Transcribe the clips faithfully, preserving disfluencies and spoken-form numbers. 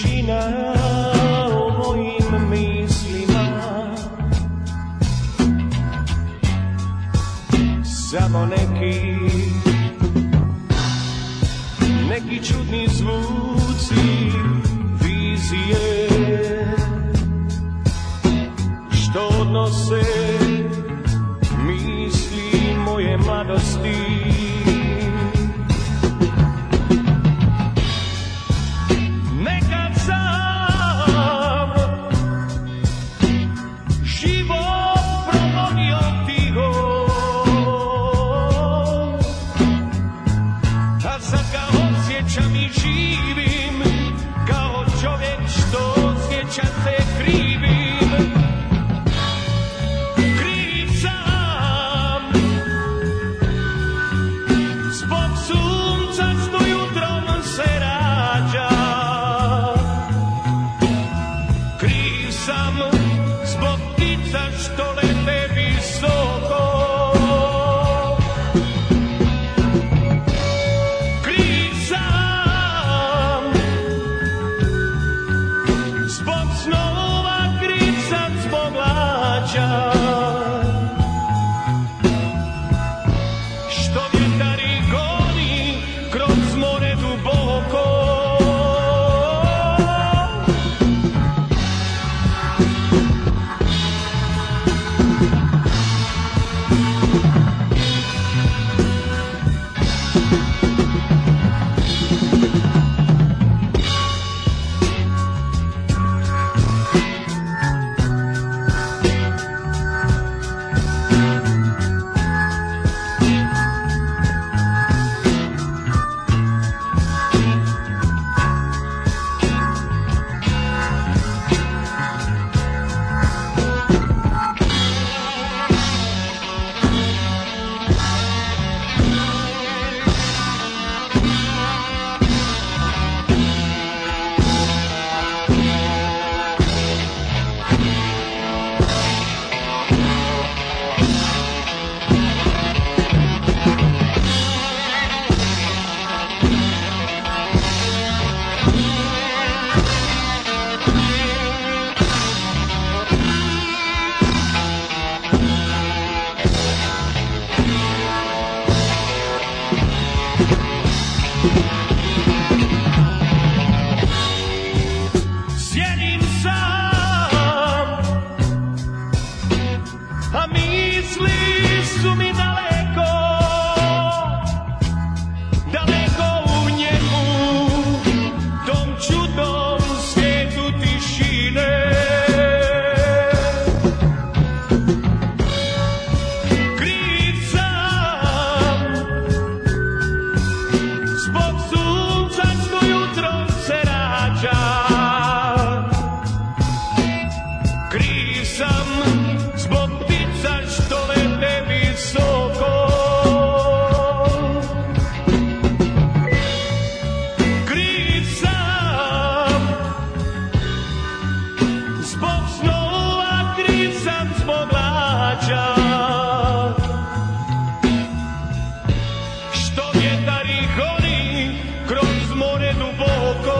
tišina u mojim mislima, samo neki, neki čudni zvuci, vizije, što odnose misli moje mladosti. Nekad sam život progonio tiho, a sad ga osjećam i živim kao čovjek što osjeća se krivim. Kriv sam zbog sunca što jutrom se rađa. Kriv sam zbog ptica što lete visoko. Kriv sam zbog snova, kriv sam zbog lađa. Što vjetari goni kroz more duboko. Sjedim sam, a misli su mi daleko, daleko u njemu, tom čudnom svijetu tišine. Kriv sam zbog sunca što jutrom se rađa. Kriv sam zbog ptica što lete visoko. Kriv sam zbog snova, kriv sam zbog lađa. Što vjetari goni kroz more duboko.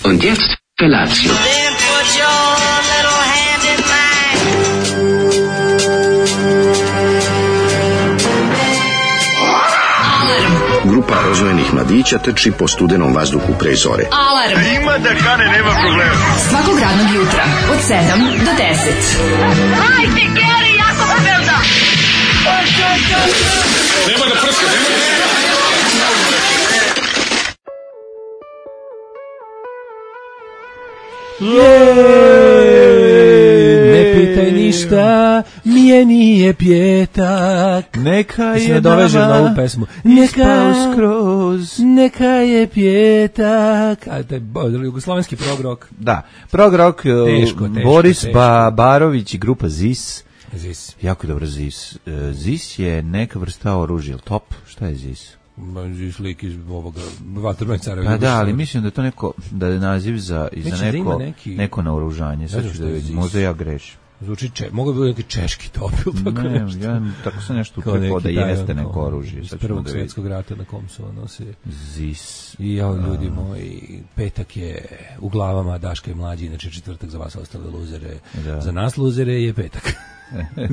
Und jetzt Felatio. Then put your little hand in mine. Grupa rozvojenih mladića trči po studenom vazduhu pre zore. Alarm. Ima da kane, nema problema. Svakog radnog jutra od sedam do deset. Hajde, Geri, jako se velda. Nema da prska, nema da prska. Jej, ne pitaj ništa mi je nije pjetak. Neka je je dovežem na ovu nama pesmu. ispao skroz. Neka je pjetak. A taj bo- jugoslovenski prog rock. Da, prog rock, Teško, teško, Boris teško. Ba- Barović i grupa Zis. Zis. Jako dobro Zis. E, Zis je neka vrsta oružja, top, šta je Zis? Ma, Zis lik iz ovoga Vatrmaj Carevi. Pa da, ali mislim da je to neko, da je naziv za, i za Mislim da ima neko, neki- neko naoružanje, sad znam ću šta da je vidim, Zis. možda ja grešim. Zvuči če, mogu bi biti neki češki top ili tako Ne, nešto. ja tako sam nešto Kao utrepao da neki taj, jeste ono, neko oružje. iz sad ćemo prvog da vidimo. svjetskog rata na kom su ono se... Zis. I ja, ljudi moji, petak je u glavama Daška i Mlađi, znači četvrtak za vas ostale luzere. Da. Za nas luzere je petak.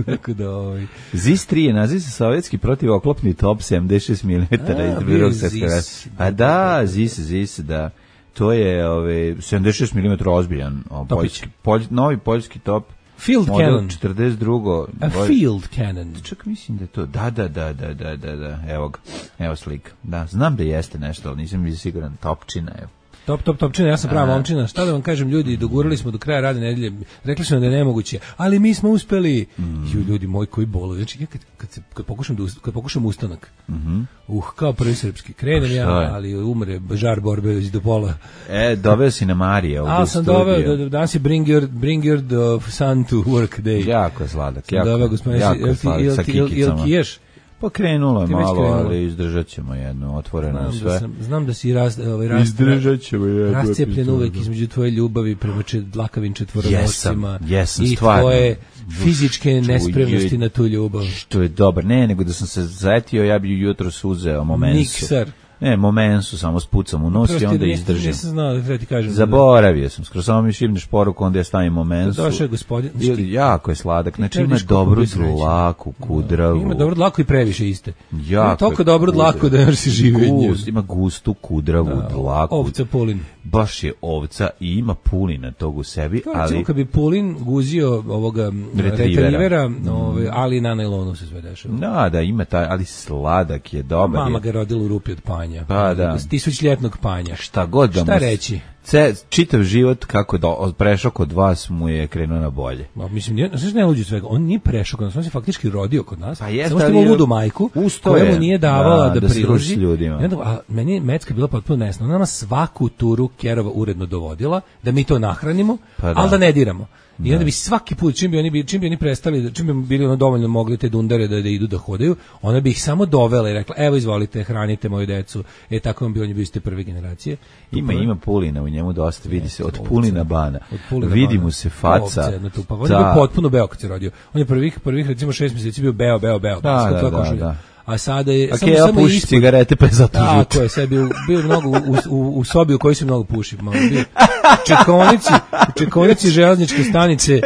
Tako da, ovaj... Zis tri je naziv za sovjetski protivoklopni top sedamdeset šest milimetara A, iz bio drugog je svjetskog Zis. rata. Pa da, Zis, Zis, da. To je ove, sedamdeset šest milimetara ozbiljan. O, Topić. poljski, polj, novi poljski top. Field model cannon. četrdeset dva. A field cannon. Čak mislim da je to, da, da, da, da, da, da, da, evo ga, evo slika. Da, znam da jeste nešto, ali nisam bio siguran, topčina, evo. Top, top, topčina, ja sam prava Aha. momčina. Šta da vam kažem, ljudi, dogurali smo do kraja radne nedelje. Rekli smo da je nemoguće, ali mi smo uspeli. Mm. Ju, ljudi moji koji boluju. Znači, ja kad, kad, se, kad, pokušam da, ust- kad pokušam ustanak, Mhm. uh, kao prvi srpski, krenem ja, šta je? ali umre žar borbe već do pola. E, doveo si na Marije ovdje Ali u sam studiju. doveo, da, danas je bring your, bring your the sun to work day. Jako je sladak, Sam jako, doveo, gospodine, jako jel je ti, sladak jel sa ti, jel, jel kikicama. kiješ? Pa krenulo je Ti već malo, krenulo. ali izdržat ćemo jedno, otvoreno je Znam da, sve. sam, znam da si raz, ovaj, rast, Izdržat ćemo jednu rascijepljen epizodu. uvek između tvoje ljubavi prema čet- dlakavim četvoronoscima Jesam, jesam, i stvarno. tvoje fizičke nespremnosti Čuj, na tu ljubav. Što je dobar, ne, nego da sam se zajetio, ja bi jutros uzeo momensu. Niksar. Ne, momensu, samo spucam u nos i Prosti, onda nisam- izdržim. Nisam znao, da treba ti kažem. Zaboravio sam, skoro samo mi šibneš poruku, onda ja stavim momensu. Došao je gospodin. Znaš Ili, ti- jako je sladak, znači treba ima vidiš koliko dobru bi srećan. dlaku, kudravu. Ima dobro dlako i previše iste. Jako Ima toliko je dobro dlako kudravu. da još si živi od nje. Gust, ima gustu kudravu dlaku. Ovca Pulin. Baš je ovca i ima pulina tog u sebi, Kao recimo ali kad bi Pulin guzio ovoga m, Retrievera. retrivera, ove, ali na najlonu se sve dešava. da, da, ima taj, ali sladak je, dobar Mama je. ga rodila u rupi od panja. Pa da. Tisućljetnog panja. Šta god da Šta mu... reći? Ce, čitav život kako je do, od- prešao kod vas mu je krenuo na bolje. Ma, mislim, nije, znaš ne luđi svega, on nije prešao kod nas, on se faktički rodio kod nas, Pa jeste, samo što ali ima je- ludu majku, Usto koja je, mu nije davala da, da, da se priloži. druži s ljudima. I onda, a meni je Mecka bila potpuno nesna, ona nama svaku turu Kerova uredno dovodila, da mi to nahranimo, Pa da. ali da ne diramo. I onda bi svaki put, čim bi oni, bi- čim bi oni prestali, čim bi bili ono dovoljno mogli te dundare da, da idu da hodaju, ona bi ih samo dovela i rekla, evo izvolite, hranite moju decu. E, tako vam bi oni bili ste prve generacije. Ima, ima pulina u njemu dosta, vidi se, od ovca. pulina bana. Od Pulina Vidi Bana. mu se faca. Ovca jedna tu, pa on je Da. bio potpuno beo kad se rodio. On je prvih, prvih recimo šest mjeseci bio beo, beo, beo. Da, Sve da, to da, košulja. da. A sada je... A samo- Keva samo puši ispod- cigarete, pa je zato žut. Tako je, sve bio, bio mnogo u, u, u sobi u kojoj se mnogo puši. Malo bio. U čekonici, u čekonici železničke stanice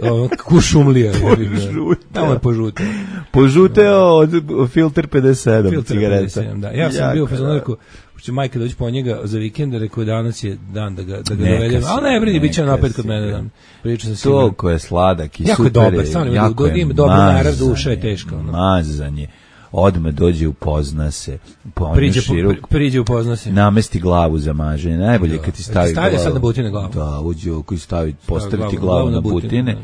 o, kušumlija. Tamo je požutio. Požuteo od filter pedeset sedam Filter cigareta. pedeset sedam, da. Ja sam Jako, bio u fazonu, da. rekao, će majka doći po njega za vikend, rekao danas je dan da ga, da ga Neka dovedem. si, Ali ne brini, bit će neka napet kod si, mene da. dan. Pričao sam sigurno. Toliko je sladak i Jako je super dobar, stvarno ima jako do- je ima dobar narav, mazan duša je je, teška, ono. Mazan je. Odmah dođe, upozna se, po Priđe, po, širok, pri- priđe upozna se. namesti glavu za maženje. Najbolje kad ti stavi Ti stavlja glavu. sad na butine glavu. Da, uđe oko i stavi, postavi glavu- ti glavu glavu na na butine, butine da.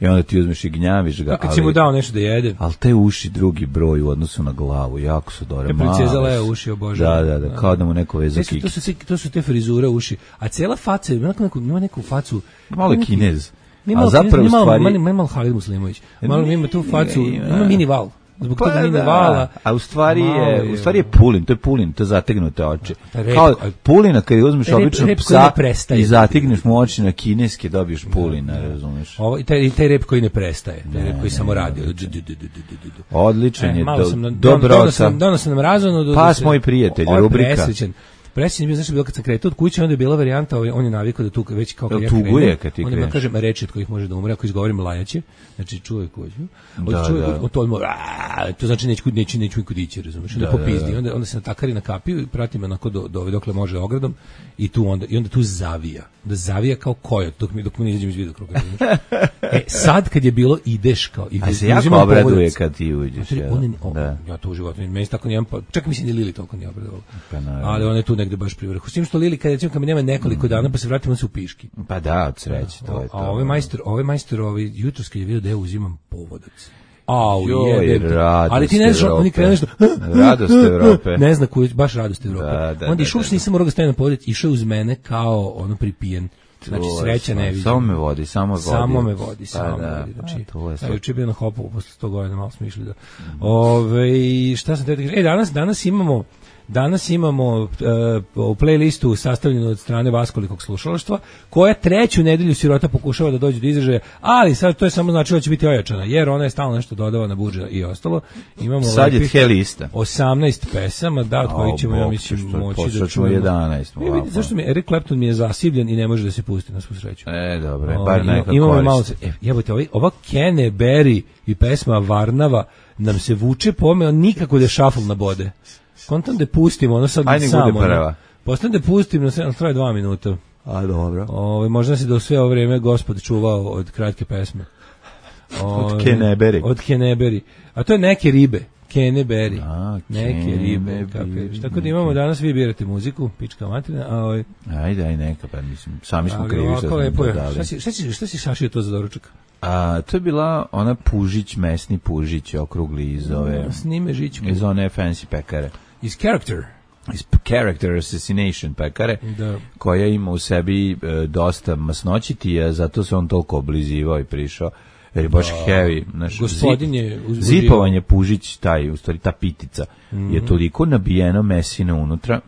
i onda ti uzmeš i gnjaviš ga. Pa kad si mu dao nešto da jede. Ali te uši drugi broj u odnosu na glavu, jako su dobre. E, princeza male Lea su. uši obožava. Da, da, da, kao da mu neko vezo E, su- to, su, kikice. te- to su te frizure uši. A cijela faca, ima neku, ima neku facu... Malo je neki- Kinez. Nije A malo, zapravo nije malo, u stvari- malo, malo, malo Halid Muslimović. Malo ima tu facu, Ima. ima mini val. Zbog toga Pa mini da, vala. a u stvari malo je, u stvari je Pulin, to je Pulin, to je zategnute oči. Ta rep- Kao Pulina kad uzmeš Rep- obično rep koji psa ne prestaje. i zategneš mu oči na kineske, dobiješ Pulina, razumeš. Ovo, i taj, i taj rep koji ne prestaje, taj rep koji samo radi. Du- du- du- du- du- du- du. Odličan E, je, malo do, sam na, dobro dono sa... sam, dono sam nam razvano. do- Pas do- moj prijatelj, on je rubrika. Presrećan. Presrećan je bio, znaš, bilo kad sam kretao od kuće, onda je bila varijanta, ovaj, on je navikao da tu već kao kad Jel ja tuguje krenem, kad ti onda ima, kreneš? kažem, reči od kojih može da umre, ako izgovorim lajaće, znači čuje kuću, od Da, čuje, da. od to odmah, "Aaaa", to znači neću, neću, neću niko dići, razumiješ, onda Da, popizdi, da, da. onda, onda se natakari na kapiju i prati me onako do, do, dokle može ogradom i tu onda, i onda tu zavija, da zavija kao kojot, dok mi, dok mi ne izađem iz vidokruga, razumiješ. E, sad kad je bilo ideš kao, i A se uzimam jako obraduje povodac. kad ti uđeš. Znači, jel? on je, o, Da. ja to u životu, meni se tako nijem, pa, čak mislim ni Lili toliko nije obradovala. Pa naravno. Ali ona je tu negde negde baš pri vrhu. S tim što Lili, kad recimo kad mi nema nekoliko dana, pa se vratimo se u piški. Pa da, od sreće, to je to. A ovaj majstor, ovaj majstor, ovaj jutros kad je vidio da ja uzimam povodac. Au, Joj, jebe. radost Ali ti ne znaš, Evrope. oni krenu nešto. Radost Evrope. Ne zna kuć, baš radost Evrope. Da, da, Onda da, išao da, se nisam morao ga staviti na povodac, išao uz mene kao ono pripijen. Znači sreća ne vidi. Samo me vodi, samo vodi. Samo me vodi, samo pa, me da, vodi. Znači, to je a juče je bio na Hopovu posle sto godina, malo smo išli da. Ove, šta sam te da kažem? E, danas, danas imamo Danas imamo uh, u playlistu sastavljenu od strane Vaskolikog slušalaštva, koja treću nedelju sirota pokušava da dođe do izražaja, ali sad to je samo značilo da će biti ojačana, jer ona je stalno nešto dodava na budžet i ostalo. Imamo sad je tje lista. osamnaest pesama, da, od kojih ćemo, ja mislim, moći da čujemo. jedanaest. E, vidite, zašto mi Eric Clapton mi je zasivljen i ne može da se pusti na svu sreću. E, dobro, O, bar ima- neka imamo korist. malo, e, jebote, ovaj, ova Kene Berry i pesma Varnava nam se vuče pome, on nikako da šafl na bode. Kontam da pustimo, ono sad Ajde, nek samo. bude prva. Postavim da pustim, no sve, traje dva minuta. A, dobro. Ove, možda se do sve ovo vreme gospod čuvao od kratke pesme. Ove, Keneberi. Od Keneberi. A to je neke ribe. Keneberi. A, Neke ribe. Keneberi. Kapiraš. Tako da imamo danas, vi birate muziku, pička materina, a ovaj, Ajde, aj neka, pa mislim, sami smo ali krivi što ovako smo lepo je. dodali. Šta si, šta si, šta si sašio to za doručak? A, to je bila ona Pužić, mesni Pužić, okrugli iz ove, Snime žičku. iz one fancy pekare. Iz Character. Iz Character Assassination pekare, Da. koja ima u sebi e, dosta masnoćitija, zato se on toliko oblizivao i prišao, jer je baš heavy. Znaš, Gospodin zip- je uzbudio. zipovanje Pužić, taj, u stvari ta pitica, Mhm. je toliko nabijeno mesina unutra,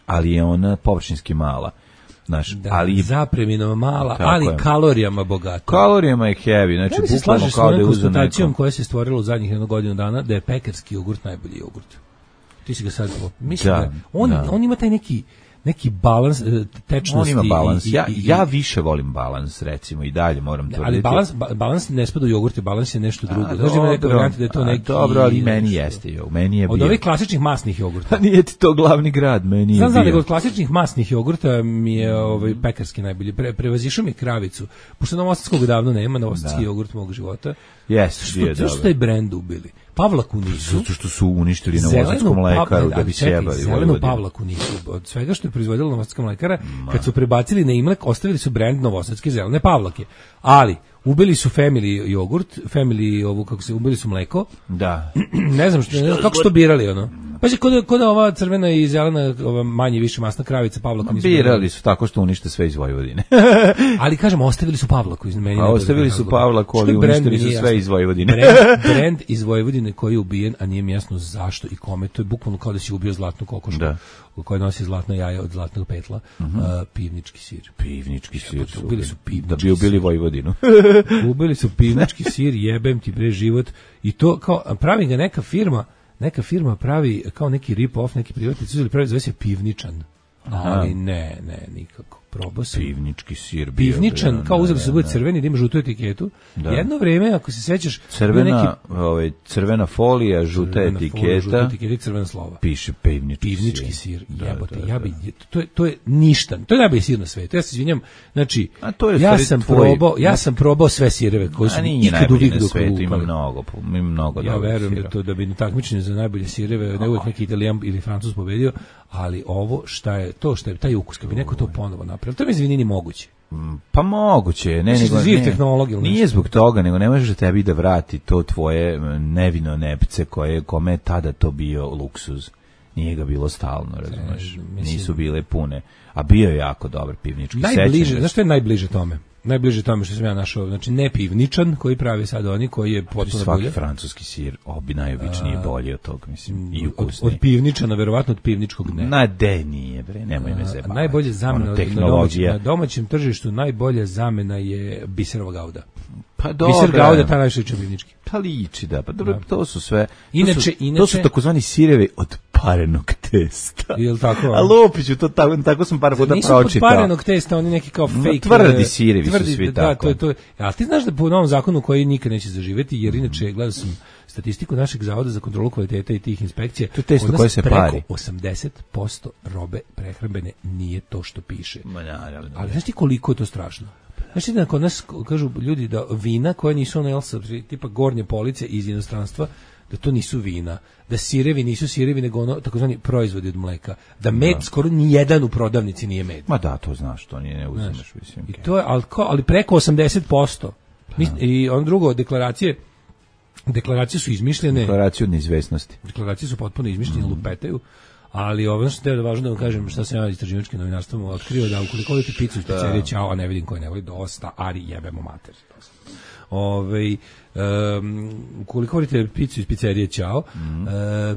ali je ona površinski mala. Znaš, Da, ali zapreminom mala, Tako ali je. kalorijama bogata. kalorijama je heavy, znači Da li se bukvalno slažeš s kao da je onom uzeo konstatacijom neko. koja se stvorila u zadnjih jednu godinu dana da je pekarski jogurt najbolji jogurt? Ti si ga sad po... Mislim da, Da, on, da. on ima taj neki neki balans e, tečnosti. On ima balans. i- i- Ja, i- ja više volim balans, recimo, i dalje moram tvrditi. ali balans, ba- balans ne spada u jogurt, balans je nešto drugo. A, Znaš da ima neka dobro. varijanta da je to A, neki... dobro, ali meni nešto. jeste, jo. Meni je Od bio. ovih klasičnih masnih jogurta. Pa nije ti to glavni grad, meni je Znam, znam, nego bio. od klasičnih masnih jogurta mi je ovaj, pekarski najbolji. Pre, prevazišao mi je kravicu. Pošto novosadskog davno nema, novosadski Da. jogurt mog života. Jeste, Što, bio je zašto su dobro. taj brend ubili? Pavlaku nisu. Zato što su uništili Zelenu novosadsku mlekaru Pav- da ali bi čekaj, sjebali zelenu Vojvodinu. Pavlaku nisu. Od svega što je proizvodila novosadska mlekara, kad su prebacili na Imlek, ostavili su brend novosadske zelene Pavlake. Ali, ubili su Family jogurt, Family ovu, kako se, ubili su mleko. Da. Ne znam što, ne znam kako su to birali, ono. Pa je kod, kod ova crvena i zelena, ova manje više masna kravica Pavlaku nisu Birali su tako što unište sve iz Vojvodine. Ali kažem, ostavili su Pavlaku iz meni. A ostavili su Pavlaku, ali uništili su sve iz Vojvodine. Brend, brend iz Vojvodine koji je ubijen, a nije mi jasno zašto i kome. To je bukvalno kao da si ubio zlatnu kokošku Da. koja nosi zlatno jaje od zlatnog petla. Uh, pivnički sir. Pivnički sir su ubili su pivnički da bi ubili Vojvodinu. Ubili su pivnički sir, jebem ti bre život. I to kao, pravi ga neka firma, neka firma pravi kao neki rip-off, neki privatnici uzeli pravi, zove se Pivničan. Ali ne, ne, nikako. Probao sam. Pivnički sir. bio, Pivničan, bre, kao da, uzeli su da, bude da. crveni, da ima žutu etiketu. Da. Jedno vreme, ako se sećaš, bio Crvena, neki ovaj, crvena folija, žuta crvena folija, žuta etiketa, etiketa i crvena slova. piše pivnički, Pivnički sir, Da, jebote, da, ja da. bi, to je, to je ništa, to je najbolji sir na svetu, ja se izvinjam, znači, A to je u ja stvari sam tvoj- probao, ja sam probao sve sireve koji su A mi nije ikad najbolji uvijek na dok svetu, ima upali. mnogo, ima mnogo Ja dobrih verujem da sireva. to da bi na takmičenju za najbolje sireve ne uvijek neki Italijan ili Francuz pobedio, ali ovo šta je, to što je taj ukus, kad bi neko to ponovo napravio, to mi izvini ni moguće. Pa moguće je, ne, Misliš nego da živ ne, tehnologija ili nije nešto? zbog toga, nego ne možeš tebi da vrati to tvoje m, nevino nepce koje, kome je tada to bio luksuz. Nije ga bilo stalno, razumeš, mislim- nisu bile pune, a bio je jako dobar pivnički. Najbliže, Sećam znaš što je najbliže tome? Najbliže tome što sam ja našao, znači ne pivničan koji pravi sad oni, koji je se, potpuno svaki bolje. francuski sir, obi najobičniji je bolji od tog, mislim, i Od, ukusniji. od pivničana, verovatno od pivničkog ne. Na de nije, bre, nemoj me A, zebavati. najbolje zamena Ono, na domaćem, tehnologija. na domaćem tržištu najbolja zamena je biserova gauda. Pa dobro. Biser gauda ta najviše liči pivnički. Pa liči, da, pa dobro, to su sve, to Inače- su, inače- to su takozvani sirevi od parenog testa. Jel tako? A Lupiću, to tako, tako sam par puta Nisu pročitao. pod parenog testa, oni neki kao No, fake. tvrdi e, sirevi su svi da, tako. To je, to je. A ti znaš da po novom zakonu koji nikad neće zaživeti, jer inače gledao sam statistiku našeg zavoda za kontrolu kvaliteta i tih inspekcija. To je testo kod nas koje se preko pari. osamdeset posto robe prehrambene nije to što piše. Ma, naravno. Ali znaš ti koliko je to strašno? Znaš ti da kod nas kažu ljudi da vina koje nisu ono, jel, sa, tipa gornje police iz inostranstva, da to nisu vina, da sirevi nisu sirevi nego ono takozvani proizvodi od mleka, da med skoro ni jedan u prodavnici nije med. Ma da, to znaš, to nije ne uzimaš, mislim. I to je ali, ali preko osamdeset posto. Mi, i on drugo deklaracije deklaracije su izmišljene. Deklaracije od neizvesnosti. Deklaracije su potpuno izmišljene, mm. lupetaju. Ali ovo što je važno da vam kažem šta sam ja istraživačkim novinarstvom otkrio, da ukoliko volite picu iz pizzerije Ćao, a ne vidim koje ne voli, dosta, ari jebemo mater. Ove, um, ukoliko volite picu iz pizzerije Ćao, mm. uh,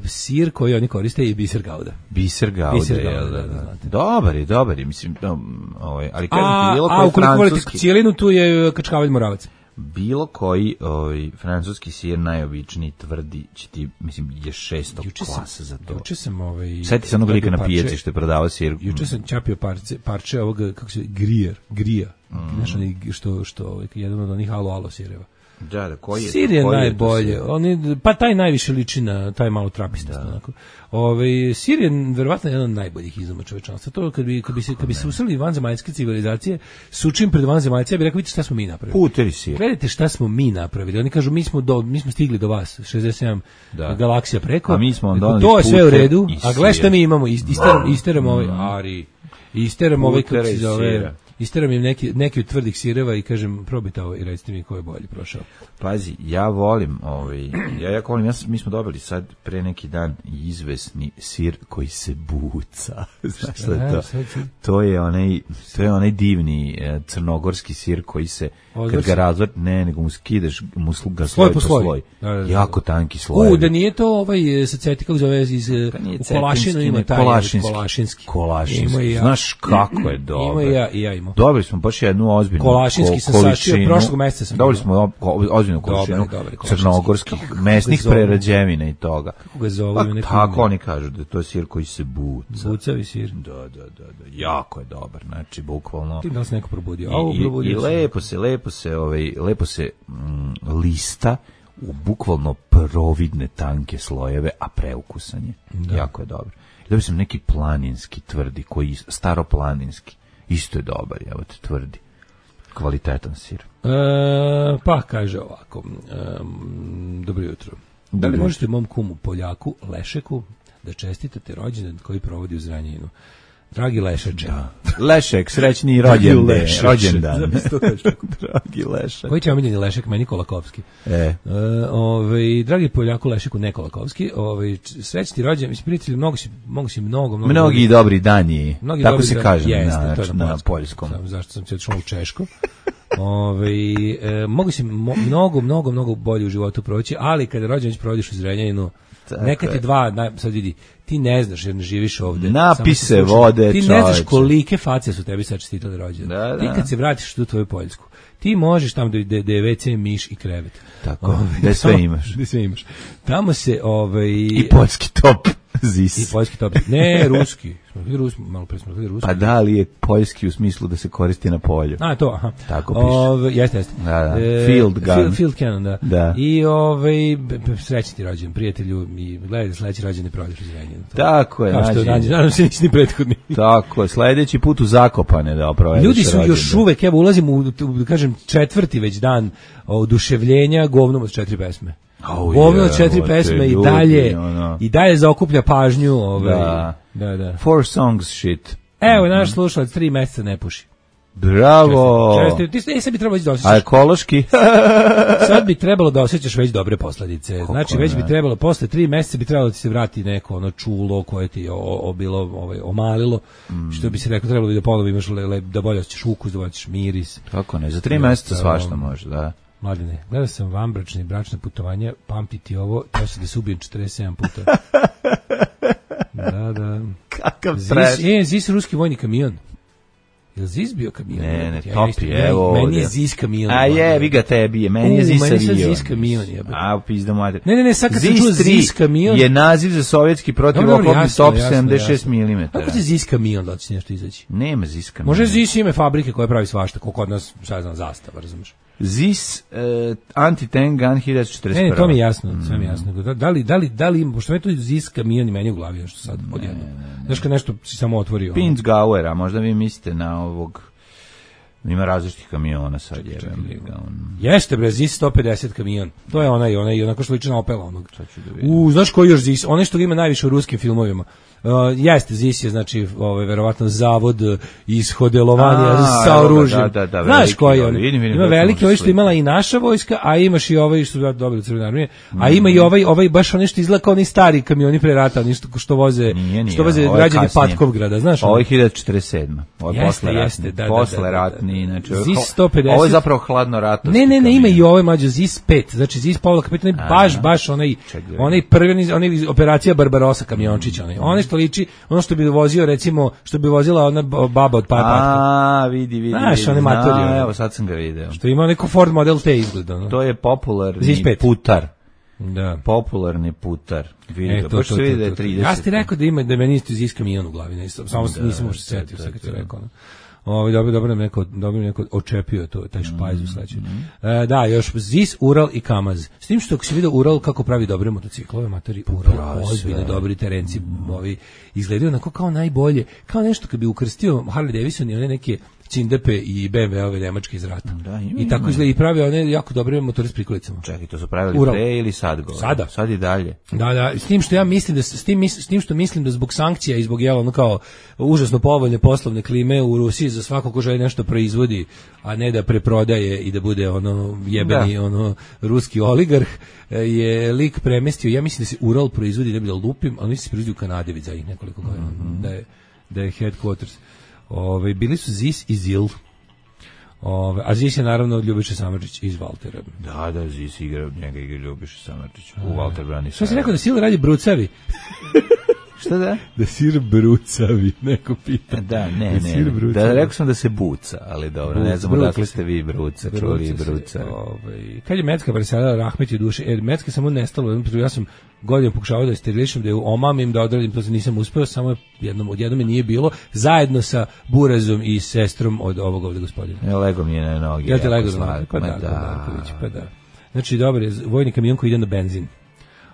sir koji oni koriste je biser gauda. Biser gauda, biser je, gauda, da, da, da. da. Dobar je, dobar je, mislim, no, ovaj, ali kažem, a, bilo a koji ukoliko francuski... volite cijelinu, tu je kačkavalj moravac. Bilo koji ovaj, francuski sir najobičniji tvrdi će ti, mislim, je šesto juče klasa sam, za to. Juče sam ovaj... Sjeti se onog lika na pijaci što je prodavao sir. Juče sam čapio parče, parče ovog, kako se, grijer, grija. Mm. Znaš, što, što, ovaj, jedan od onih alo alo sireva. Da, da, koji je sir je najbolje. Oni, pa taj najviše liči na taj malo trapista. Onako. Ove, sir je verovatno jedan od najboljih izuma čovečanstva. To kad bi, kad bi se, kad bi se usreli vanzemaljske civilizacije, sučim pred vanzemaljce, ja bih rekao, vidite šta smo mi napravili. Puteri sir. Gledajte šta smo mi napravili. Oni kažu, mi smo, do, mi smo stigli do vas, šezdeset sedam da. Galaksija preko. A mi smo on donali to je sve u redu. A gledaj šta mi imamo. Isteram, isteram mm. ovaj, ari, isteram ovaj, kako se zove... Isteram im neki, neki od tvrdih sireva i kažem, probajte ovo i recite mi ko je bolji prošao. Pazi, ja volim, ovaj, ja jako volim, ja, mi smo dobili sad pre neki dan izvesni sir koji se buca. Znaš šta je to? To je onaj, to je onaj divni eh, crnogorski sir koji se, kad ga razvrt, ne, nego mu skidaš, mu ga sloj po sloj. sloj. Da, da, da. Jako tanki sloj. U, da nije to ovaj sa ceti, kako zove, iz u Kolašinu ima taj Kolašinski. Kolašinski. Kolašinski. Ja. Znaš kako je dobro. Ima ja i ja imam. Dobili smo baš jednu ozbiljnu Kolašinski sam sačio, prošlog meseca sam. Dobili smo ozbiljnu količinu crnogorskih mesnih prerađevina i toga. Kako ga zovu? Pa, tako oni kažu da je to sir koji se buca. Bucavi sir. Da, da, da, da. Jako je dobar, znači bukvalno. Ti da se neko probudio. I, i, i lepo se, lepo se, ovaj, lepo se mm, lista u bukvalno providne tanke slojeve, a preukusan je. Da. Jako je dobro. Dobio sam neki planinski tvrdi, koji staroplaninski. Isto je dobar, evo te tvrdi. Kvalitetan sir. E, pa, kaže ovako. E, dobro jutro. Da li možete mom kumu Poljaku, Lešeku, da čestitate rođendan koji provodi u Zranjinu? Dragi Lešeče. Da. Lešek, srećni rođendan. rođendan. Dragi Lešek. Koji će omiljeni Lešek? Meni Kolakovski. E. E, ovaj, dragi Poljaku, Lešeku, ne Kolakovski. Ovaj, srećni rođendan. Mislim, prijatelji, mnogo si, mnogo si mnogo, mnogo... Mnogi dobri, dobri dani. Mnogi tako dobri se dan, kaže jeste, na, to je na, na, na poljskom. Sam, zašto sam se odšao u Češko. Ove, e, mogu si mo, mnogo, mnogo, mnogo bolje u životu proći, ali kada rođendan provodiš u Zrenjaninu, neka ti dva, na, sad vidi, ti ne znaš jer ne živiš ovde. Napise vode, ti ne znaš kolike face su tebi sad čestitali rođendan. Da, da. Ti kad se vratiš u tvoju Poljsku, ti možeš tamo da, da, da je ve ce, miš i krevet. Tako, ove, da sve tamo, imaš. Da sve imaš. Tamo se... Ove, I poljski top. Zis. I poljski top. Ne, ruski. Smo bili ruski, malo pre smo bili ruski. Pa da li je poljski u smislu da se koristi na polju? A, to, aha. Tako piše. Ove, jeste, jeste. Da, da. E, field gun. Field, field cannon, da. da. I ovaj srećni ti rođendan, prijatelju, i gledaj da sledeći rođendan prođeš u Zrenjaninu. Tako je, kao što nađe. Nadam se nisi ni prethodni. Tako je, sledeći put u Zakopane da provedeš. Ljudi su rođendan. još uvek, evo ulazimo u, u, kažem, četvrti već dan oduševljenja govnom od četiri pesme. Oh, govno od četiri pesme ljudi, i dalje ono. I dalje zaokuplja pažnju. Ovaj, da. Da, da. Four songs shit. Evo, mm-hmm. naš slušalac tri meseca ne puši. Bravo. Česti, česti, ti sad bi trebalo da osjećaš. A ekološki? Sad bi trebalo da osjećaš već dobre posledice. Kako znači već ne? bi trebalo posle tri meseca bi trebalo da ti se vrati neko ono čulo koje ti o, o bilo ovaj omalilo, mm. što bi se reklo trebalo bi da ponovo imaš le, le, da bolje osjećaš ukus, da bolje osjećaš miris. Kako ne? Za tri meseca svašta može, da. Mladine, gledao sam vanbračne i bračne putovanja, pamtiti ovo, to se da se ubijem četrdeset sedam puta. Da, da. Kakav trash. E, Zis ruski vojni kamion. Je li Zis bio kamion? Ne, ne, ja, topi, ja, evo meni ovdje. Je Zis kamion. A je, vi ga tebi je, meni je Zis avion. Meni je Zis kamion, jebe. A, pizda mater. Ne, ne, ne, sad kad sam čuo Zis kamion... je naziv za sovjetski protivoklopni top sedamdeset šest milimetara. Kako će Zis kamion da će nešto izaći? Nema Zis kamion. Može Zis ime fabrike koja pravi svašta, koliko od nas, sad znam, zastava, razumiješ? Zis uh, anti-tank gun hiljadu četrdeset prva. Ne, ne, to mi je jasno, mm. sve mi je jasno. Da, da li, da li, da li, pošto me to Zis kamion i meni u glavi nešto sad odjedno. Znaš kad nešto si samo otvorio. Pinzgauera, možda vi mislite na ovog Ima različitih kamiona sad, jebem ga. On... Jeste, bre, Zis sto pedeset kamion. To je onaj, onaj, onako što liči na Opela onog. Sad ću da vidim. U, znaš koji još Zis? Onaj što ga ima najviše u ruskim filmovima. Uh, jeste, Zis je, znači, ovaj, verovatno zavod ishodelovanja sa oružjem. Da, da, da, znaš koji on? Vidim, vidim, ima veliki, ovaj što imala i naša vojska, a imaš i ovaj što su dobili Crvene armije, a ima i ovaj, ovaj baš onaj što izgleda kao oni stari kamioni pre rata, oni što, što voze, nije, nije, što voze građani Patkovgrada, znaš? Ovo je hiljadu četrdeset sedma. Ovo je jeste, posle jeste, ratni. da, da, posle da, da, ratni, da. znači, Zis sto pedeset. Ovo je zapravo hladno ratovski. Ne, ne, ne, ima kamion. i ovaj mađo Zis pet, znači Zis Pavla Kapitan, baš, baš onaj, onaj prvi, onaj operacija Barbarossa kamiončić, onaj, onaj što liči, ono što bi vozio, recimo, što bi vozila ona baba od Patka. A, vidi, vidi, znaš, vidi. one matorije. Evo, sad sam ga video. Što ima neko Ford Model T izgleda. No? To je popularni Zis pet. putar. Da. Popularni putar. Vidi E, ga, to, baš to, se to, vidi da to, je to. trideset. Ja ti rekao da ima, da meni isto Zis kamion u glavi, ne, samo da, nisam uopšte da, setio, sad kad ti da, rekao. No? Ovo, dobro, dobro nam neko, dobro neko očepio to, taj špajz u sledećem. E, da, još Zis, Ural i Kamaz. S tim što ako si vidio Ural kako pravi dobre motociklove, matori, Ural, ozbiljno dobri terenci, ovi izgledaju onako kao najbolje, kao nešto kad bi ukrstio Harley Davidson i one neke Cindepe i B M W-ove nemačke iz rata. Da, ima, I tako ima. izgleda i pravi one jako dobre motore s prikolicama. Čekaj, to su pravili Ural. pre ili sad gore? Sada. Sad i dalje. Da, da, s tim što ja mislim da s tim s tim što mislim da zbog sankcija i zbog jela ono kao užasno povoljne poslovne klime u Rusiji za svako ko želi nešto proizvodi, a ne da preprodaje i da bude ono jebeni da. ono ruski oligarh, je lik premestio. Ja mislim da se Ural proizvodi, da bi da lupim, ali mislim da se proizvodi u Kanadi već za ih nekoliko godina. Mm-hmm. Da je da je headquarters. Ove, bili su Zis i Zil. Ove, a Zis je naravno Ljubiša Samardžić iz Valtera. Da, da, Zis igra, njega igra Ljubiša Samardžić u Valter brani. Što si rekao da Sil radi brucavi? Šta da? Da sir brucavi, neko pita. Da, ne, ne. ne. Da, rekao sam da se buca, ali dobro, Bruc, ne znam odakle ste vi bruca, čuli bruca. Ovaj, kad je Mecka preselila Rahmeti duše, e, Mecka samo nestalo, ja sam godinu pokušavao da je sterilišem, da je omamim, da odradim, to se nisam uspeo, samo jednom, od jednom je nije bilo, zajedno sa Burazom i sestrom od ovog ovde gospodina. Ja lego mi je na noge. Ja te lego na noge, pa da, da. pa da. Znači, dobro je, vojni kamion koji ide na benzin.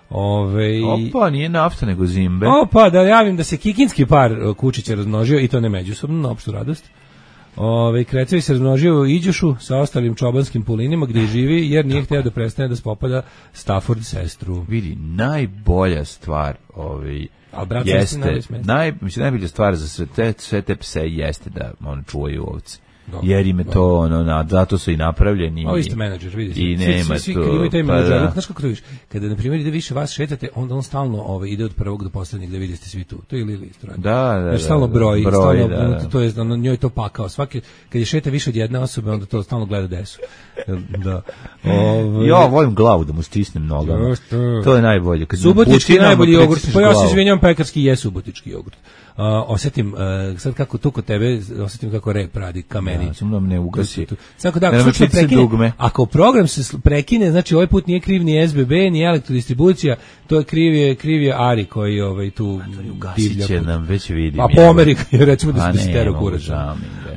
Ove... Opa, nije nafta nego zimbe. Opa, da javim da se kikinski par kučića razmnožio i to ne međusobno, na opštu radost. Ove, Krecevi se razmnožio u Iđušu sa ostalim čobanskim pulinima gdje živi jer nije htio da prestane da spopada Stafford sestru. Vidi, najbolja stvar ovaj, brat, jeste, naj, mislim, najbolja stvar za sve te, sve te pse jeste da on čuvaju ovce. Dobro, jer im je to ono, na, zato su i napravljeni. Ovo isto menadžer, vidi. I nema svi, svi, svi to. imaju taj pa menadžer, da. znaš kako to vidiš? Kada, na primjer, ide više vas šetate, onda on stalno ovaj, ide od prvog do poslednjeg da vidite svi tu. To je Lili isto radi. Da, da, jer stalno da, broji, broj, stalno, da, da. to je, ono, njoj to pakao. Svaki, kad je šeta više od jedne osobe, onda to stalno gleda desu. Da. Ove, ja volim glavu da mu stisnem nogama. To, to je najbolje. Kad subotički najbolji jogurt. Pa ja se izvinjam, pekarski je subotički jogurt. Uh, osetim, uh, sad kako tu kod tebe, osetim kako rep radi kameni. Ja, sam da me ugasi. Sad da, ako, se prekine, ako program se prekine, znači ovaj put nije kriv ni S B B, ni elektrodistribucija, to je kriv je, kriv je Ari koji ovaj, tu divlja. Ugasit nam, već vidim. A po Amerika, recimo da se stero kurac.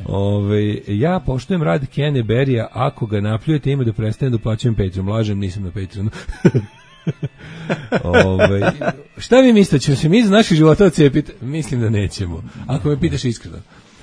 Ove, ja poštujem rad Kene Berija, ako ga napljujete ima da prestane da uplaćujem Patreon. Lažem, nisam na Patreonu. Ove, šta vi mislite, ćemo se mi iz naših života ocijepiti? Mislim da nećemo, ako me pitaš iskreno.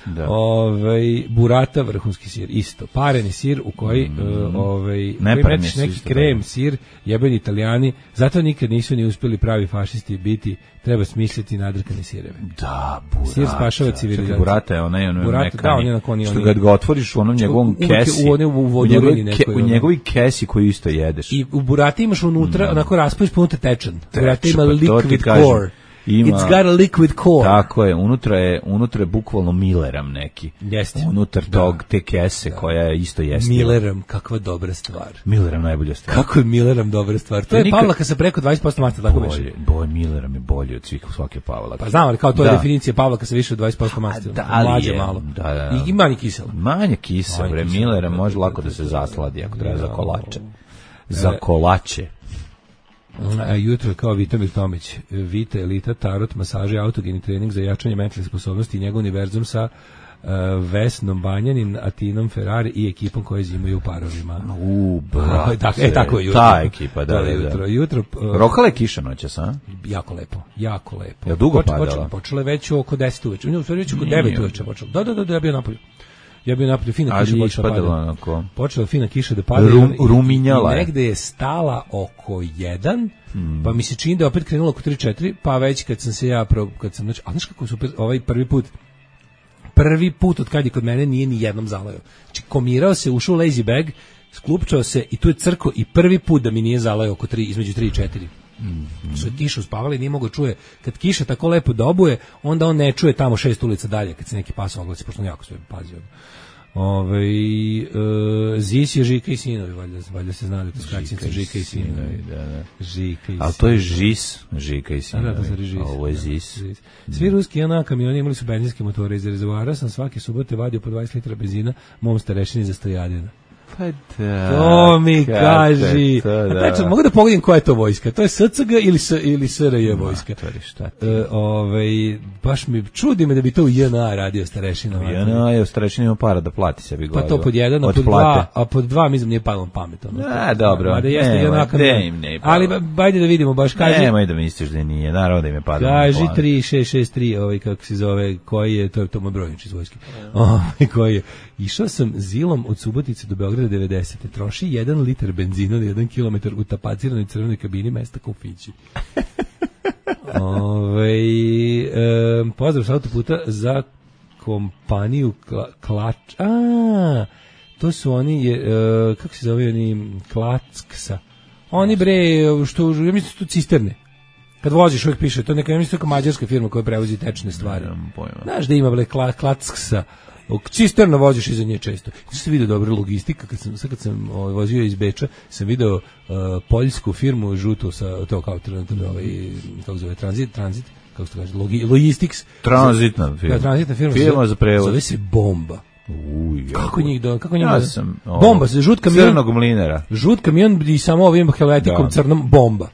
Da. Ove, burata, vrhunski sir, isto. Pareni sir u koji, mm. ove, koji metiš neki krem, sir, jebeni Italijani, zato nikad nisu ni uspjeli pravi fašisti biti, treba smisliti nadrkane sireve. Da, burata. Sir spašava civilizaciju. Burata je onaj, onaj burata, mekani, da, on je na koni, što kad ga otvoriš u onom njegovom kesi, u, u, u, u, njegovoj, ke, u njegovoj kesi koju isto jedeš. I u burati imaš unutra, mm. onako raspojiš punutra tečan. Burata ima liquid core. Ima, It's got a liquid core. Tako je, unutra je, unutra je bukvalno Milleram neki. Jeste. Unutar da. tog te kese da. koja je isto jeste. Milleram, kakva dobra stvar. Milleram najbolja stvar. Kako je Milleram dobra stvar? To, to je nikad... Pavlaka sa preko dvadeset posto masti, tako bolje, biš. Bolje, Milleram je bolji od svih svake Pavlaka. Pa znam, ali kao to da. je definicija Pavlaka sa više od dvadeset posto masti. Da, mlađe je, malo. Da, da. I manje kiselo. Manje kiselo, bre. Milleram može lako da se zasladi ako treba za kolače. Za kolače. A jutro kao Vitamir Tomić, Vita, Elita, Tarot, masaže, autogeni trening za jačanje mentalne sposobnosti i njegov univerzum sa uh, Vesnom Banjanin, Atinom Ferrari i ekipom koje zimaju u parovima. U, brate. Tak, e, tako je jutro. Ta ekipa, da, da, da. Jutro, jutro, uh, Rokala je kiša noćas, a? Jako lepo, jako lepo. Je dugo Poč, padala? Počela, počela je već oko deset uveče, u stvari već oko devet uveče počela. Da, da, da, da, ja bio napolju. Ja bih napolju fina ali kiša počela pada. onako. Počela fina kiša da pada. Rum, i, ruminjala i je. negde je stala oko jedan, hmm. pa mi se čini da je opet krenula oko tri četiri, pa već kad sam se ja, pro, kad sam, znači, a znaš kako super, ovaj prvi put, prvi put od kad je kod mene nije ni jednom zalajao. Znači, komirao se, ušao u lazy bag, sklupčao se i tu je crko i prvi put da mi nije zalajao oko tri, između tri i četiri. Mm. Su kišu spavali, nije mogo čuje. Kad kiša tako lepo dobuje, onda on ne čuje tamo šest ulica dalje, kad se neki pas oglasi, pošto on jako sve pazio. Ove, e, Zis je Žika i sinovi, valjda, valjda se zna da to skraćenica Žika i sinovi. Da, da. Žika i ali to je Žis, Žika i sinovi. Da, da, to je Žis. A ovo je Zis. Zis. Svi ruski J N A kamioni imali su benzinske motore. Iz rezervoara sam svake subote vadio po dvadeset litara benzina mom starešini za stojadina. Pa da. To mi kaži. To, da. Znači, mogu da pogledam koja je to vojska? To je S C G ili, S, ili S R J vojska? Matori, šta ti? E, ovaj, baš mi čudi me da bi to u J N A radio starešina. J N A je u starešini ima para da plati sebi gorivo. Pa to pod jedan, a pod dva, a pod dva mislim nije palo pamet. Ono. A, dobro. Mada jeste J N A kamion. ne Ali bajde da vidimo, baš kaži. Nemoj da misliš da nije, naravno da im je padalo. Kaži tri šest šest tri, ovaj, kako se zove, koji je, to je to moj brojnič iz vojske. Ovaj, koji je. Išao sam zilom od Subotice do Beograda devedesete. Troši jedan litar benzina na jedan kilometar u tapaciranoj crvenoj kabini mesta Kofići. Ove, e, pozdrav sa autoputa za kompaniju kla, Klač. A, to su oni, je, e, kako se zove oni, Klacksa. Oni bre, što, ja mislim su tu cisterne. Kad voziš uvijek piše, to neka, ja mislim to mađarska firma koja prevozi tečne stvari. Znaš da ima bre kla, Klacksa. Cisterno voziš iza nje često. Što se vidio dobra logistika, kad sam, sad kad sam ovaj, vozio iz Beča, sam video uh, poljsku firmu žutu sa to kao ovaj, kako zove, tranzit, tranzit, kako se kaže, logi, logistics. Tranzitna firma. Da, tranzitna firma. Firma za prevoz. Zove se Bomba. Uj, kako njih do, kako njih ja do, sam, o, Bomba, se žut kamion. Crnog mlinera. Žut kamion i samo ovim helvetikom da. Crnom Bomba.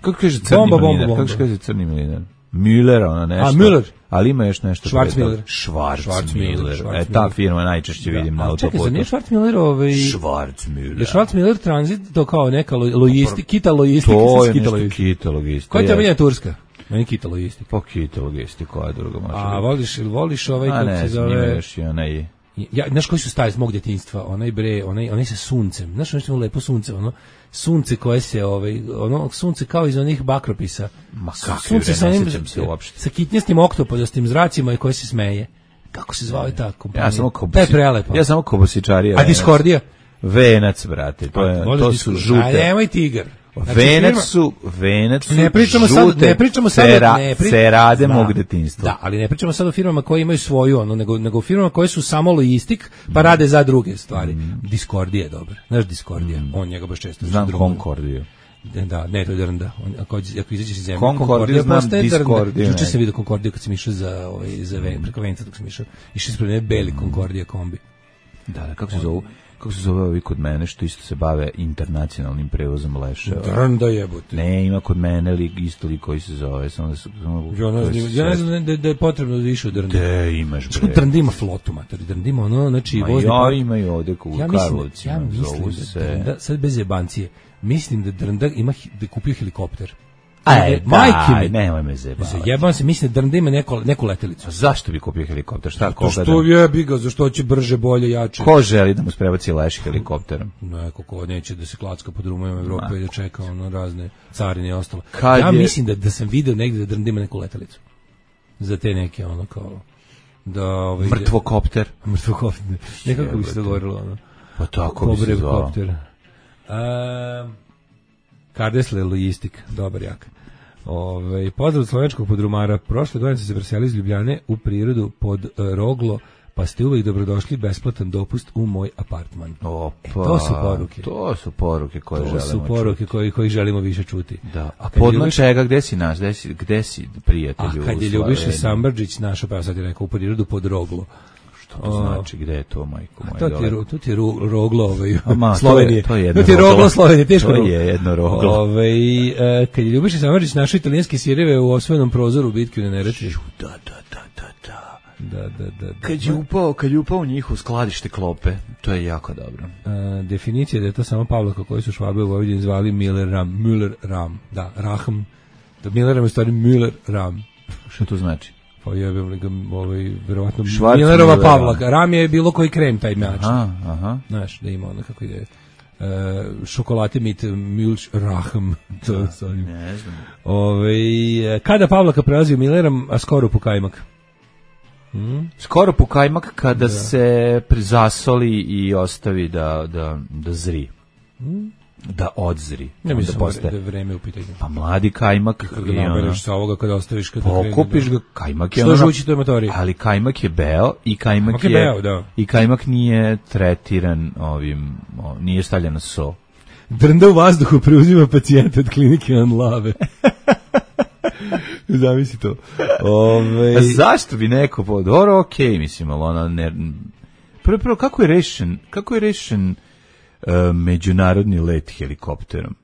Kako kaže crni bomba, mlinar? Bomba, bomba. Kako kaže crni mlinar? Müller, ona nešto. A, Müller. Ali ima još nešto. Schwarzmüller. Schwarzmüller. E, ta firma najčešće da. Vidim na autoputu. Čekaj, za nije Schwarzmüller ovaj... Schwarzmüller. Je Schwarzmüller transit to kao neka logistika, kita logistika. To je nešto kita logistika. Koja je temelja turska? Meni kita logistika. Pa kita logistika, koja je druga može. A voliš ili voliš ovaj kako se zove? A ne, još i onaj... Ja, znaš koji su stari iz mog djetinjstva? Onaj bre, onaj, onaj sa suncem. Znaš nešto lepo sunce, ono sunce koje se, ovaj, ono sunce kao iz onih bakropisa. Ma kako, sunce sa onim, se uopšte. Sa kitnjastim oktopodastim zracima i koje se smeje. Kako se zvao ta kompanija? Ja samo kobosičarija. prelepo. Ja samo kobosičarija. A Discordija? Venac, brate. To, je, to su žute. A nemoj tigar. Znači, venac su, venac su ne pričamo žute, sad, ne pričamo sad, cera, ne pri... cerade mog detinjstva. Da, ali ne pričamo sad o firmama koje imaju svoju, ono, nego, nego o firmama koje su samo logistik, pa mm. rade za druge stvari. Mm. Discordija je dobar. Znaš Discordija? Mm. On njega baš često. Znam Concordiju. Da, ne, to je Drnda. On, ako, ako izađeš iz zemlje, Concordija znam Discordiju. Juče sam vidio Concordiju kad sam išao za, ovaj, za ven, preko Venca dok sam išao. Išao ispred mene beli Concordija kombi. Da, da, kako se zovu? Kako se zove ovi kod mene što isto se bave internacionalnim prevozom leševa? Drnda jebote. Ne, ima kod mene li isto li koji se zove. Samo da, samo ja ne znam, ja ne znam da, da je potrebno više od Drnda. De, imaš bre. Što Drnda ima flotu, matori. Drnda ima ono, znači... Ma vozni ja imaju ovde u ja Karlovcima. Ja mislim da Drnda, sad bez jebancije, mislim da Drnda ima, da je kupio helikopter. Aj, majke mi, nemoj me zebavati. Jebam se, mislim da Drnda ima neku, neku letelicu. A zašto bi kupio helikopter? Šta koga? Što jebi ga, zašto će brže, bolje, jače. Ko želi da mu sprebaci leš helikopterom? Neko ko neće da se klacka po drumima Evrope i da čeka ono razne carine i ostalo. Kad ja je... mislim da da sam video negde da Drnda ima neku letelicu. Za te neke ono kao da ovaj mrtvokopter, mrtvokopter. Nekako bi se dogovorilo ono. Pa tako bi se zvao. Ehm Kardesle logistik, dobar jak. Ove, pozdrav slovenskog podrumara. Prošle godine sam se preselio iz Ljubljane u prirodu pod uh, Roglo, pa ste uvijek dobrodošli, besplatan dopust u moj apartman. Opa, e, to su poruke. To su poruke koje to želimo su poruke koji, koji želimo više čuti. Da. A podno ljubiš... čega, gde si naš, gde si, gde si prijatelju? A kad je Ljubiša Sambrđić našao, pa ja sad je rekao, u prirodu pod Roglo. To znači gde je to, majko moja? To ti je, to ti je ru, roglo ovaj, Ama, Slovenije. To je, to je jedno to ti je roglo Slovenije, teško. To je jedno roglo. Ovaj e, kad je Ljubiša Samardžić našao italijanske sireve u osvojenom prozoru u bitki u Neretvi. Da, da, da, da, da. Da, da, da, da. Kad je upao, kad je upao u njih u skladište klope, to je jako dobro. E, definicija da je to samo Pavlaka koji su Švabe u Vojvodini zvali Miller Ram, Müller Ram. Da, Rahm. Da Miller Ram je stvari Müller Ram. Što to znači? Pa jebem li ga, ovaj, verovatno, Schwarzenegger, Millerova Pavlaka. Ram je bilo koji krem taj način. Aha, aha. Znaš, da ima ono kako ide... Uh, šokolate mit Milch Rahm. To Da, sa onim. ne znam. Ove, kada Pavlaka prelazi u Millerom, a skoro po kajmak? Hmm? Skoro po kajmak kada Da. se prizasoli i ostavi da, da, da zri. Hmm? Da odzri. Ne Onda mislim postaje- da je vreme u pitanju. Pa mladi kajmak Kad ga i ono, nabereš sa ovoga, kada ostaviš, kada krene pokupiš da- ga, kajmak je Što ono, žući toj motori? ali kajmak je beo i kajmak Kajmak je je, beo, da. i kajmak nije tretiran ovim, o, nije stavljen na so. Drnda u vazduhu preuzima pacijenta od klinike Anlave. Zamisli to. Ove, A zašto bi neko po dobro, okej, mislim, ali ona ne... Prvo, prvo, kako je rešen, kako je rešen uh, međunarodni let helikopterom?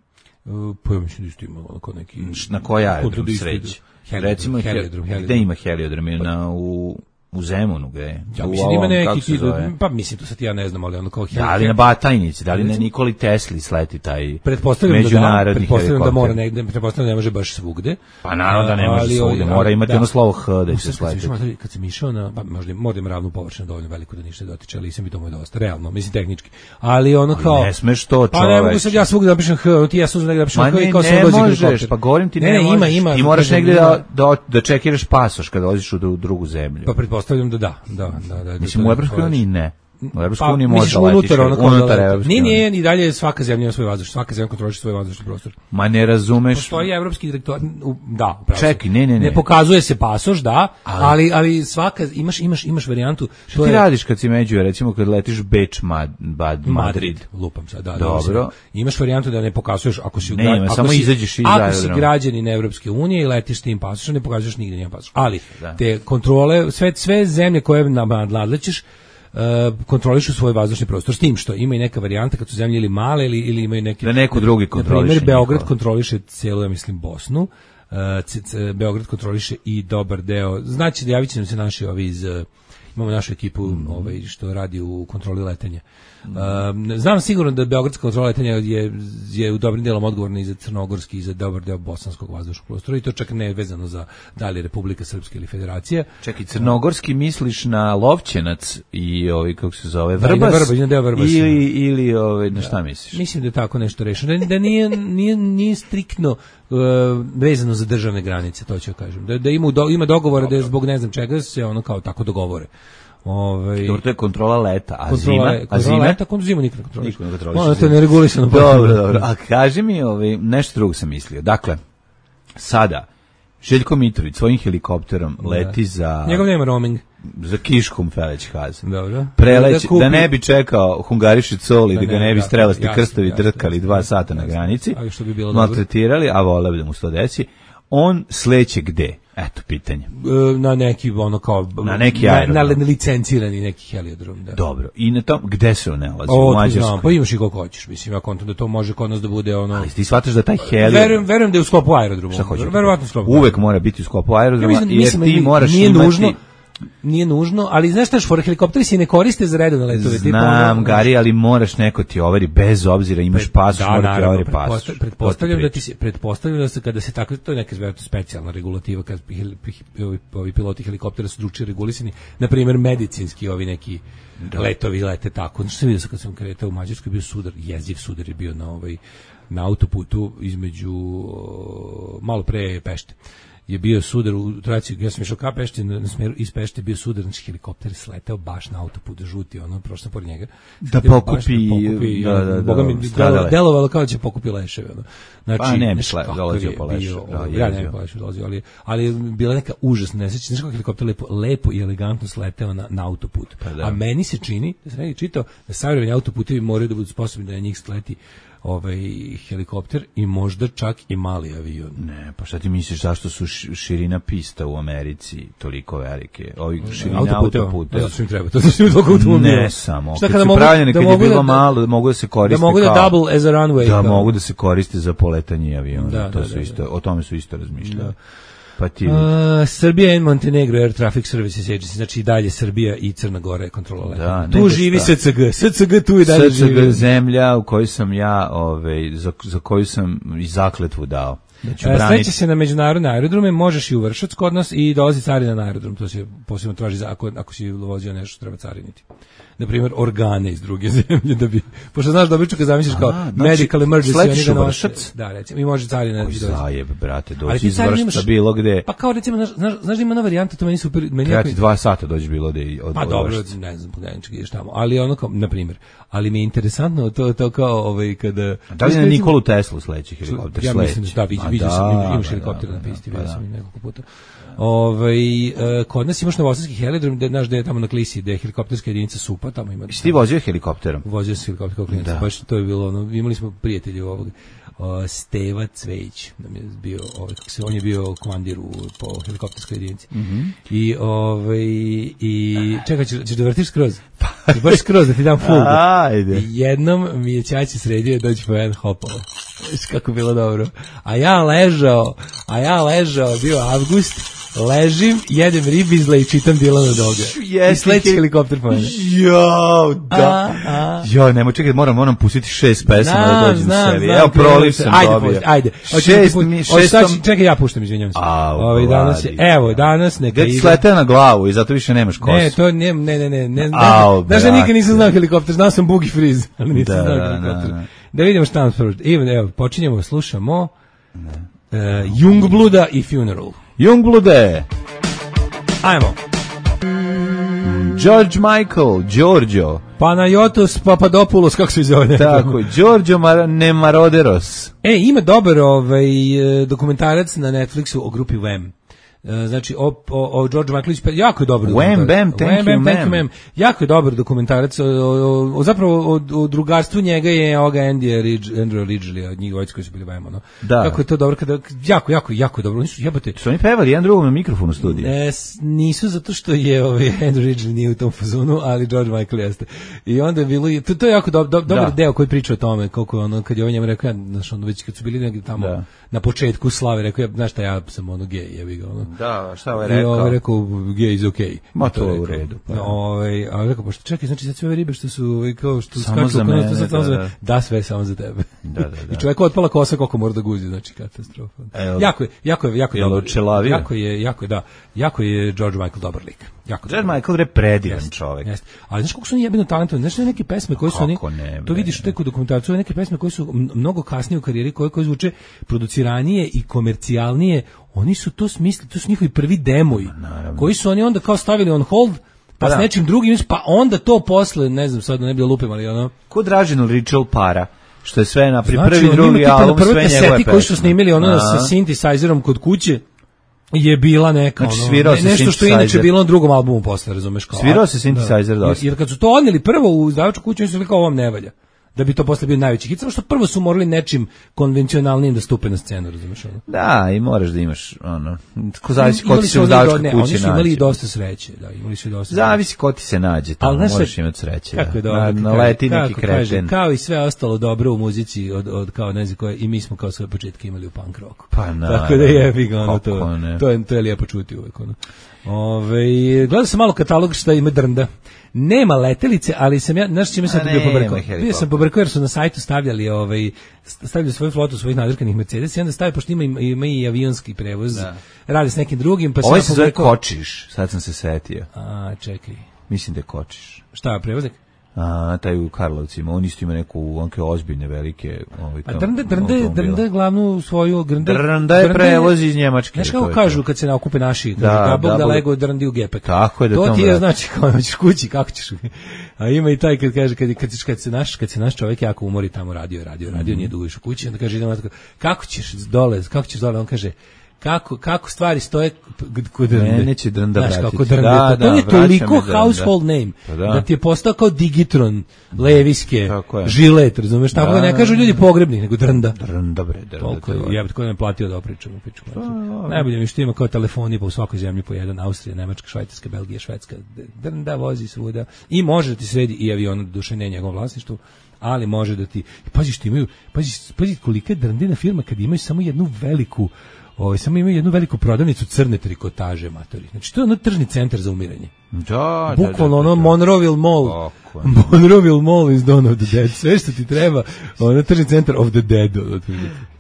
Uh, pa ja mislim da isto ima onako neki... Na koji aerodrom Kod- isto- sreći? Heliodrom, Recimo, heliodrom, gde heliodrom. ima heliodrom? Je na, u, u Zemunu, gde? Ja U mislim da ima ovom, kako neki, se ti- zove? pa mislim to sad ja ne znam, ali ono kao... Da li na Batajnici, da li na Nikoli Tesli sleti taj Pretpostavljam da da, međunarodni pretpostavljam da helikopter? mora negde, pretpostavljam da ne može baš svugde. Pa naravno da ne može Ali, svugde, ali, mora imati da. ono slovo H da U, će sad kad sam sletiti. išao, mater, kad sam išao na, pa možda, možda ima ravnu površinu dovoljno veliku da ništa dotiče, ali sam bi to moj dosta, realno, mislim tehnički. Ali ono kao... Ne smeš to, Pa ne mogu čoveče. sad ja svugde napišem H, ono ti ja sam negde napišem Ma H i ne, kao sam ne dođe možeš, helikopter. pa govorim ti ne, ne, ne, ima, možeš. ima. Ti moraš kažem, negde ima. da, da, da čekiraš pasoš kada odeš u drugu zemlju. Pa pretpostavljam da da, da, da. da Mislim, da, u da, Evropskoj uniji ne. U Evropskoj Pa, uniji misliš može letiš. unutar, ono kao unutar da- Evropske Nije, unije. nije, i dalje svaka zemlja ima svoj vazdušni, svaka zemlja kontroliše svoj vazdušni prostor. Ma ne razumeš. Postoji evropski direktor, u- da, upravo si. Čekaj, ne, ne, ne. Ne pokazuje se pasoš, da, Ali- ali ali svaka imaš imaš imaš varijantu. Šta ti radiš kad si među, recimo kad letiš Beč, Mad, Bad, Madrid? Madrid, lupam sad, da. da, Dobro. mislim, imaš varijantu da ne pokazuješ ako si u Ne, gra- ima, ako samo si, izađeš iz ako si aerodroma. građanin Evropske unije i letiš tim pasošem, ne pokazuješ nigde nijedan pasoš. Ali Da. te kontrole, sve sve zemlje koje nadlećeš Uh, kontrolišu svoj vazdušni prostor s tim što ima i neka varijanta kad su zemlje ili male ili, ili imaju neki Da neko drugi kontroliše na primjer Beograd njihovo. kontroliše celu, ja mislim, Bosnu. Uh, c- c- Beograd kontroliše i dobar deo, znači da javit će nam se naši ovi iz uh, imamo našu ekipu Mm. ovaj, što radi u kontroli letenja. Um, znam sigurno da beogradska kontrola letenja je, je u dobrim delom odgovorna i za crnogorski i za dobar deo bosanskog vazdušnog prostora i to čak ne je vezano za da li je Republika Srpska ili Federacija. Čekaj, crnogorski misliš na Lovćenac i ovaj, kako se zove, Da, i na Vrbas? Vrbas, i na deo Vrbasa. Ili, ili ovaj, na šta misliš? Mislim da je tako nešto rešeno. Da, da nije, nije, nije striktno uh, vezano za državne granice, to ću kažem. Da, da ima, u do, ima dogovore da je zbog ne znam čega se ono kao tako dogovore. Ovaj Dobro, to je kontrola leta, a kontrola, zima? A kontrola zima? leta, kon zimu nikad ne kontroliš. Niko ne kontroliše Ono to je zimu. neregulisano. Dobro, dobro. A kaži mi, ovaj, nešto drugo sam mislio. Dakle, sada, Željko Mitrović svojim helikopterom leti za, Njegov nema roaming. za Kiškom Feleć-Haz. Dobro. Preleć, Da kupi- da ne bi čekao Hungariši Coli, da, Da ga ne, ne bi da, strelasti jasno, krstovi jasno, drkali jasno, dva jasno, sata na jasno. granici, Ali što bi bilo dobro. maltretirali, a voleo bi da mu se to desi. On sleće gde? Eto, pitanje. E, na neki ono kao Na neki na, aerodrom. na licencirani neki heliodrom, da. Dobro. I na tom, gde se on nalazi? O, U to znam, Mađarskoj? pa imaš i koliko hoćeš, mislim, ja kontam da to može kod nas da bude ono... Ali ti shvataš da taj heliodrom... Verujem, verujem da je u sklopu aerodroma. Šta hoćeš? Verovatno u sklopu. Uvek mora biti u sklopu Ja aerodroma, mislim, jer mislim, ti nije- moraš nije imati... nužno, nije nužno, ali znaš šta, for helikopteri se ne koriste za redovne letove. tipa Znam, ono- Gari, ali moraš neko ti overi, bez obzira imaš Pred- pasoš, da, mora ti naravno, overi pretposta- pasoš. Pretpostavljam To da ti ti se pretpostavljam da se kada se tako, to je neka vjerojatno specijalna regulativa kad hel- ovi, ovi piloti helikoptera su drugčije regulisani, na primjer medicinski ovi neki letovi lete tako. Znači sam vidio sam kad sam kretao u Mađarskoj, bio sudar, jeziv sudar je bio na ovaj na autoputu između o, malo pre Pešte. Je bio sudar u traci, ja sam išao ka Pešti, na, na smeru iz Pešte bio sudar, znači helikopter sleteo baš na autoput, žuti, ono, prošao sam pored njega. Da Sleteo baš pokupi, pokupi, da, ono, da, da, Boga mi, stradale. delo- delovalo kao da će pokupi leševe, ono. Znači, Pa ne bi znaš šle- kakav dolazio je po leševe, bio, da, ovaj, ja ne jezivo. bi po leševe dolazio, ali, ali je bila neka užasna nesreća, znaš kako helikopter lepo, lepo i elegantno sleteo na, na autoput. Pa da. A meni se čini, da sam negdje čitao, da savremeni autoputevi moraju da budu sposobni da na njih sleti ovaj helikopter i možda čak i mali avion. Ne, pa šta ti misliš, zašto su š- širina pista u Americi toliko velike? Ovi širina Autoputeva. autoputeva. Ne znam što im treba, to znači im toliko automobila. Ne samo, Šta kad kada su mogu- pravljene, da kad je mogu bilo da- malo, da mogu da se koriste da mogu da kao... double as a runway. Da, kao. mogu da se koriste za poletanje aviona, Da, to da, su da, isto, da. o tome su isto razmišljali. Da. Pa ti... A, Srbija and Montenegro Air Traffic Services Agency, znači i dalje Srbija i Crna Gora je kontrola leta. Da, Tu nego živi šta. S C G. S C G tu i dalje S C G živi. zemlja u kojoj sam ja, ovaj, za, za koju sam i zakletvu dao. E, sleće se na međunarodne aerodrome, možeš i u Vršac kod nas i dolazi carina na aerodrom, to se posebno traži za, ako, ako si vozio nešto što treba cariniti. Na primjer, organe iz druge zemlje, da bi, pošto znaš da obično kad zamisliš kao znači, medical emergency, slećeš oni u ga Vršac? nose. Da, recimo, i može carina. Koji zajeb, brate, doći ti iz carina Vršca imaš- bilo gde. Pa kao recimo, znaš, znaš, znaš da ima ona varijanta, to meni super, meni Treba jako- ti dva sata doći bilo gde i od Pa od dobro, Vršca. ne znam, pogledajte ideš tamo, ali ono kao, na primjer, ali mi je interesantno to, to kao, ovaj, kada... Da li na Nikolu Teslu sledeći helikopter? Ja mislim da, da, vidio, Ma vidio da, sam, imaš da, helikopter da, na pisti, da, vidio pa sam da. i nekoliko puta. Ovaj e, kod nas imaš novosadski helidrom, gde znaš da je tamo na Klisi, da je helikopterska jedinica SUPA, tamo ima. Jesi ti vozio helikopterom? Vozio sam helikopter kao klinac, Da. baš to je bilo ono, imali smo prijatelji ovog o, Steva Cvejić, nam je bio, ovaj, kako se, on je bio komandir u, po helikopterskoj jedinici. Mhm. I, ovaj, i, čekaj, ćeš, ćeš da vrtiš skroz? Ćeš baš skroz da ti dam full. Ajde. I jednom mi je ćaći sredio doći po jedan hopalo. Viš kako bilo dobro. A ja ležao, a ja ležao, bio avgust, ležim, jedem ribizle i čitam Dilana Doga. I sledeći helikopter po mene. Jo, da. A, a. Jo, nemoj, čekaj, moram, moram pustiti šest pesama da Znam, dođem znam, sebi. znam, Evo, krenuo proliv se. sam Ajde, dobio. pusti, ajde. Hoćeš Šest ti pu- mi, hoćeš šest sad- sam... Čekaj, ja puštam, izvinjam se. Au, Ovaj danas je, vladi. evo, danas neka Gde ti ide. sleteo na glavu i zato više nemaš kosu. Ne, to ne, ne, ne, ne, ne, Au, znaš da nikad brate. nisam znao helikopter, znao sam Boogie Freeze, ali nisam Da, znao da, helikopter. da, da. Da vidimo šta nam prvo. Evo, evo, počinjemo, slušamo uh, Jungbluda i Funeral. Jungblude, Ajmo. George Michael, Giorgio, Panayotos Papadopoulos, kako se zove? tako, Giorgio Mar Nemaroderos. E, ima dobar ovaj, e, dokumentarac na Netflixu o grupi Wham. E, Znači, o, o, o George Michaelović, jako je dobar Wham, dokumentarac. bam, thank Wham, you, bam, thank you, ma'am. ma'am. Jako je dobar dokumentarac. O, o, o, zapravo, o, o drugarstvu njega je ovoga Andy Ridge, Andrew Ridgeley, od njih dvojice koji su bili Wham, ono. Da. Kako je to dobro, kada, jako, jako, jako dobro. Oni su, jebate, Su oni pevali jedan drugom na mikrofonu u studiju? E, s- nisu zato što je ovaj Andrew Ridgeley nije u tom fazonu, ali George Michael jeste. I onda je bilo, to, to je jako do, do, dobar Da. deo koji priča o tome, koliko je ono, kad je on njemu rekao, ja, znaš, ono, već kad su bili negdje tamo Da. na početku slave, rekao, ja, znaš šta, ja sam ono gej, jebi ga, ono. Da, šta ovaj I rekao? ovaj rekao, gay is okay. Ma, I to je u rekao. redu, pa. No, ovaj, a on rekao, pa što čekaj, znači sad sve ove ribe što su, ovaj, kao što Samo skaču za oko nas, mene, to sad samo da, za- da. da, sve samo za tebe. Da, da, da. I čovjeku otpala kosa koliko mora da guzi, znači katastrofa. Evo. Jako je, jako je, jako je Jel dobar. očelavio? Jako je, jako je, da. Jako je George Michael dobar lik. Jako George dobar. Michael je predivan Jeste, čovek. jeste. Ali znaš koliko su oni jebeno talentovani, znaš neke pesme koje su oni, Kako ne, to bre. vidiš tek u dokumentarcu, ove neke pesme koje su m- mnogo kasnije u karijeri, koje, koje zvuče produciranije i komercijalnije, oni su to smislili, to su njihovi prvi demoji, koji su oni onda kao stavili on hold, pa Pa s da. nečim drugim, pa onda to posle, ne znam, sad da ne bi da lupim, ali ono, Ko Dražen Richel para, što je sve na znači, prvi, on drugi ima tipa na album, prvoj sve njegove kaseti koji su pesme. snimili ono Aha. sa synthesizerom kod kuće, je bila neka Znači, ono, svirao ne- se nešto što je inače synthesizer. bilo na drugom albumu posle, razumeš kao. Svirao a- se synthesizer da. dosta. Jer, jer kad su to odneli prvo u izdavačku kuću, oni su rekli kao ovom ne valja. Da bi to posle bio najveći hit, samo što prvo su morali nečim konvencionalnijim da stupe na scenu, razumeš ono. Da, i moraš da imaš, ono, ko zavisi ko Imali ti su se u oni izdavačkoj do- ne, kući Oni su imali i nađe. dosta sreće, da, imali su i dosta. Zavisi ko ti se nađe, tamo Ali znaš moraš šta- imati sreće. Kako je da. dobro, Na, kad naleti kaže- neki kako kaže, kreten. kao i sve ostalo dobro u muzici od, od kao ne znam koje, i mi smo kao svoje početke imali u punk rocku. Pa Tako naravno. da jebi ga ono Kako to. ne. To je to je lijepo čuti uvek ono. Ove, gledao sam malo katalog šta ima drnda. Nema letelice, ali sam ja, znaš čime sam A to bio nema pobrkao? helikopter. Bio sam pobrkao jer su na sajtu stavljali, ovaj, stavljali svoju flotu svojih nadrkanih Mercedes i onda stavljaju, pošto ima, i- ima i avionski prevoz, Da. radi s nekim drugim, pa sam Ovo ja se zove pobrkao- Kočiš, sad sam se setio. A, čekaj. Mislim da je Kočiš. Šta, prevoznik? A, taj u Karlovcima, on isto ima neku, onke ozbiljne, velike... Ovaj, A kao drnde, drnde, automobile. drnde glavnu svoju drnde. Drnda je prevoz iz Njemačke. Znaš to kako je kažu to. kad se nakupe naši, Da, da, Bog da, da Bog- lego drndi u gepek. Tako je da to to ti je vrati. znači kao hoćeš kući, kako ćeš. A ima i taj kad kaže kad kad, kad se naš kad se naš čovjek jako umori tamo radio, radio, radio, Mhm. nije dugo išao kući, onda kaže idemo tako, kako ćeš dole, kako ćeš dole, on kaže kako kako stvari stoje kod drnde. Mene će drnda Znaš, vratiti. kako drnde. Da, to, to da, je vraća toliko me drnda. household name Pa da. da. ti je postao kao Digitron, Leviske, Tako je. Žilet, razumeš, tako Da, da ne kažu ljudi pogrebnik, nego drnda. Drnda, bre, drnda. Toliko to je je, ja bih tko ne platio da opričam, pičku. Najbolje mi što ima kao telefoni po u svakoj zemlji po jedan, Austrija, Nemačka, Švajcarska, Belgija, Švedska, drnda vozi svuda i može da ti sredi i avion, duše ne njegovom vlasništvu, ali može da ti, pazi što imaju, pazi, pazi kolika je drndina firma kad imaju samo jednu veliku Ovaj samo imaju jednu veliku prodavnicu crne trikotaže, matori. Znači to je ono tržni centar za umiranje. Da, bukvalno da, da, ono da. Monroville Mall. Monroville Mall is Dawn of the Dead. Sve što ti treba, ono tržni centar of the dead.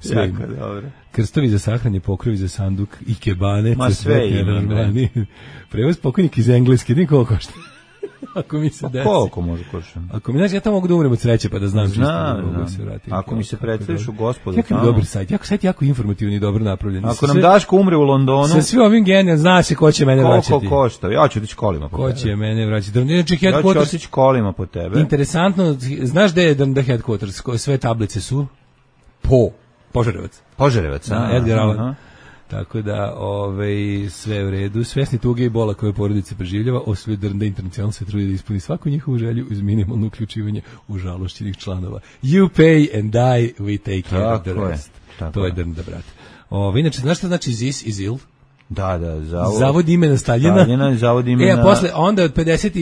Sve ima. Dobro. Krstovi za sahranje, pokrovi za sanduk, ikebane, ma sve ima. Prevoz pokojnik iz Engleske, niko košta. Ako mi se desi. Koliko može košta? Ako mi, znači, ja tamo mogu da umrem od sreće pa da znam čisto da mogu se vratiti. Ako mi se predstaviš u Gospodu jako tamo. Dobar sajt, jako sajt, jako informativni i dobro napravljen. Ako nam Daško umre u Londonu. Sa svim ovim genijalnim, zna se ko će mene koliko vraćati. Koliko košta? Ja ću otići kolima po ko tebe. Ko će mene vraćati? Znači, ja ću otići kolima po tebe. Interesantno, znaš gde je The Headquarters? Sve tablice su? Po. Požarevac. Požarevac, a? Edgar Allan. Tako da, ovaj, sve u redu. Svesni tuge i bola koje porodice preživljava, Osvoj Drnda Internacional se trudi da ispuni svaku njihovu želju uz minimalno uključivanje u žalošćenih članova. You pay and die, we take care of the rest. To je Drnda, brat. Ovaj, inače, znaš šta znači this is ill? Da, da, zavod. Zavod imena Staljina. Staljina, zavod imena. E, a posle, onda od pedeset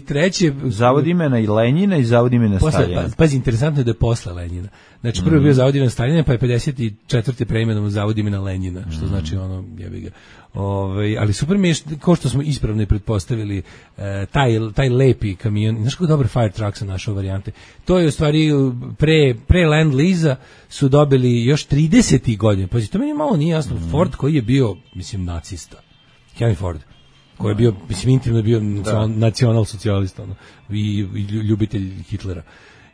treće Zavod imena i Lenjina i zavod imena posle, Staljina. Pa, pazi, interesantno je da je posle Lenjina. Znači, prvo je bio zavod imena Staljina, pa je pedeset četvrte preimenom zavod imena Lenjina, što mm. znači ono, jebi ga. Ove, ali super mi je, kao što smo ispravno i pretpostavili, e, taj, taj lepi kamion, znaš kako dobar fire truck sam našao varijante, to je u stvari pre, pre Land Lease-a su dobili još tridesetih godina, pazi, to meni malo nije jasno, mm. Ford koji je bio, mislim, nacista, Henry Ford, koji je bio, mislim, intimno bio nacional socijalista, ono, i, i ljubitelj Hitlera,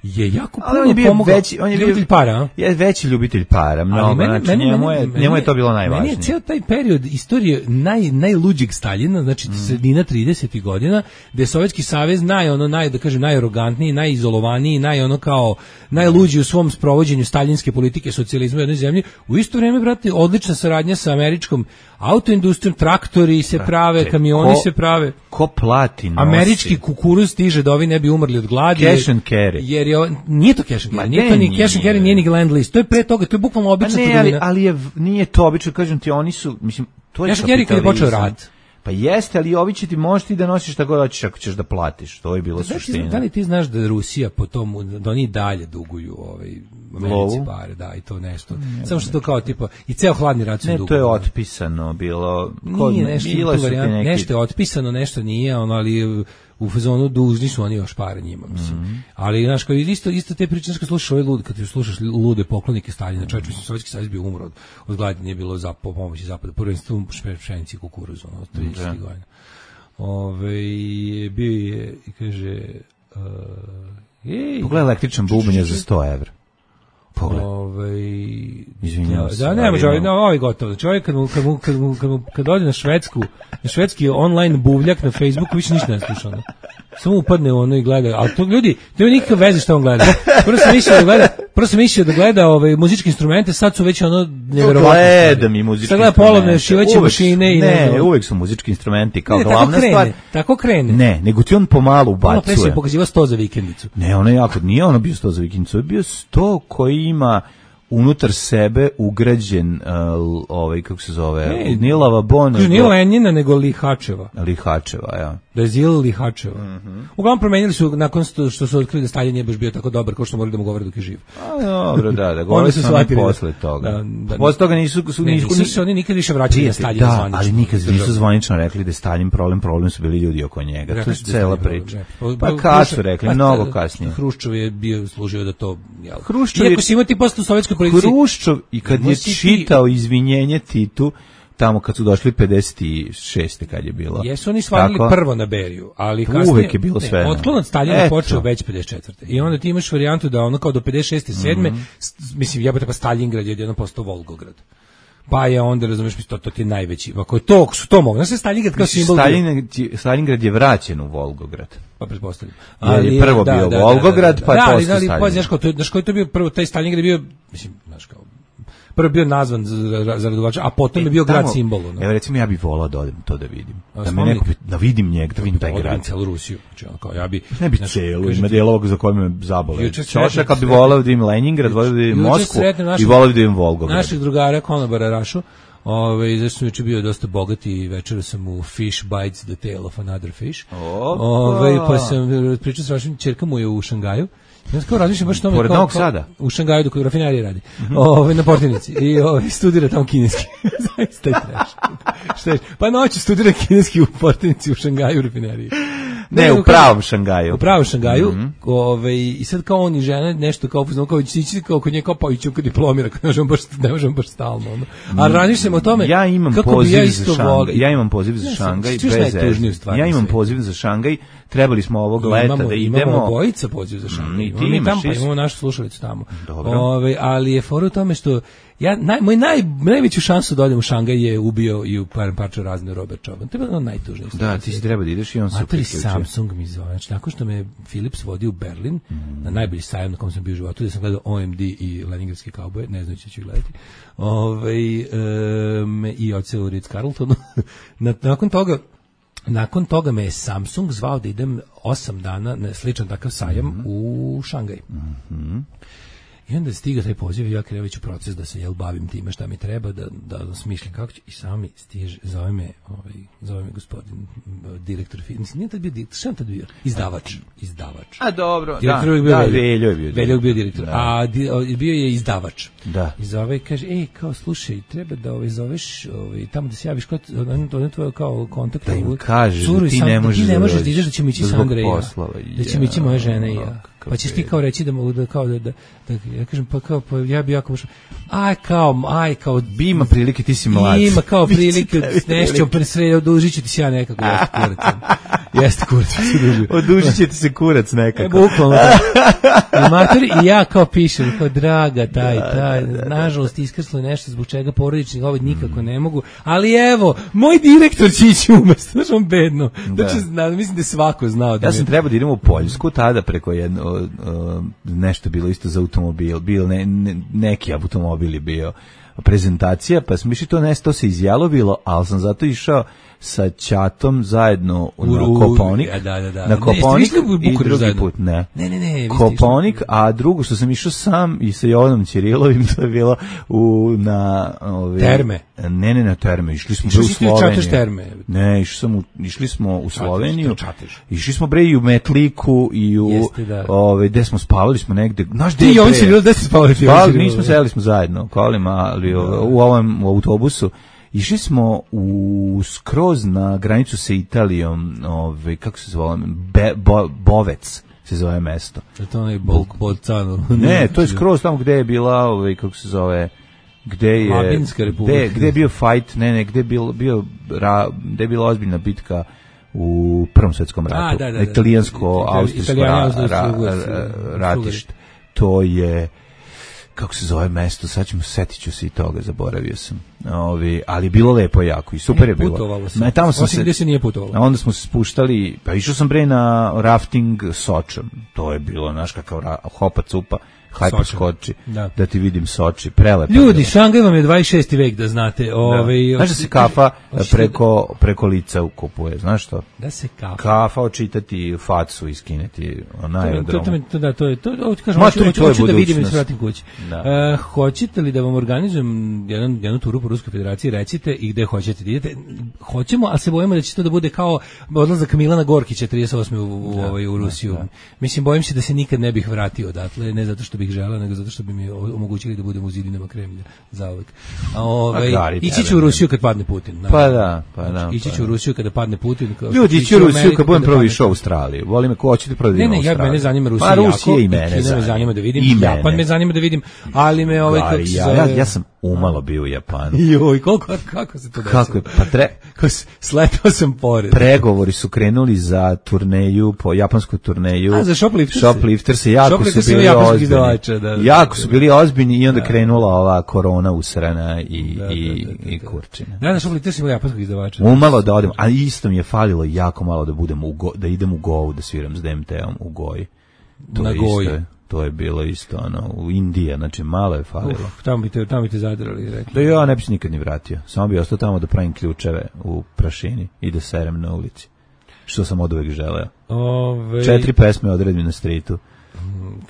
je jako puno on je bio pomogao. Veći, on je ljubitelj bio, para, a? Je veći ljubitelj para, mnogo, meni, znači meni, njemu, je, njemu je to bilo najvažnije. Meni je cijel taj period istorije naj, najluđeg Staljina, znači mm. sredina tridesetih godina, gde je Sovjetski savez naj, ono, naj, da kažem, najarogantniji, najizolovaniji, naj, ono, kao, najluđi u svom sprovođenju staljinske politike socijalizma u jednoj zemlji. U isto vrijeme, brate, odlična saradnja sa američkom autoindustrijom, traktori se prave, brate, kamioni ko, se prave. Ko plati nosi? Američki kukuruz stiže da ovi ne bi umrli od gladi. Cash and carry. Jer je, nije to cash and carry, nije to ni cash and carry, nije ni Land Lease. To je pre toga, to je bukvalno obična trgovina. Ali, ali je, nije to obično, kažem ti, oni su, mislim, to je cash and carry kad je počeo rat. Pa jeste, ali ovi će ti možeš ti da nosiš šta god hoćeš ako ćeš da platiš. To je bilo da, suština. Da li ti znaš da Rusija po tomu, da oni dalje duguju ovaj, Americi pare, da, i to nešto. Ne, Samo što to kao tipa, i ceo hladni rat su duguju. Ne, to je otpisano bilo. Kod, nije nešto, bilo su varijant, neki... nešto je otpisano, nešto nije, ono, ali u fazonu dužni su oni još pare njima, mislim. Mm -hmm. Ali, znaš, kao isto, isto te priče, kad slušaš ove lude, kad ti slušaš lude poklonike Staljina, čovječ, mislim, Sovjetski savez bio umro od, od gladi, nije bilo za pomoći zapada, prvenstvo pšenici i kukuruzu, ono, tridesetih godina. Ove, bio je, kaže, uh, ej, pogledaj električan bubanj za sto evra. Pogledaj. Ove, izvinjavam se. Da, ne može, ovaj, no, ovaj gotovo. Znači, ovaj kad mu, kad mu, kad mu, kad mu, kad ode na Švedsku, na švedski online buvljak na Facebooku, više ništa ne sluša, ono. Samo upadne ono i gleda, ali to ljudi, to nema nikakve veze šta on gleda. Prvo sam mislio da gleda, prvo sam mislio da gleda ove muzičke instrumente, sad su već ono neverovatno. Gledam i muzičke instrumente. Sad gleda polovne šivaće mašine i ne, ne, uvek su muzički instrumenti kao ne, glavna krene, stvar. Tako krene. Ne, nego ti on pomalo ubacuje. Ono pre se pokazivao sto za vikendicu. Ne, ono je jako, nije ono bio sto za vikendicu, je bio sto koji ima unutar sebe ugrađen uh, ovaj kako se zove hey, nije lavabon, nije Lenjina nego Lihačeva. Lihačeva, ja. Da je Zil Lihačeva. Mm-hmm. Uglavnom promenili su nakon što, što su otkrili da Staljin nije baš bio tako dobar kao što morali da mu govore dok je živ. A dobro, da, da govore su shvatili posle toga. Da, da, posle toga nisu su ne, nisu, nisu oni nikad više vraćali na Staljina da, zvanično. Ali nikad nisu zvanično rekli da je Staljin problem, problem su bili ljudi oko njega. Rekli to je cela priča. Pa kad su rekli, pa, mnogo kasnije. Hruščov je bio služio da to, jel. Hruščov iako si imao ti posle u sovjetskoj policiji. Hruščov i kad je čitao izvinjenje Titu tamo kad su došli pedeset šeste kad je bilo. Jesu oni svalili tako, prvo na Beriju, ali kasnije uvek je bilo ne, sve. Otklon od Staljina počeo već pedeset četvrte I onda ti imaš varijantu da ono kao do pedeset šeste sedme Mm -hmm. mislim jebote pa Staljingrad je jedno postao Volgograd. Pa je onda, razumeš, mi to, to ti je najveći. Ako je to, su to mogu. Znaš se Staljingrad kao simbol... Staljingrad je vraćen u Volgograd. Pa pretpostavljam. Ali je prvo da, bio da, Volgograd, da, da, da, pa je da, postao Staljingrad. Pa znaš kao, to, znaš koji to bio prvo, taj Staljingrad je bio, mislim, znaš kao, prvo bio nazvan za, za radovača, a potom e, je bio tamo, grad simbol. No. Evo recimo ja bih volao da odem to da vidim. Da me neko, da vidim njega, da vidim taj grad. Da celu Rusiju. Znači, on kao, ja bi... Ne bi celu, ima dijelog za kojim me zabole. Čošak, kad bi volao da vidim Leningrad, volao da vidim Moskvu i volao da vidim Volgograd. Naših drugara, konobara Rašu, Ove, zašto sam juče bio dosta bogat i večera sam u Fish Bites the Tail of Another Fish. Ove, pa sam pričao s vašim čerka mu je u Šangaju. Ja kao razmišljam baš tome Pored kao, Novog kao Sada? U Šangaju dok u rafineriji radi. Mm-hmm. Ove, na Portinici. I ove, studira tamo kineski. Zaista je trash. Šta je? Pa noću studira kineski u Portinici u Šangaju u rafineriji. Ne, ne, u pravom Šangaju. U pravom Šangaju. Mm-hmm. Ove, I sad kao on i žena nešto kao upoznao, kao ići kao kod nje kao pa ići kad diplomira, ne možemo baš, ne možemo baš stalno. Ono. A razmišljam o tome ja imam kako poziv bi ja za Šangaj. Ja imam poziv za Šangaj. Ja imam poziv za Šangaj. Trebali smo ovog leta imamo, da idemo. Imamo obojica poziv za Šangaj. Mm, mi tamo, pa imamo našu slušalicu tamo. Ove, ali je fora u tome što ja, naj, moj naj, najveću šansu da odem u Šangaj je ubio i u par parča razne Robert Čoban. To je bilo najtužnije. Da, ti si treba da ideš i on se priključio. Samsung mi zove. Znači, nakon što me Philips vodi u Berlin, mm. na najbolji sajam na kom sam bio u životu, gde sam gledao O M D i Leningradski kauboje, ne znajući ću gledati, Ove, um, i odseo u Ritz-Carltonu. Nakon toga Nakon toga me je Samsung zvao da idem osam dana na sličan takav sajam mm-hmm. u Šangaj. Mm-hmm. I onda stiga taj poziv i ja krenuo u proces da se jel bavim time šta mi treba, da, da smišljam kako ću. I sami stiže, zove me, ovaj, zove me gospodin direktor firme. Mislim, nije tad bio direktor, šta je tad bio? Izdavač. Izdavač. A dobro, direktor da, je bio da, Veljo je bio direktor. Veljo je bio direktor, da. a di, bio je izdavač. Da. I zove i kaže, ej, kao, slušaj, treba da ovaj, zoveš ovaj, tamo da se javiš, kao, to je tvoje kao kontakt. Da im kažeš da ti ne možeš da možeš da ideš, da ćemo ići Sandra i ja. Da ćemo ići moja žena i ja. Pa ćeš ti kao reći da mogu da kao da, da, da ja kažem pa kao pa ja bi jako možda aj kao aj kao bi ima prilike ti si mlad. Ima kao prilike nešto pre sve odužiću ti se ja nekako jeste kurac. Jeste kurac se duži. Odužiće ti se kurac nekako. E, bukvalno. I mater i ja kao pišem kao draga taj taj nažalost iskrslo je nešto zbog čega porodični ovaj nikako ne mogu, ali evo moj direktor će ići umesto, znači on bedno. Znači mislim da svako znao da ja sam trebao da idem u Poljsku tada preko jedno Uh, nešto bilo isto za automobil, bio ne, ne, neki automobil je bio prezentacija, pa smo išli to nešto, to se izjalovilo, ali sam zato išao sa ćatom zajedno na Koponik. Da, da, da. Na Koponik ne, i drugi zajedno. put, ne. Ne, ne, ne. Koponik, a drugo što sam išao sam i sa Jovanom Ćirilovim, to je bilo u, na... Ove, terme. Ne, ne, na terme. Išli smo Išli u Sloveniju. Terme. Ne, išli, sam u, išli smo u Sloveniju. Čateš, išli smo bre i u Metliku i u... Jeste, da. Ove, gde smo spavali smo negde... Znaš, ti i Jovan Ćirilo, gde ste spavali? Spavali, nismo, sedeli smo zajedno, kolima, ali u ovom autobusu. Išli smo u skroz na granicu sa Italijom, ovaj kako se zove, Be, Bo, Bovec se zove mesto. Je to onaj Bolcano? Ne, to je skroz tamo gde je bila, ovaj kako se zove, gde je Mabinska republika. Gde, gde je bio fight, ne, ne, gde je bio, bio ra, gde je bila ozbiljna bitka u Prvom svetskom ratu. A, da, da, da. Italijansko-austrijsko ra, ra, ra, ratište. To je kako se zove mesto, sad ćemo, setit ću se i toga, zaboravio sam. Ovi, ali bilo lepo jako i super je bilo. Putovalo sam. Tamo sam Osim se, gde se nije putovalo. A onda smo se spuštali, pa išao sam bre na rafting Sočom. To je bilo, znaš, kakav ra, hopa cupa, hajpa skoči, da. da ti vidim Soči, prelepo. Ljudi, Šangaj vam je dvadeset šesti vek, da znate. Ove, da. Znaš da se kafa preko, preko lica ukupuje, znaš što? Da se kafa. Kafa očitati facu i skineti na aerodromu. To, to, to, da, to je, to, to, kažem, hoću, hoću, hoću da vidim i se vratim kući. Uh, hoćete li da vam organizujem jedan, jednu turu po Ruskoj federaciji, recite i gde hoćete da idete? Hoćemo, ali se bojimo da će to da bude kao odlazak Milana Gorkića trideset osme u, u, da, u, u Rusiju. Da, da. Mislim, bojim se da se nikad ne bih vratio odatle, ne zato što bih želeo, nego zato što bi mi omogućili da budem u zidinama Kremlja zauvek. A ovaj ići ću u Rusiju kad padne Putin. Naravno. Pa da, pa da. Ići ću u Rusiju kada padne Putin. Ljudi, ići u Rusiju kad budem prvo išao u Australiju. Volim me ko hoćete prvo da idem u Australiju. Ne, ne, ja mene zanima Rusija pa, jako. Rusija i mene Kina me zanima da vidim. Japan me zanima da vidim, ali me ovaj kako se ja, ja sam umalo bio u Japanu. Joj, koliko kako se to desilo? Kako je, pa tre... sletao sam pored. Pregovori su krenuli za turneju, po japansku turneju. A, za Shoplifters? Shoplifters se jako Shoplifters su bili ozbiljni. Da, da, jako su bili ozbiljni i onda da. Krenula ova korona usrana i, da, i, da, da, da, i kurčina. Da, da, Shoplifters imali japanskog izdavača. Umalo da odem, a isto mi je falilo jako malo da budem u go, da idem u Govu, da sviram s D M T-om u Goji. To na Goji. To je bilo isto, ono, u Indiji, znači malo je falilo. Uf, tamo bi te, tamo bi te zadrali, rekli. Da ja ne bi se nikad ni vratio, samo bi ostao tamo da pravim ključeve u prašini i da serem na ulici, što sam od uvek želeo. Ove... Četiri pesme odredim na stritu.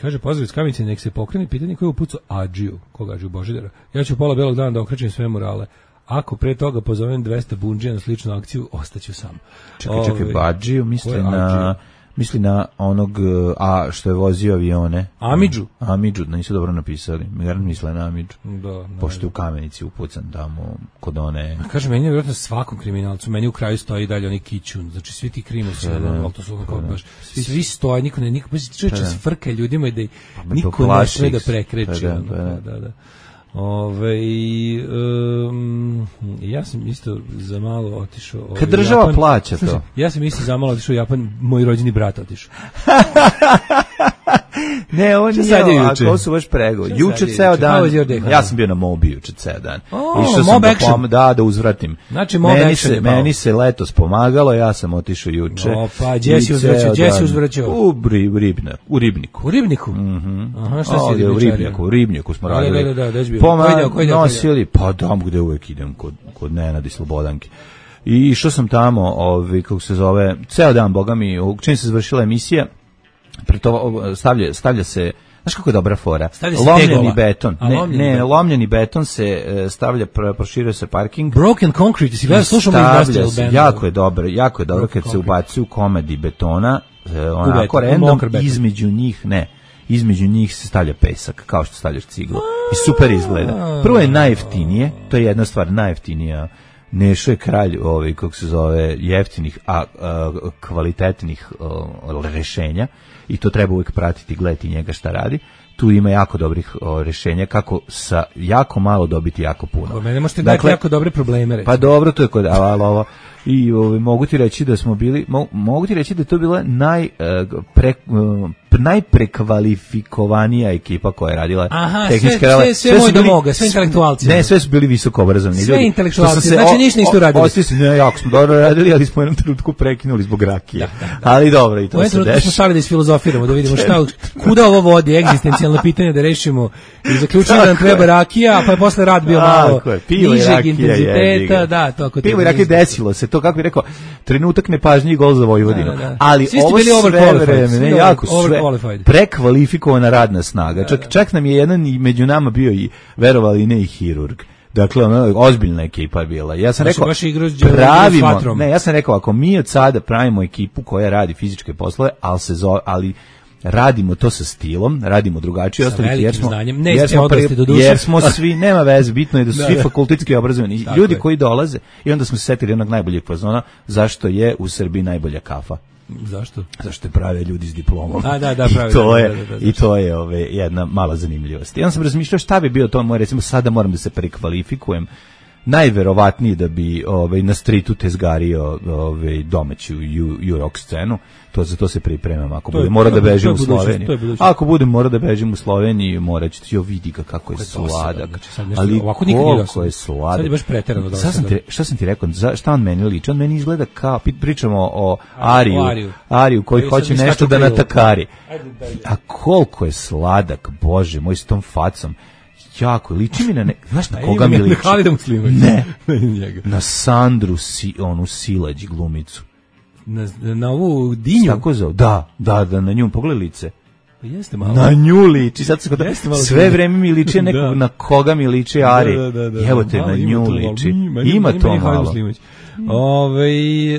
Kaže, pozdrav iz Kamenice, nek se pokrene pitanje ko je upucao Adžiju, koga Adžiju Božidara. Ja ću pola belog dana da okrećem sve murale. Ako pre toga pozovem dvesta bundžija na sličnu akciju, ostaću sam. Čekaj, čekaj, Ove, Badžiju, misli ko je na... Adžiju? Misli na onog, a što je vozio avione. Amidžu. Amidžu, da nisu dobro napisali. Mi misle na Amidžu. Da, Pošto je u Kamenici upucan tamo kod one... Kaže, meni je vjerojatno svakom kriminalcu, meni u kraju stoji dalje onaj kićun, znači svi ti krimovci, Da, da. ono, to su ono kao baš, svi stoje, niko ne, niko, baš čovječe s frka ljudima i da ih me niko ne poplaši sme da ih. prekreće. Pa da, ono, pa da. da, da, da. Ove, um, ja sam isto za malo otišao ovaj, Kad država Japan. plaća to. Slušaj, ja sam isto za malo otišao u Japan, moj rođeni brat otišao. Ne, on Šta sad je nije, juče? a to su baš prego. Šta Juče sad je ceo juče? How dan, was your day? ja sam bio na Mobi juče ceo dan. O, Išao sam Mob da, action. pom, da, da uzvratim. Znači, Mob meni action se, je pao. meni se letos pomagalo, ja sam otišao juče. Opa, gdje si I uzvraćao? ceo Gdje si dan uzvraćao? U, bri, u, ribna, u Ribniku. U Ribniku? Mhm. Aha, šta si Ovdje u ribničario? Ribnjaku, u Ribnjaku smo Da, radili. da, da, da, gde si bio? Poma- Koji deo, koji deo, koji deo? nosili, pa dam gde uvek idem, kod, kod Nenada i Slobodanke. I išao sam tamo, ovi, kako se zove, ceo dan, boga mi, u- čim se završila emisija, pre to stavlja, stavlja se, znaš kako je dobra fora? Stavlja se Lomljeni tegova. beton. A, Ne, lomljeni ne, beton. lomljeni beton se e, stavlja, pro- proširuje se parking. Broken Concrete, si gledao, slušamo Stavlja Industrial se, Band. jako je dobro, jako je dobro Broken kad se concrete. ubacuju komadi betona, e, onako beton, u random, mokar beton. između njih, ne, između njih se stavlja pesak, kao što stavljaš ciglu. I super izgleda. Prvo je najjeftinije, to je jedna stvar, najjeftinija. Nešo je kralj, ovaj, kako se zove, jeftinih, a, a kvalitetnih a, rešenja, i to treba uvijek pratiti, gledati njega šta radi. Tu ima jako dobrih o, rešenja kako sa jako malo dobiti jako puno. Kod mene možete dati jako dobre probleme, recimo. Pa dobro, to je kod ali ovo. I ovaj, mogu ti reći da smo bili, mo, mogu ti reći da je to bila naj, eh, pre, eh, najprekvalifikovanija ekipa koja je radila Aha, tehničke sve- rele. sve- sve su moj bili- domoga, sve intelektualci. Ne, sve su bili visoko obrazovani Sve ljudi. intelektualci, Što sam znači ništa niste uradili. Ostali su, ne, jako smo dobro radili, ali smo u jednom trenutku prekinuli zbog rakije. Da, da, da. Ali dobro, i U to jednom se trenutku smo dešava. stali da isfilozofiramo, da vidimo šta, kuda ovo vodi, egzistencijalno pitanje da rešimo. I zaključili da nam Tako treba je. rakija, pa je posle rad bio malo Tako je, pivo i nižeg rakija, jebi intenziteta, ga. da, to ako Pivo i treba rakija, izbiti. desilo se, to kako bi rekao, trenutak nepažnje i gol za Vojvodinu. Da, da, da. Ali Svi ste ovo bili sve overqualified, vreme, svi ne, over- jako sve overqualified. prekvalifikovana radna snaga. Čak, čak nam je jedan i među nama bio i, verovali ne, i hirurg. Dakle, ono, ozbiljna ekipa je bila. Ja sam Baš- rekao, baš igrao s đe- s pravimo, vatrom. ne, ja sam rekao, ako mi od sada pravimo ekipu koja radi fizičke poslove, ali se zove, ali radimo to sa stilom, radimo drugačije, Sa ostalih, jer velikim smo, znanjem. Ne jer ste smo, odrasli pri- do duše. jer smo svi, nema veze, bitno je da su Da, svi da. fakultetski obrazovani. Tako Ljudi je. koji dolaze, i onda smo se setili onog najboljeg fazona, zašto je u Srbiji najbolja kafa. Zašto? Zašto je prave ljudi s diplomom. A, da, da, I prave, to da, je, da, da, da, i to je ove, jedna mala zanimljivost. I onda sam razmišljao šta bi bio to moj, recimo sada moram da se prekvalifikujem, najverovatniji da bi ovaj na streetu tezgario ovaj domaću ju rock scenu. To za to se pripremam. Ako To je- budem mora to da je- bežim to je u budućnost, Sloveniju. to je budućnost. Ako budem mora da bežim u Sloveniju, moraću ti jo vidi ga kako je je dosadan, sladak. znači sad nešto- Ali ovako nikad nije koliko dosadan. je sladak. Sad je baš preterano Šta sam dosadan. ti, šta sam ti rekao? Za, šta on meni liči? On meni izgleda kao, pi- pričamo o Ariju, o Ariju. Ariju koji Koji hoće sad mi nešto skaču da u krilu. natakari. Ajde, daj, A koliko je sladak, Bože, moj s tom facom. Jako, liči mi na ne... Znaš na A koga ima mi na liči? Halida Muslimovića. Ne. Na njega. Na Sandru, si, onu Silać glumicu. Na, na ovu dinju. Tako zove? Da, da, da, na nju, pogledaj lice. Pa jeste malo. Na nju liči, sad se kod... Jeste malo sve smije. vreme mi liči nekog Da. na koga mi liči Ari. Da, da, da, I evo da. te, Malo na ima nju to malo. liči. Ima, Ima, ima, to ima Halid malo. Muslimović. Ovaj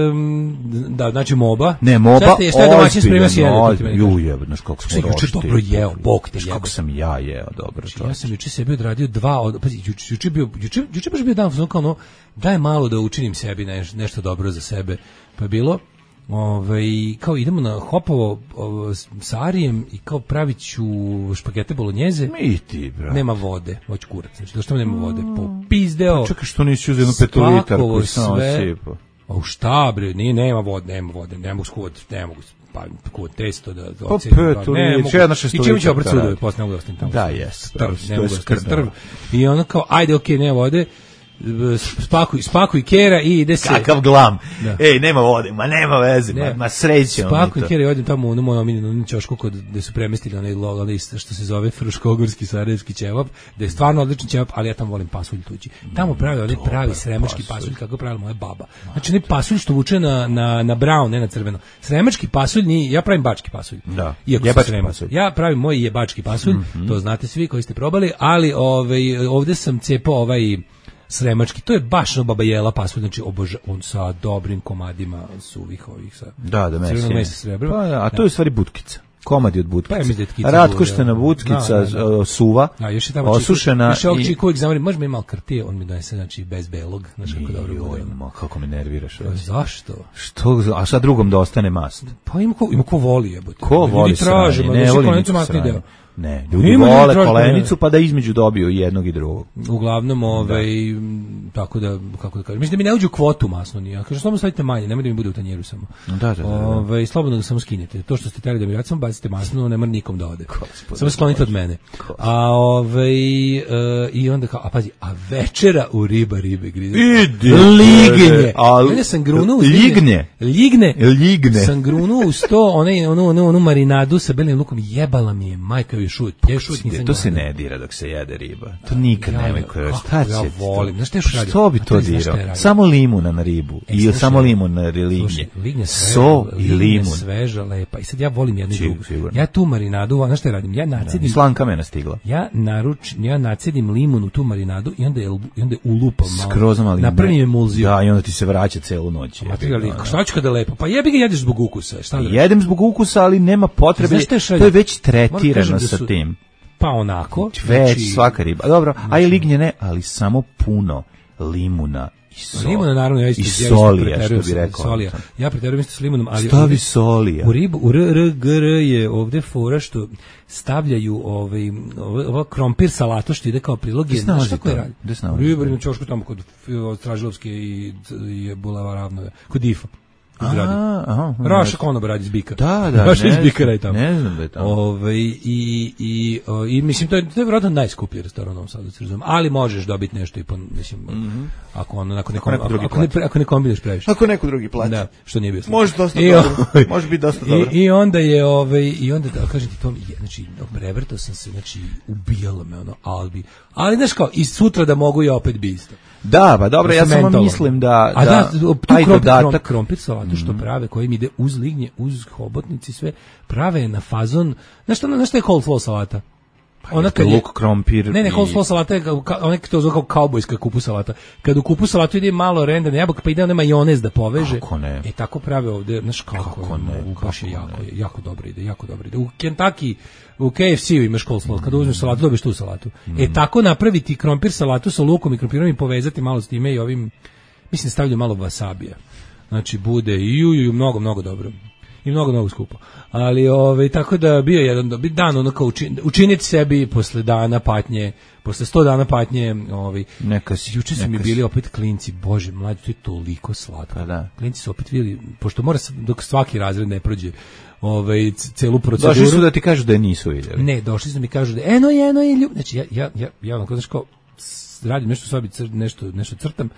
em, da, znači Moba. Ne, Moba, Šta ste- šta je domaćin spremio si ozbiljan, jede, ti meni ozbiljan. kažeš? Ju, jebe, znaš kako smo Što je juče rošti. dobro jeo, Bog te Znaš jebe. kako sam ja jeo, dobro. Ja čovječe. sam juče sebi odradio dva, od, pazi, juče, juče bio, juče, juče baš bio dan, fazon kao ono, daj malo da učinim sebi neš, nešto dobro za sebe. Pa je bilo, ovaj, kao idemo na Hopovo ovo, s- sa Arijem i kao pravit ću špagete bolognjeze. Mi ti, bro. Nema vode, hoću kurac, znači došto nema vode, popizdeo. Čekaj, što nisi uzeo jednu petolitar spakovao koji sam sve. osipao? A u šta bre, nije, nema vode, nema vode, ne mogu skuvati, ne mogu pa kuvat testo da Pa ocenim, pet, ne ili mogu. će jedna I šestolitarka čemu ću oprat sudove, radi. posle ne mogu da ostavim tamo. Da, jest, Strv, dobro, ne to je mogu da ostavim skrnavo. strv. I ono kao, ajde, okej, nema vode, spakuj, spakuj kera i ide se. Kakav glam. Da. Ej, nema vode, ma nema veze, ma, Ne. ma srećemo mi Spakuj to. kera i odem tamo u moju omiljenu ćošku kod gde su premestili onaj log, onaj što se zove fruškogorski sarajevski ćevap, da je stvarno odličan ćevap, ali ja tamo volim pasulj tuđi. Tamo prave onaj pravi sremački pasulj kako je pravila moja baba. Znači onaj pasulj što vuče na na na brown, ne na crveno. Sremački pasulj ni, ja pravim bački pasulj. Da. Iako Jebački sam Sremac. pasulj. Ja pravim moj jebački pasulj, to znate svi koji ste probali, ali ovaj ovde sam cepao ovaj sremački, to je baš no Baba Jela pasulj, znači oboža, on sa dobrim komadima suvih ovih sa da, da, crvenog mesa srebra. Pa, da, a to je u stvari butkica. Komadi od butkica. Pa je tkica. Ratkoštena butkica, da, da, da. suva, da, još je tamo osušena. Još je ovog čiku uvijek zamori, može mi malo kartije, on mi donese, znači, bez belog. Znači, kako dobro bude. Ma, kako me nerviraš. Pa, zašto? Što, a sad drugom da ostane mast? Pa ima ko, ima ko voli, jebote. Ko voli sranje? Ne voli niču sranje. Ne, ljudi ima vole kolenicu pa da između dobiju jednog i drugog. Uglavnom, ovaj, tako da, kako da kažem, mislim da mi ne uđu kvotu masno nije. Ja kažem, slobodno stavite manje, nemoj da mi bude u tanjeru samo. Da, da, da. Ovaj, slobodno ga samo skinete. To što ste teli da mi radite, samo bacite masno, ne mora nikom da ode. Gospod, samo sklonite od mene. A ovaj, uh, i onda kao, a pazi, a večera u riba ribe grize. Lignje. Ja sam grunuo uz lignje. Ligne. Ligne. Sam grunuo uz to, onaj, onu, onu, onu marinadu sa belim lukom, jebala mi je majka i šut. Ja šut nisam. To se ne dira dok se jede riba. To nikad nema koje. Šta će? Ja volim. Znaš šta još radim? Što bi to dirao? Samo limuna na ribu. I samo limun na lignje. Lignje so i limun. Sveža, lepa. I sad ja volim jednu drugu. Ja tu marinadu, znaš šta radim? Ja nacedim. Slanka me nastigla. Ja naruč, ja nacedim limun u tu marinadu i onda je i onda ulupam malo. Skroz malo. Napravim emulziju. Da, i onda ti se vraća celu noć. A ti ali šta ću kada lepo? Pa jebi ga jedeš zbog ukusa. Šta da? Jedem zbog ukusa, ali nema potrebe. To je već tretirano sa tim. Pa onako. Već znači, svaka riba. Dobro, znači, a i lignje ne, ali samo puno limuna i sol. Limuna naravno ja isto. I solija, što bi rekao. Solija. Ja preterujem isto s limunom, ali stavi ovdje, solija. U ribu, u r, r, g, r je ovde fora što stavljaju ovaj, ovaj krompir salatu što ide kao prilog. Znaš šta koje radi? U ribu, na čošku tamo kod Stražilovske i, i Bulava Ravnove. Kod Difa. Aha, aha, Raša konoba radi iz bika. Da, da, Raša iz bika radi tamo. Ne znam da je tamo. Ove, i, i, o, i mislim, to je, to je vjerojatno najskuplji restoran u Novom Sadu, ali možeš dobiti nešto i po, mislim, mm-hmm. ako, ono, ako, nekom, ako, ako, ne, ako ne kombineš previše. Ako neko drugi plaća. Da, što nije bio slučaj. Može dosta I, dobro. Može biti dosta dobro. I, i onda je, ove, i onda, da kažem ti to, znači, prevrtao sam se, znači, ubijalo me ono, albi. Ali, znaš kao, i sutra da mogu ja opet bi isto. Da, pa dobro, ja samo mislim da... A da, tu krompir, krompir salatu što prave, koji mi ide uz lignje, uz hobotnici, sve, prave na fazon... Znaš što, znaš što je coleslaw salata? Pa ona kad je luk, krompir... Ne, ne, coleslaw salata je, ona to zove kao kaubojska kupu salata. Kad u kupu salatu ide malo rendane jabuka, pa ide onaj majonez da poveže. Kako ne? E, tako prave ovde, znaš kako, kako ne? Baš je jako, jako dobro ide, jako dobro ide. U Kentucky, u K F C-u imaš coleslaw, kada uzmeš salatu, dobiješ tu salatu. Mm. E, tako napraviti krompir salatu sa lukom i krompirom i povezati malo s time i ovim, mislim, stavljaju malo wasabija. Znači, bude i ju, ju, mnogo, mnogo dobro. I mnogo, mnogo skupo. Ali, ove, tako da bio jedan dan, ono kao učin, učiniti sebi posle dana patnje, posle sto dana patnje, ovaj, neka si, juče su mi bili opet klinci, bože, mlađi, to je toliko slatko. Pa da. Klinci su opet vidjeli, pošto mora, dok svaki razred ne prođe, ovaj, celu proceduru. Došli su da ti kažu da je nisu vidjeli. Ne, došli su da mi kažu da eno, eno i ljub. Znači, ja, ja, ja, ja onako, znaš kao, radim nešto u sobi, cr, nešto, nešto crtam,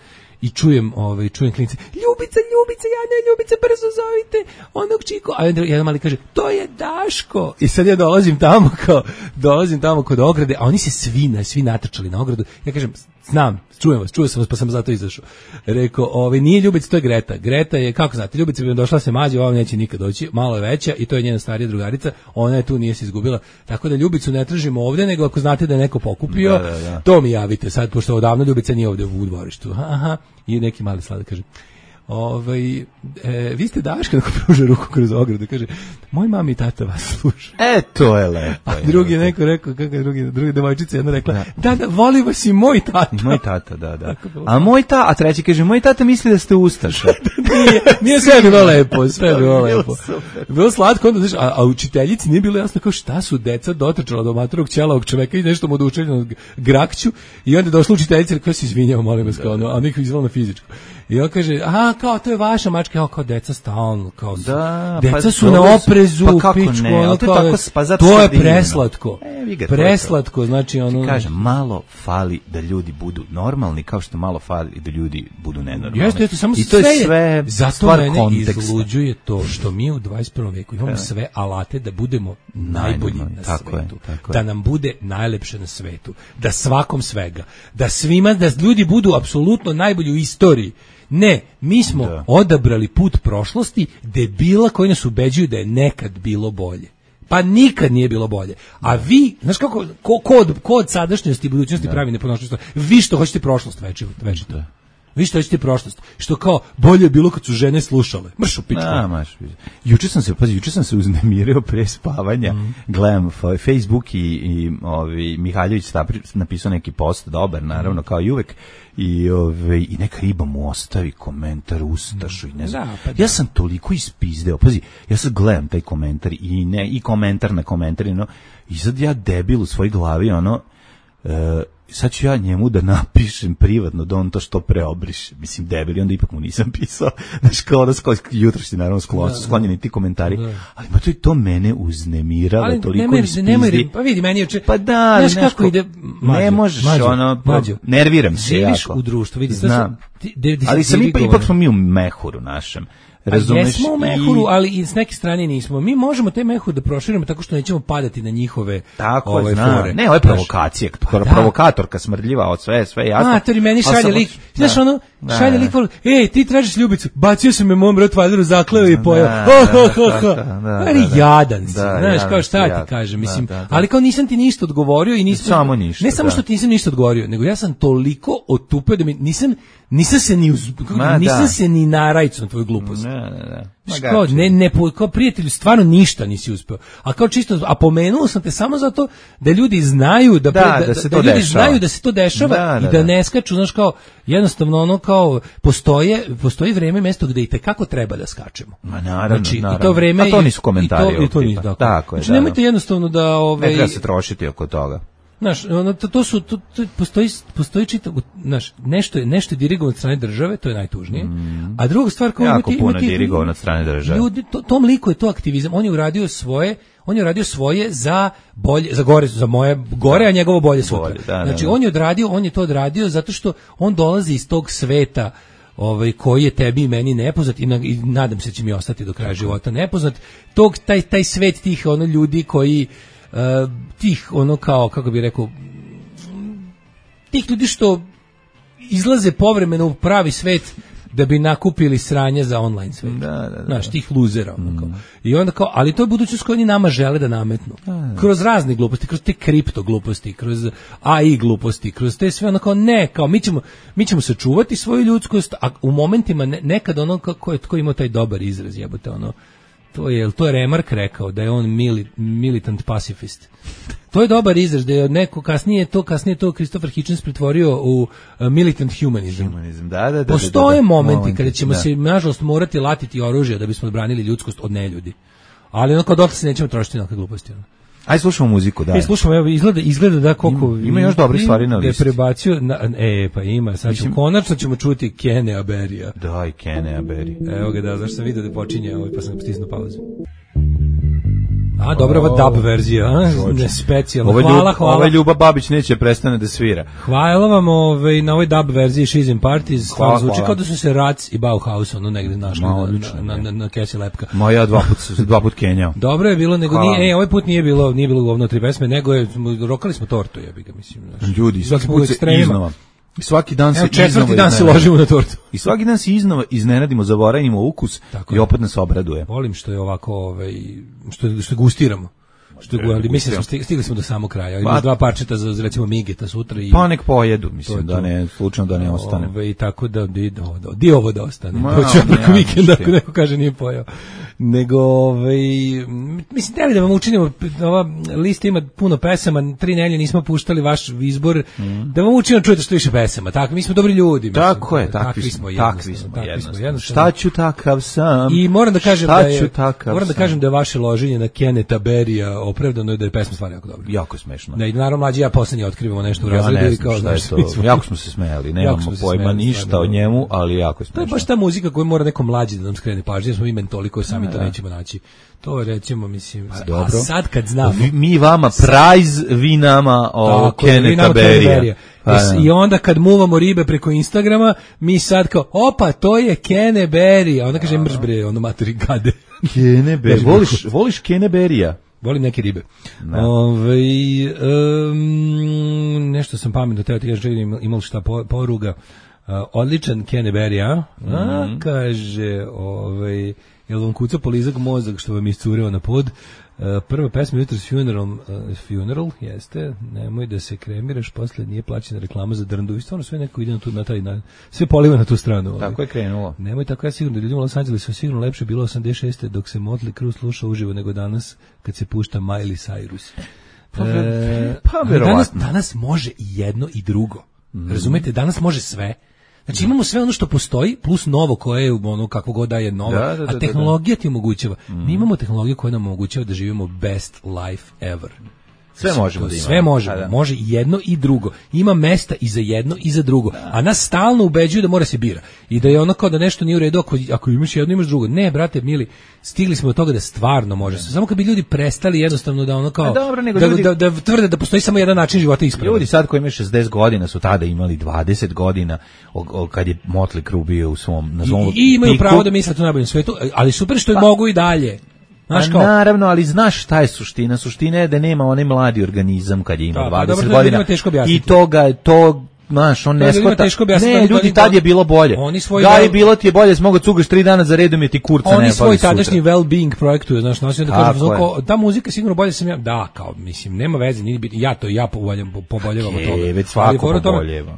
i čujem, ovaj, čujem klince, Ljubica, Ljubica, ja ne, Ljubica, brzo zovite onog čiku, a jedan mali kaže, to je Daško, i sad ja dolazim tamo kao, dolazim tamo kod ograde, a oni se svi, svi natrčali na ogradu, ja kažem, znam, čujem vas, čuo sam vas, pa sam zato izašao. Rekao, ovaj, nije Ljubica, to je Greta. Greta je, kako znate, Ljubica bi došla se mađe, ova neće nikad doći, malo je veća i to je njena starija drugarica, ona je tu, nije se izgubila. Tako da Ljubicu ne tražimo ovdje, nego ako znate da je neko pokupio, da, da, da. To mi javite sad, pošto odavno Ljubica nije ovdje u dvorištu. Aha, i neki mali sladak kaže, ovaj, e, vi ste Daška, ako pruže ruku kroz ogradu, kaže, moj mami i tata vas sluša. E, to je lepo. A drugi je neko rekao, kako je drugi, drugi devojčica jedna rekla, da, da, da voli vas i moj tata. Moj tata, da, da. A moj tata, a treći kaže, moj tata misli da ste ustaša. nije, nije sve bilo lepo, sve bilo lepo. Bilo slatko, onda, znaš, a, a učiteljici nije bilo jasno kao šta su deca dotrčala do matorog ćelavog čoveka i nešto mu odučeljeno grakću i onda došla učiteljica i rekao se izvinjava, molim vas, kao ono, a nekako izvala na fizičku. I on kaže, aha, kao, to je vaša mačka, ja, kao, deca stalno, kao, da, deca pa, su na oprezu, pa pičku, ne, ono, to, tako, pa to je preslatko, e, preslatko, znači, ono... Ti kažem, malo fali da ljudi budu normalni, kao što malo fali da ljudi budu nenormalni. Jeste, jeste, samo I sve, to je sve zato mene konteksta. Izluđuje to što mi u dvadeset prvom veku imamo sve alate da budemo najbolji na tako svetu, je, tako da nam bude najlepše na svetu, da svakom svega, da svima, da ljudi budu apsolutno najbolji u istoriji. Ne, mi smo da. odabrali put prošlosti debila koji nas ubeđuju da je nekad bilo bolje. Pa nikad nije bilo bolje. A vi, znaš kako, ko, kod, kod sadašnjosti i budućnosti pravi neponošnost. Vi što hoćete prošlost večito. večito. Vi što hoćete prošlost. Što kao, bolje je bilo kad su žene slušale. Mrš u pičku. Da, maš. Juče sam se, pazi, juče sam se uznemirio pre spavanja. Mm. Gledam Facebook i, i ovi, Mihaljević napisao neki post, dobar, naravno, kao i uvek. I, ove, i neka riba mu ostavi komentar ustašu i ne znam. Da, pa da. Ja sam toliko ispizdeo. Pazi, ja sad gledam taj komentar i ne i komentar na komentar, no, i sad ja debil u svojoj glavi, ono, uh, sad ću ja njemu da napišem privatno da on to što preobriše. Mislim, debil, i onda ipak mu nisam pisao. Znaš, kao da skoj, jutro si naravno sklon, da, sklonjeni ti komentari. Da. Ali ma to, to mene uznemiralo, ali toliko nemoj, ispizdi. Nemoj, pa vidi, meni je... Pa da, znaš kako ide... Mađo, ne možeš, mađo, ono, mađo. Nerviram se jako. Živiš u društvu, vidi, znam. Ti, de, de, ali sam ipak, ipak smo mi u mehuru našem. Razumeš, jesmo u mehuru, i... ali i s neke strane nismo. Mi možemo te mehur da proširimo tako što nećemo padati na njihove tako ove zna. fore. Ne, ovo je provokacija, pa da. Provokatorka smrdljiva od sve, sve jasno. A, to je meni šalje lik. Da. Znaš ono, da, šalje lik, ej, ti tražiš ljubicu, bacio sam me mom Rottweileru, zakleo i pojao. Ali jadan si, znaš, kao šta ti kažem, mislim, ali kao nisam ti ništa odgovorio i nisam... Samo ništa. Ne samo što ti nisam ništa odgovorio, nego ja sam toliko otupio da mi nisam, nisam se ni, uz, nisam se ni narajcu na tvoju glupost. Ne, ne, ne. Kao, ne, ne, kao prijatelju, stvarno ništa nisi uspeo. A kao čisto, a pomenuo sam te samo zato da ljudi znaju da, da, da, da, se da, to da ljudi dešava. znaju da se to dešava da, da, i da, da ne skaču, znaš, kao, jednostavno ono kao, postoje, postoji vreme i mesto gde i tekako treba da skačemo. Ma naravno, znači, naravno. I to vreme, a to nisu komentari. I to, i to nisu, tako. Tako je, znači, nemojte jednostavno da... Ove, ne treba se trošiti oko toga. Znaš, ono, to, to su, to, to postoji, postoji čitav, znaš, nešto je, nešto je dirigovano od strane države, to je najtužnije, mm. a druga stvar... Kao jako imati, puno imati, dirigovano od strane države. Ljudi, to, tom liku je to aktivizam, on je uradio svoje, on je uradio svoje za bolje, za gore, za moje gore, a njegovo bolje sutra. Bolje, da, znači, da, da. on je odradio, on je to odradio zato što on dolazi iz tog sveta ovaj koji je tebi i meni nepoznat i, na, i nadam se da će mi ostati do kraja života nepoznat. Tog, taj, taj svet tih ono ljudi koji Uh, tih ono kao kako bi rekao tih ljudi što izlaze povremeno u pravi svet da bi nakupili sranje za online svet. Da, da, da. Znaš, tih luzera. Mm. Kao. I onda kao, ali to je budućnost koju oni nama žele da nametnu. Da, da. Kroz razne gluposti, kroz te kripto gluposti, kroz A I gluposti, kroz te sve ono kao ne, kao mi ćemo, mi ćemo sačuvati svoju ljudskost, a u momentima ne, nekad ono kako je tko ima taj dobar izraz, jebote, ono to je, to je Remark rekao da je on mili, militant pacifist. To je dobar izraz da je neko kasnije to kasnije to Christopher Hitchens pretvorio u uh, militant humanism. Humanizam, da, da, da. Postoje da, da, momenti, momenti kada ćemo da. se nažalost morati latiti oružje da bismo odbranili ljudskost od neljudi. Ali ono kao dok se nećemo trošiti na gluposti. Ono. Aj slušamo muziku, da. E, slušamo, evo, izgleda, izgleda da koliko... Ima, ima još dobrih stvari na listi. Da je prebacio, na, e, pa ima, sad ćemo, konačno ćemo čuti Kene Aberija. Daj, Kene Aberi. Evo ga, da, zašto sam vidio da počinje, ovaj, pa sam ga stisnuo pauzu. A, dobra ova dub verzija, a? Ne, specijalno. Ove hvala, ljub, hvala. Ova Ljuba Babić neće prestane da svira. Hvala vam ovaj, na ovoj dub verziji She's in Parties. Hvala, zvuči hvala. kao da su se Rac i Bauhaus ono negde našli Ma, na, odlično, na, na, na kesi lepka. Ma ja dva put, dva put kenjao. Dobro je bilo, nego hvala. nije, e, ovaj put nije bilo, nije bilo govno tri pesme, nego je, rokali smo tortu, jebi ga, mislim. Znaš. Ljudi, svaki put se iznova. I svaki dan se Evo, četvrti iznova dan se ložimo na tortu. I svaki dan se iznova iznenadimo, zaboravimo ukus. Tako i opet nas obraduje. Volim što je ovako, ovaj, što, što gustiramo. Što je, ali mislim da stigli, stigli smo do samog kraja. Ima dva parčeta za recimo Migeta sutra i pa nek pojedu, mislim da ne slučajno da ne ostane. Ove, i tako da di, do, do, di ovo da ostane. Doći preko vikenda ako neko kaže nije pojeo. Nego ovaj mislim da li da vam učinimo, ova lista ima puno pesama, tri nelje nismo puštali vaš izbor, mm. da vam učinimo čujete što više pesama. Tako mi smo dobri ljudi, mislim. Tako je, takvi, takvi smo, takvi smo, takvi smo jednostavno. Šta ću takav sam? I moram da kažem šta da je moram da sam? kažem da je vaše loženje na Keneta Berija opravdano i da je pesma stvarno jako dobra. Jako smešno. Ne, naravno mlađi ja poslednji otkrivamo nešto u razredu i kao znaš, to, jako smo se smejali, nemamo pojma smejali, ništa stvarno, o njemu, ali jako je smešno. To je baš ta muzika koju mora neko mlađi da nam skrene pažnju, jer smo mi toliko sami to nećemo naći. To recimo, mislim, a, a sad kad znamo... Vi, mi vama prize, vi nama o Keneta Berija. Pa, I onda kad muvamo ribe preko Instagrama, mi sad kao, opa, to je Kene Berija. Onda kaže, mrš bre, ono materi gade. Kene Berija. Voliš, voliš Kene Berija? Volim neke ribe. Ove, um, nešto sam pametno, teo ti kažem, imao šta poruga. Uh, odličan Kene Berija. A, mm. kaže, ovaj... jel vam kuca polizak mozak što vam iscureo na pod? Uh, prva pesma jutros Funeral, uh, Funeral, jeste, nemoj da se kremiraš, posle nije plaćena reklama za drndu, i stvarno sve neko ide na, tu, na taj, na, sve poliva na tu stranu. Tako je krenulo. Nemoj tako, ja sigurno da ljudima u Los Angelesu sigurno lepše bilo osamdeset šeste dok se Motley Crue sluša uživo nego danas kad se pušta Miley Cyrus. Pa, e, pa verovatno. Danas, danas može i jedno i drugo. Mm. Razumete, danas može sve. Znači imamo sve ono što postoji plus novo koje je ono kako god da je novo, da, da, da, a tehnologija da, da. ti omogućava. Mm. Mi imamo tehnologiju koja nam omogućava da živimo best life ever. Sve možemo da imamo. Sve možemo, da. Može jedno i drugo. Ima mesta i za jedno i za drugo. Da. A nas stalno ubeđuju da mora se bira. I da je ono kao da nešto nije u redu ako, ako imaš jedno, imaš drugo. Ne, brate, mili, stigli smo do toga da stvarno može. Samo kad bi ljudi prestali jednostavno da ono kao dobro, nego da, ljudi, da, da, da tvrde da postoji samo jedan način života ispravan. Ljudi sad koji imaju šezdeset godina su tada imali dvadeset godina o, o, kad je Motley Crue bio u svom na svom I, i imaju piku. pravo da misle to najboljem svetu, ali super što pa, mogu i dalje. Znaš kao, naravno, ali znaš šta je suština? Suština je da nema onaj mladi organizam kad je imao da, dvadeset dobro, godina. I toga, to, znaš, on ne shvata. Ne, ljudi, tad je bilo bolje. Da je bilo ti je bolje, smogo cugaš tri dana za redom je ti kurca ne pali sutra. Oni svoj tadašnji well-being projektuju, znaš, nosio da kažem, znako, ta muzika sigurno bolje sam ja, da, kao, mislim, nema veze, nije biti, ja to, ja poboljevam od toga. Već svako poboljeva.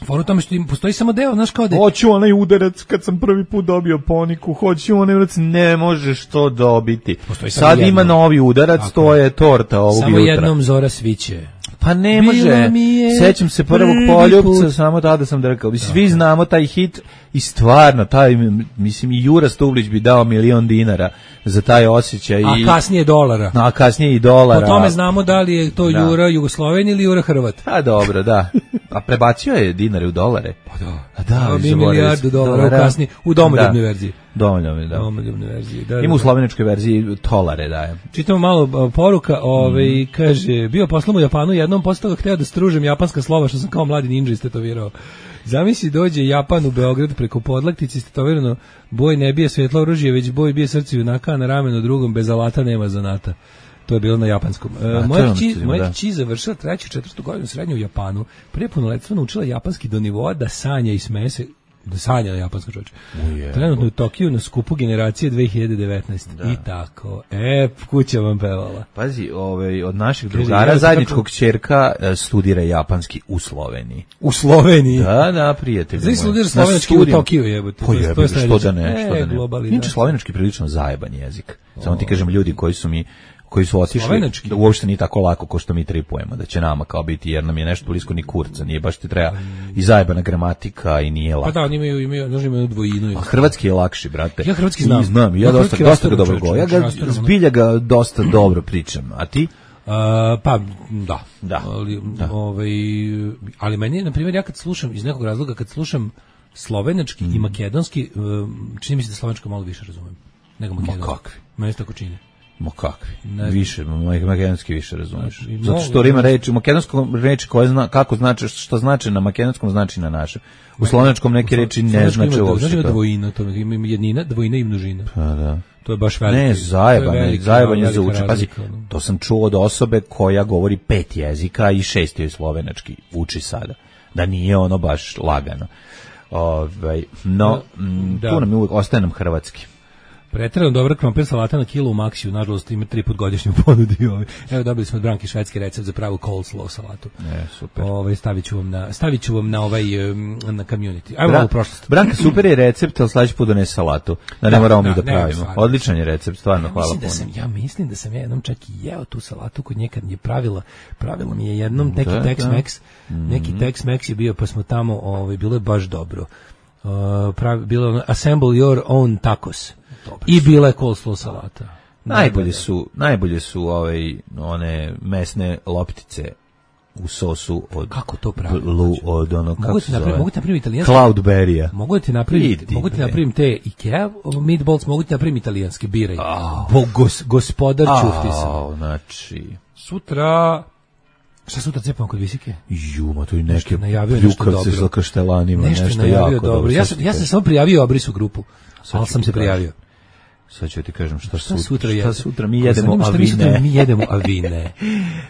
Fora u tome što im postoji samo deo, znaš kao da... Hoću onaj udarac kad sam prvi put dobio poniku, hoću onaj udarac, ne možeš to dobiti. Sad ima jedno. Novi udarac, tako, to je torta ovog samo jutra. Jednom zora sviće. Pa ne može, sećam se prvog poljupca, samo tada sam drkao. Da. Svi znamo taj hit i stvarno, taj, mislim, i Jura Stublić bi dao milion dinara za taj osjećaj. A i, kasnije dolara. A kasnije i dolara. Po tome znamo da li je to da. Jura Jugosloven ili Jura Hrvat. A dobro, da. A prebacio je dinare u dolare. Pa da. A da, da bi milijardu dolara u kasnije, u domoljubnoj da. verziji. Domoljubnoj, da. Domoljubnoj verziji. Da, ima da, u sloveničkoj verziji tolare daje. Čitamo malo poruka, ovaj mm. kaže, bio poslom u Japanu, jednom posle toga hteo da stružem japanska slova što sam kao mladi ninja istetovirao. Zamisli dođe Japan u Beograd preko podlaktice istetovirano, boj ne bije svetlo oružje, već boj bije srce junaka, a na ramenu drugom bez alata nema zanata. To je bilo na japanskom. E, moja kći, moja kći završila treću, četvrtu godinu srednje u Japanu. Prije punoletstva naučila japanski do nivoa da sanja i smeje se, da sanja na japansko čoveče. Trenutno u Tokiju na skupu generacije dve hiljade devetnaeste. Da. I tako. E, kuća vam pevala. Pazi, ovaj, od naših drugara ja, zajedničkog ćerka studira japanski u Sloveniji. U Sloveniji? Da, da, prijatelji. Znači studira slovenački u Tokiju, jebote. Po jebote, što da ne, što da ne. Globali, Inče slovenački prilično zajeban jezik. Samo ti kažem, ljudi koji su mi koji su otišli, da uopšte nije tako lako kao što mi tripujemo, da će nama kao biti, jer nam je nešto blisko ni kurca, nije baš ti treba i zajebana gramatika i nije lako. Pa da, oni imaju, imaju, znači imaju dvojinu. A hrvatski je lakši, brate. Ja hrvatski znam. I znam, ja, ja dosta, dosta ga dobro govorim. Ja ga, zbilja ga dosta dobro pričam, a ti? Uh, pa, da. Da. Ali, da. Ovaj, ali meni, na primjer, ja kad slušam, iz nekog razloga, kad slušam slovenački mm. i makedonski, čini mi se da slovenačko malo više razumem nego makedonski. Ma kakvi? Meni se tako čini. Ma kakvi? Ne, više, makedonski više razumeš. Zato što ima reči, u makedonskom reči koje zna, kako znači, što znači na makedonskom znači na našem. U slovenačkom neke reči ne znači uopšte. Znači dvojina, to ima jednina, dvojina i množina. Pa da. To je baš veliko. Ne, zajebanje, zajebanje za uči. Pazi, to sam čuo od osobe koja govori pet jezika i šest je slovenački uči sada. Da nije ono baš lagano. Ovaj, no, da. Tu nam je uvijek, ostaje nam hrvatski. Preterano dobra krompir salata na kilu u Maxiju, nažalost ima tri put godišnju ponudi. Ovaj. Evo dobili smo od Branki švedski recept za pravu coleslaw salatu. E, super. Ovaj stavit ću vam na stavit ću vam na ovaj na community. Ajmo Bra- u prošlost. Branka super je recept, al sledeći put donese salatu. Da, da ne moramo da, mi da, da pravimo. Ne, Odličan je recept, stvarno, hvala puno. Da sam, ja mislim da sam ja jednom čak i jeo tu salatu kod nje kad je pravila. Pravila mi je jednom neki da, Tex-Mex, da. neki mm-hmm. Tex-Mex je bio, pa smo tamo, ovaj bilo je baš dobro. Uh, pravi, bilo ono, assemble your own tacos. Dobar I bila je coleslaw salata. Najbolje su, najbolje su ovaj one mesne loptice u sosu od kako to pravi? Lu, od ono kako se zove? Mogu ti napraviti italijanski Cloudberry-a. Mogu ti napraviti, mogu ti napraviti te Ikea meatballs, mogu ti napraviti italijanski biraj. Oh. Bo, gos, gospodar oh, čufti sam. Znači sutra šta sutra cepamo kod Visike? Ju, ma to i neke ljukavce sa kaštelanima, nešto, nešto jako dobro. dobro. Ja sam, ja sam samo prijavio obris u grupu, ali sam se prijavio. Sad ću ti kažem šta, Šta sutra, sutra šta jede? sutra mi Ko jedemo zanima šta mi sutra avine. mi jedemo avine.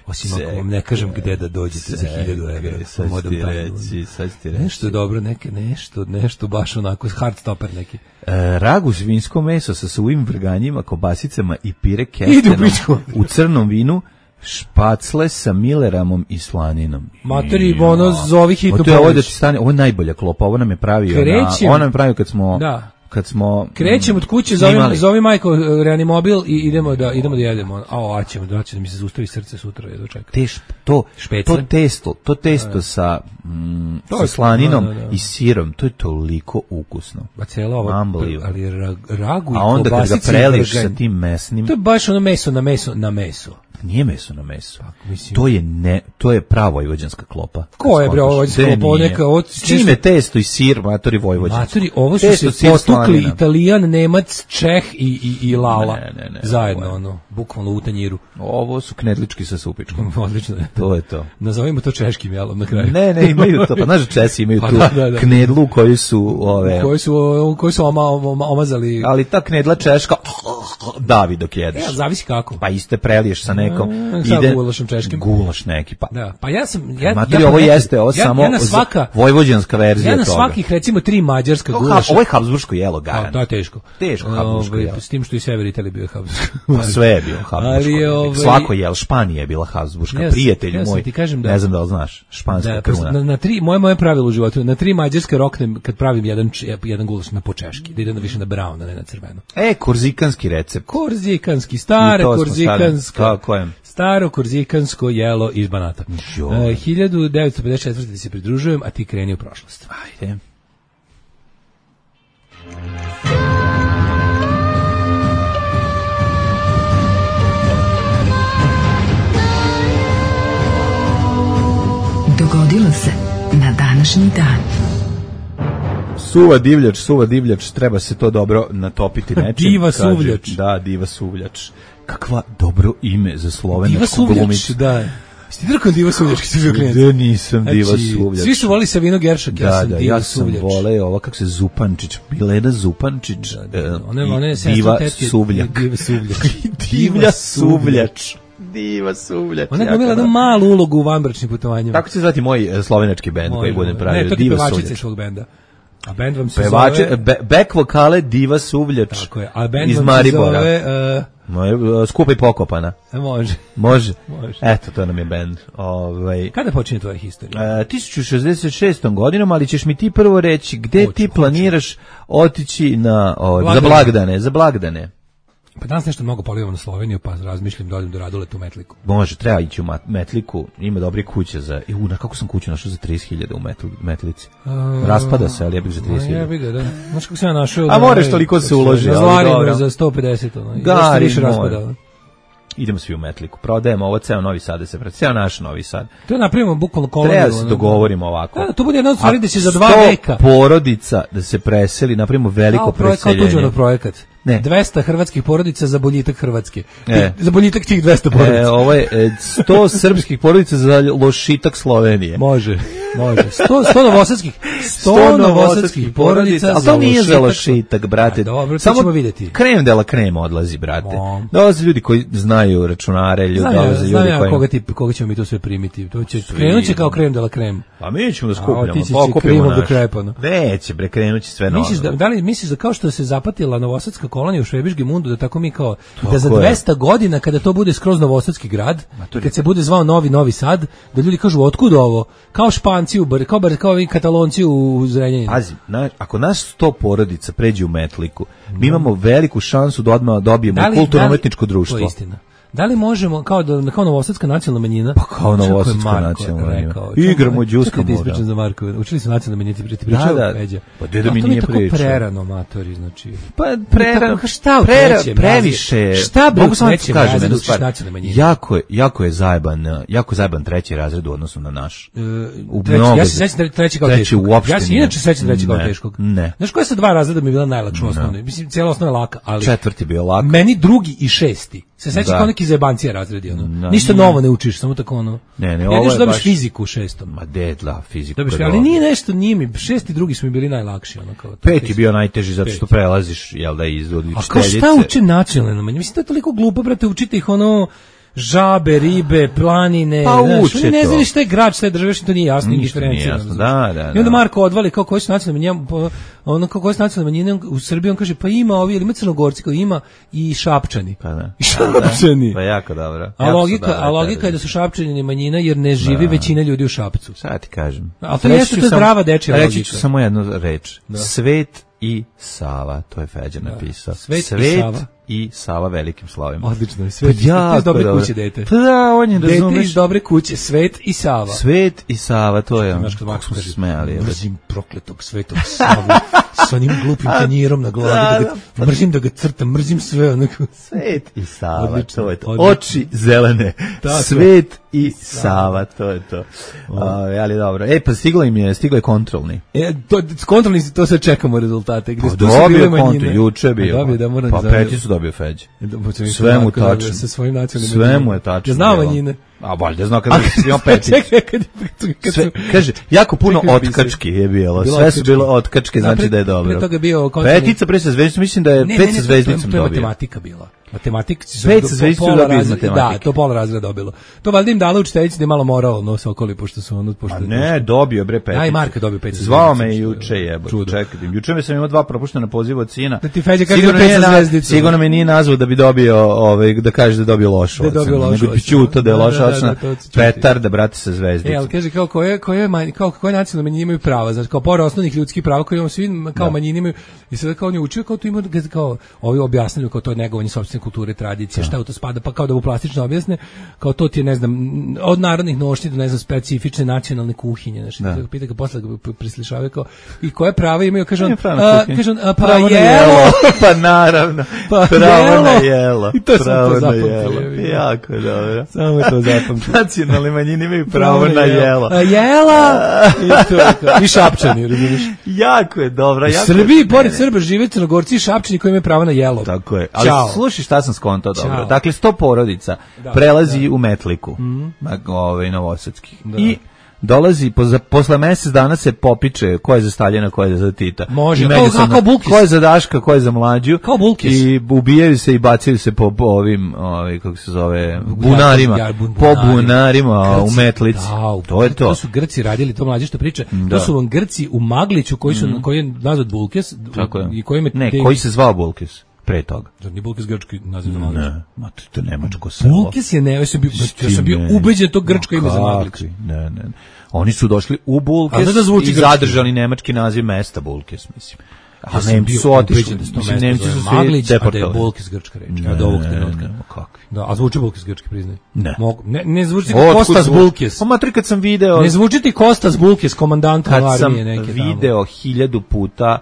Osim ako Čekaj. vam ne kažem gde da dođete za hiljadu evra. Sad ću ti reći, sad ću ti reći. Nešto dobro, neke, nešto, nešto baš onako, hard stopper neki. E, ragu svinjsko meso sa suvim vrganjima, kobasicama i pire Ide u kestenom pičku. u crnom vinu, špacle sa mileramom i slaninom. Matori, ono, zovi hitnu O, to je ovo da pomoć. ti stane, ovo je najbolja klopa, ovo nam je pravio, Krećem. na, ovo nam je pravio kad smo, Da. kad smo Krećem mm, od kuće, zovem, snimali. zovem majko e, reanimobil i idemo da idemo da jedemo. A, a ćemo, da će da mi se zaustavi srce sutra, jedno čekam. Te šp- to, Špecle. to testo, to testo sa, mm, To sa je- slaninom da, da, da. i sirom, to je toliko ukusno. Ba cela ova, Unbelievable. ali ra, ragu i A onda kad ga kobasice i preliš vrganj. sa tim mesnim, To je baš ono meso na meso na meso. nije meso na meso. mislim. To je ne, to je prava vojvođanska klopa. Ko je, bre, ovo vojvođanska Gde klopa? Ovo nije? neka- ovo- S čime testo i sir, matori vojvođanski. Matori, ovo su Testo, se sir, potukli slanina. Italijan, Nemac, Čeh i, i, i Lala. Ne, ne, ne, Zajedno, ovo je- ono, bukvalno u tanjiru. Ovo su knedlički sa supičkom. Odlično je. To je to. Nazovimo to češkim jelom na kraju. Ne, ne, imaju to. Pa znaš, Česi imaju Pa tu da, da, da. knedlu koju su ove, Koji su, koji su oma, oma, omazali... ali ta knedla češka davi dok jedeš. Ja, zavisi kako. Pa iste preliješ sa nekom. A, sa gulašom češkim. Gulaš neki, pa. Da, pa ja sam... Ja, Matori, ja ovo pametim. jeste, ovo ja, samo ja na svaka, vojvođanska verzija ja na toga. svakih, recimo, tri mađarska Ovo, gulaša. ovo je habsburško jelo, A, garant. to je teško. Teško habsburško Ovaj, jelo. s tim što i sever Italije bio je habsburško. Pa sve je bilo habsburško. Ali, ovaj- Svako jelo, Španija je bila habsburška. Ja sam- Prijatelju ja sam moj, ti kažem da- ne znam da li znaš, španska Da, kruna. na, na tri, moje moje pravilo u životu, na tri mađarske roknem kad pravim jedan, č- jedan gulaš na počeški, da ide na više na brown, a ne na crveno. E, korzikanski recept. Korzikanski, I stare to smo korzikansko. stavili. Kako je? Staro korzikansko jelo iz Banata. Joj. E, hiljadu devetsto pedeset četvrte se pridružujem, a ti kreni u prošlost. Ajde. Dogodilo se na današnji dan. Suva divljač, suva divljač, treba se to dobro natopiti nečim. Diva kaže. suvljač. Da, diva suvljač. Kakva dobro ime za Diva slovenačku Suvljač, glumicu. da. Sti drkao Diva Suvljač, kad si bio klijent? Gde nisam diva Znači, suvljač. svi su volili Savino Geršak, ja Da, sam da, Diva ja sam Suvljač. voleo ovo, kako se Zupančić, Milena Zupančić, Da, da, e, one, i one sestre diva tetke- suvljak. Diva Suvljač. Divlja suvljač. Diva suvljač. Ona je jako glumila jednu dobro. malu ulogu u vanbračnim putovanjima. Tako će se zvati moj e, slovenački bend koji Može, budem može. pravio. Ne, to ti Diva pevačica suvljač. iz svog benda. A bend vam se Pevače, zove... be, back vokale Diva suvljač. Tako je. A bend iz vam se Maribora. zove... Uh, Moj, e, skupa i pokopana. može. Može. Može. Eto, to nam je bend. Ovaj Kada počinje tvoja historija? E, tisuću šezdeset šestom godinom, ali ćeš mi ti prvo reći gde Hoću, ti hoću. planiraš otići na, o, za Blagdane. blagdane, za blagdane. Pa danas nešto mnogo polivam na Sloveniju, pa razmišljam da odem do Raduleta u Metliku. Može, treba ići u Mat- Metliku, ima dobre kuće za... I, u, na kako sam kuću našao za trideset hiljada u Metli, Metlici? Raspada se, ali ja bih za trideset Ja hiljada. bih ga, da. Znaš kako sam ja našao... A da, moraš ovaj, toliko se kako uloži, Na ali Zlarinu dobro. za sto pedeset, ono. Da, Da, ali više mora. raspada. Idemo svi u Metliku, prodajemo ovo, ceo Novi Sad da se prati, ceo naš Novi Sad. To napravimo bukvalno koloniju. Treba da se ono. dogovorimo ovako. Da, to bude jedna od stvari da će za dva sto veka. porodica da se preseli, napravimo veliko Kao projekt, kao preseljenje. tuđmanov projekat. Ne. dvesta hrvatskih porodica za boljitak Hrvatske. E. Za boljitak tih dvesta porodica. E, ovo je e, sto srpskih porodica za lošitak Slovenije. Može, može. sto, sto novosadskih, sto novosadskih porodica ali to nije za lošitak, brate. A dobro, to Samo ćemo vidjeti. krem de la krem odlazi, brate. Mom. Dolaze ljudi koji znaju računare, ljudi, Znam ja, dolaze znam ljudi ja koji... koga, ti, koga ćemo mi to sve primiti. To će, krenut će kao krem de la krem. Pa mi ćemo da A skupljamo, otići će pokupimo krimom do naš. krepana. Neće, bre, krenuće sve novo. Misliš da, da li misliš da kao što se zapatila novosadska kolonija u Švebiški mundu, da tako mi kao, da za Tako je. dvesta godina kada to bude skroz novosadski grad, i kad se bude zvao Novi Novi Sad, da ljudi kažu otkud ovo? Kao Španci u Bar, kao, bar, kao ovi Katalonci u Zrenjaninu. Pazi, na, ako naš sto porodica pređe u Metliku, mi imamo veliku šansu da odmah dobijemo Da li- kulturno-umetničko da li- društvo. To je istina. Da li možemo, kao, da, kao novosadska nacionalna manjina? Pa kao Znaš kako je novosadska Marko nacionalna manjina. rekao? Igramo Čekaj, đuska čekaj da moda. ispričam za Marko. Učili su nacionalne manjine, ti ti pričao, Da, da. Peđa. Pa deda A mi to nije je tako pričao. prerano, matori, znači. Pa prera, Tako, šta u prera, trećem previše. razredu? Šta bre u Mogu samo da ti trećem kažem razredu jednu učiš stvar. nacionalne manjine? Jako je, jako je zajeban, uh, jako je zajeban treći razred u odnosu na naš. E, U treći, mnogo- ja se sećam tre- treći kao treći teškog. uopšte Ja se nije. inače sećam treći kao Ne, teškog. ne. Znaš koja sa dva razreda mi je bila najlakša osnovna? Mislim, cijela osnova je laka, ali Četvrti bio lak. meni drugi i šesti. Se sećam Da. kao neki neki zajebancija razredi, ono. Da, Ništa nije. novo ne učiš, samo tako ono. Ne, ne, ja ovo nešto je dobiš baš- fiziku u šestom. Ma dedla, fiziku. Dobiš, je ali dobro. nije nešto, nije mi, šesti i drugi su mi bili najlakši, ono kao. Pet je bio najteži zato što Pet. prelaziš, jel da, iz od A kao šta učiteljice. uče nacionalne manjine? Mislim, to je toliko glupo, brate, učite ih ono žabe, ribe, planine. Pa znaš, uče oni ne to. znaju šta je grad, šta je država, što to nije jasno, Ništa nije indiferencirano, jasno, znaš. da, da, I onda da. Marko odvali kao koji su nacionalne manjine, pa, ono kao koji su nacionalne manjine u Srbiji, on kaže pa ima ovi, ili ima Crnogorci, koji ima i Šapčani. Pa da. I Šapčani. Pa jako dobro. A Jako su logika, dobre a logika te- je da su Šapčani manjina jer ne živi većina ljudi u Šapcu. Sad ti kažem. A to Reći jeste, ću to je samo- zdrava dečija Reći logika. ću samo jednu reč. Svet i Sava, to je Feđa napisao. Svet i Sava. i Sava velikim slovima. Odlično, Svet Pa jako iz dobre dobro. kuće, dete. Pa da, on je, Dete razumeš, iz dobre kuće, Svet i Sava. Svet i Sava, to je on. Znaš kad Kako Marko smo se kaže, smejali. jebote. mrzim prokletog Svetog Savu s onim glupim tanjirom na glavi, da ga, mrzim da ga crtam, mrzim sve, onako. Svet i Sava, Odlično, to je to. odlično. Oči zelene. Tako. Svet i Sava, to je to. A, ali dobro. E, pa stiglo im je, stiglo je kontrolni. E, to, kontrolni si, to sad čekamo rezultate. Gde Pa su- tu su dobio bile je konto, manjine. juče je bio. A dobio, da, moram pa da zavijem. peti su dobio Feđe. Da, pa ćemo Sve mu ovako da- tačno. Sa svojim nacionalnim Sve manjinama. mu je tačno. Ja znam bilo. manjine. A valjda znao kada je bio peti. Čekaj, kad, kad, kad Sve, su... kaže, jako puno Čekaj, pisaj. otkački je bilo. Bilo Sve su otkački. bilo otkačke, Da, znači pre- da je dobro. pre toga je bio kontrolni- Petica pre sa zvezdicom, mislim da je Ne, pet ne, sa ne, zvezdicom to je dobio. matematika bila. Matematika su Pet do- sa zvezdicom pola dobio iz razreda- matematike. Da, to pola razreda dobilo. To valjda im dala učiteljica da je malo moralo no Sokoli, pošto su ono... Pošto, A ne, dobio bre peticu. Ja i Marko dobio pet sa Zvao zvezdicom, me što je juče jebote. čudo. Čekaj, juče me sam imao dva propuštena poziva od sina. Da ti Feđa kaže Sigurno da pet nije sa na- zvezdicom. Sigurno me nije nazvao da bi dobio, ovaj, da kaže da je dobio lošu Da je dobio ocenu. lošu Nego bi ocenu. čuto da je Da, loša da, da, ocena. da, to ću čuti. Petar da brate sa E, zvezdicom. ali kaže kao koje koje manj, kao koje nacionalne manjine imaju prava, znači kao pored osnovnih ljudskih prava koje imamo svi kao manjine imaju i sada kao on je učio kao to ima kao ovi objasnili kao to je negovanje sopstvene kulture, tradicije, šta u to spada, pa kao da mu plastično objasne, kao to ti je ne znam od narodnih nošnji do ne znam specifične nacionalne kuhinje, znači Da. da. Pita ga posle ga p- preslišavaju kao i koje prava imaju, kaže on, Nije pravo na a, kuhinju. kaže on, a, pa Pravo na jelo. pa naravno. Pa Pravo na jelo. jelo. I to sam Pravo to na zapamtio, jelo. ja vidim. Jako dobro. Samo to zapamtio. Nacionalne manjine imaju pravo na jelo. A jela. I to je to. I Šapčani, razumiješ? Jako je dobro. U Jako Srbiji, pored Srba, žive Crnogorci i Šapčani koji imaju pravo na jelo. Tako je. Ali Ćao. slušaj šta sam skontao dobro. Ćao. Dakle, sto porodica Da, prelazi u Metliku, mm. ovaj, novosadskih. I dolazi, po, posle mesec dana se popiče ko je za Staljina, ko je za Tita. Može, I kao- međusobno, kao Bulkis. ko je za Daška, ko je za Mlađu. Kao Bulkis. I ubijaju se i bacaju se po, po ovim, ovaj, kako se zove, bunarima. Ja, bun- Po bunarima u Grci, Metlici. da, u- to je to. To su Grci radili, to mlađe što priča. Da. To su vam Grci u Magliću koji su koji je nazvat Bulkes, Tako je. i koji ima Ne, te- koji se zvao Bulkis pre toga. Zar nije Bulkes grčki naziv za Maglić? Ne, ma to, to nemačko selo. Bulkes je ne, ja sam bio, ja sam bio Ne. ubeđen to grčko Ma ime za Maglić. kakvi, Ne, ne. ne. Oni su došli u A Bulkes da zvuči i grčki. zadržali nemački naziv mesta Bulkes, mislim. A Ja sam Nemci bio su otišli, ubeđen da se to mislim, mesto Nemci zove su svi Maglić, a da je deportovani. Bulkes grčka reč. Ne, Od ovog ne, trenutka. ne, ma kakvi. Da, a zvuči Bulkes grčki, priznaj. Ne. Mogu, ne, ne zvuči kao Otkud Kostas zvuči? Bulkes. Pa matri, kad sam video, Ne zvuči ti Kostas Bulkes, komandant kad sam armije neke tamo. video hiljadu puta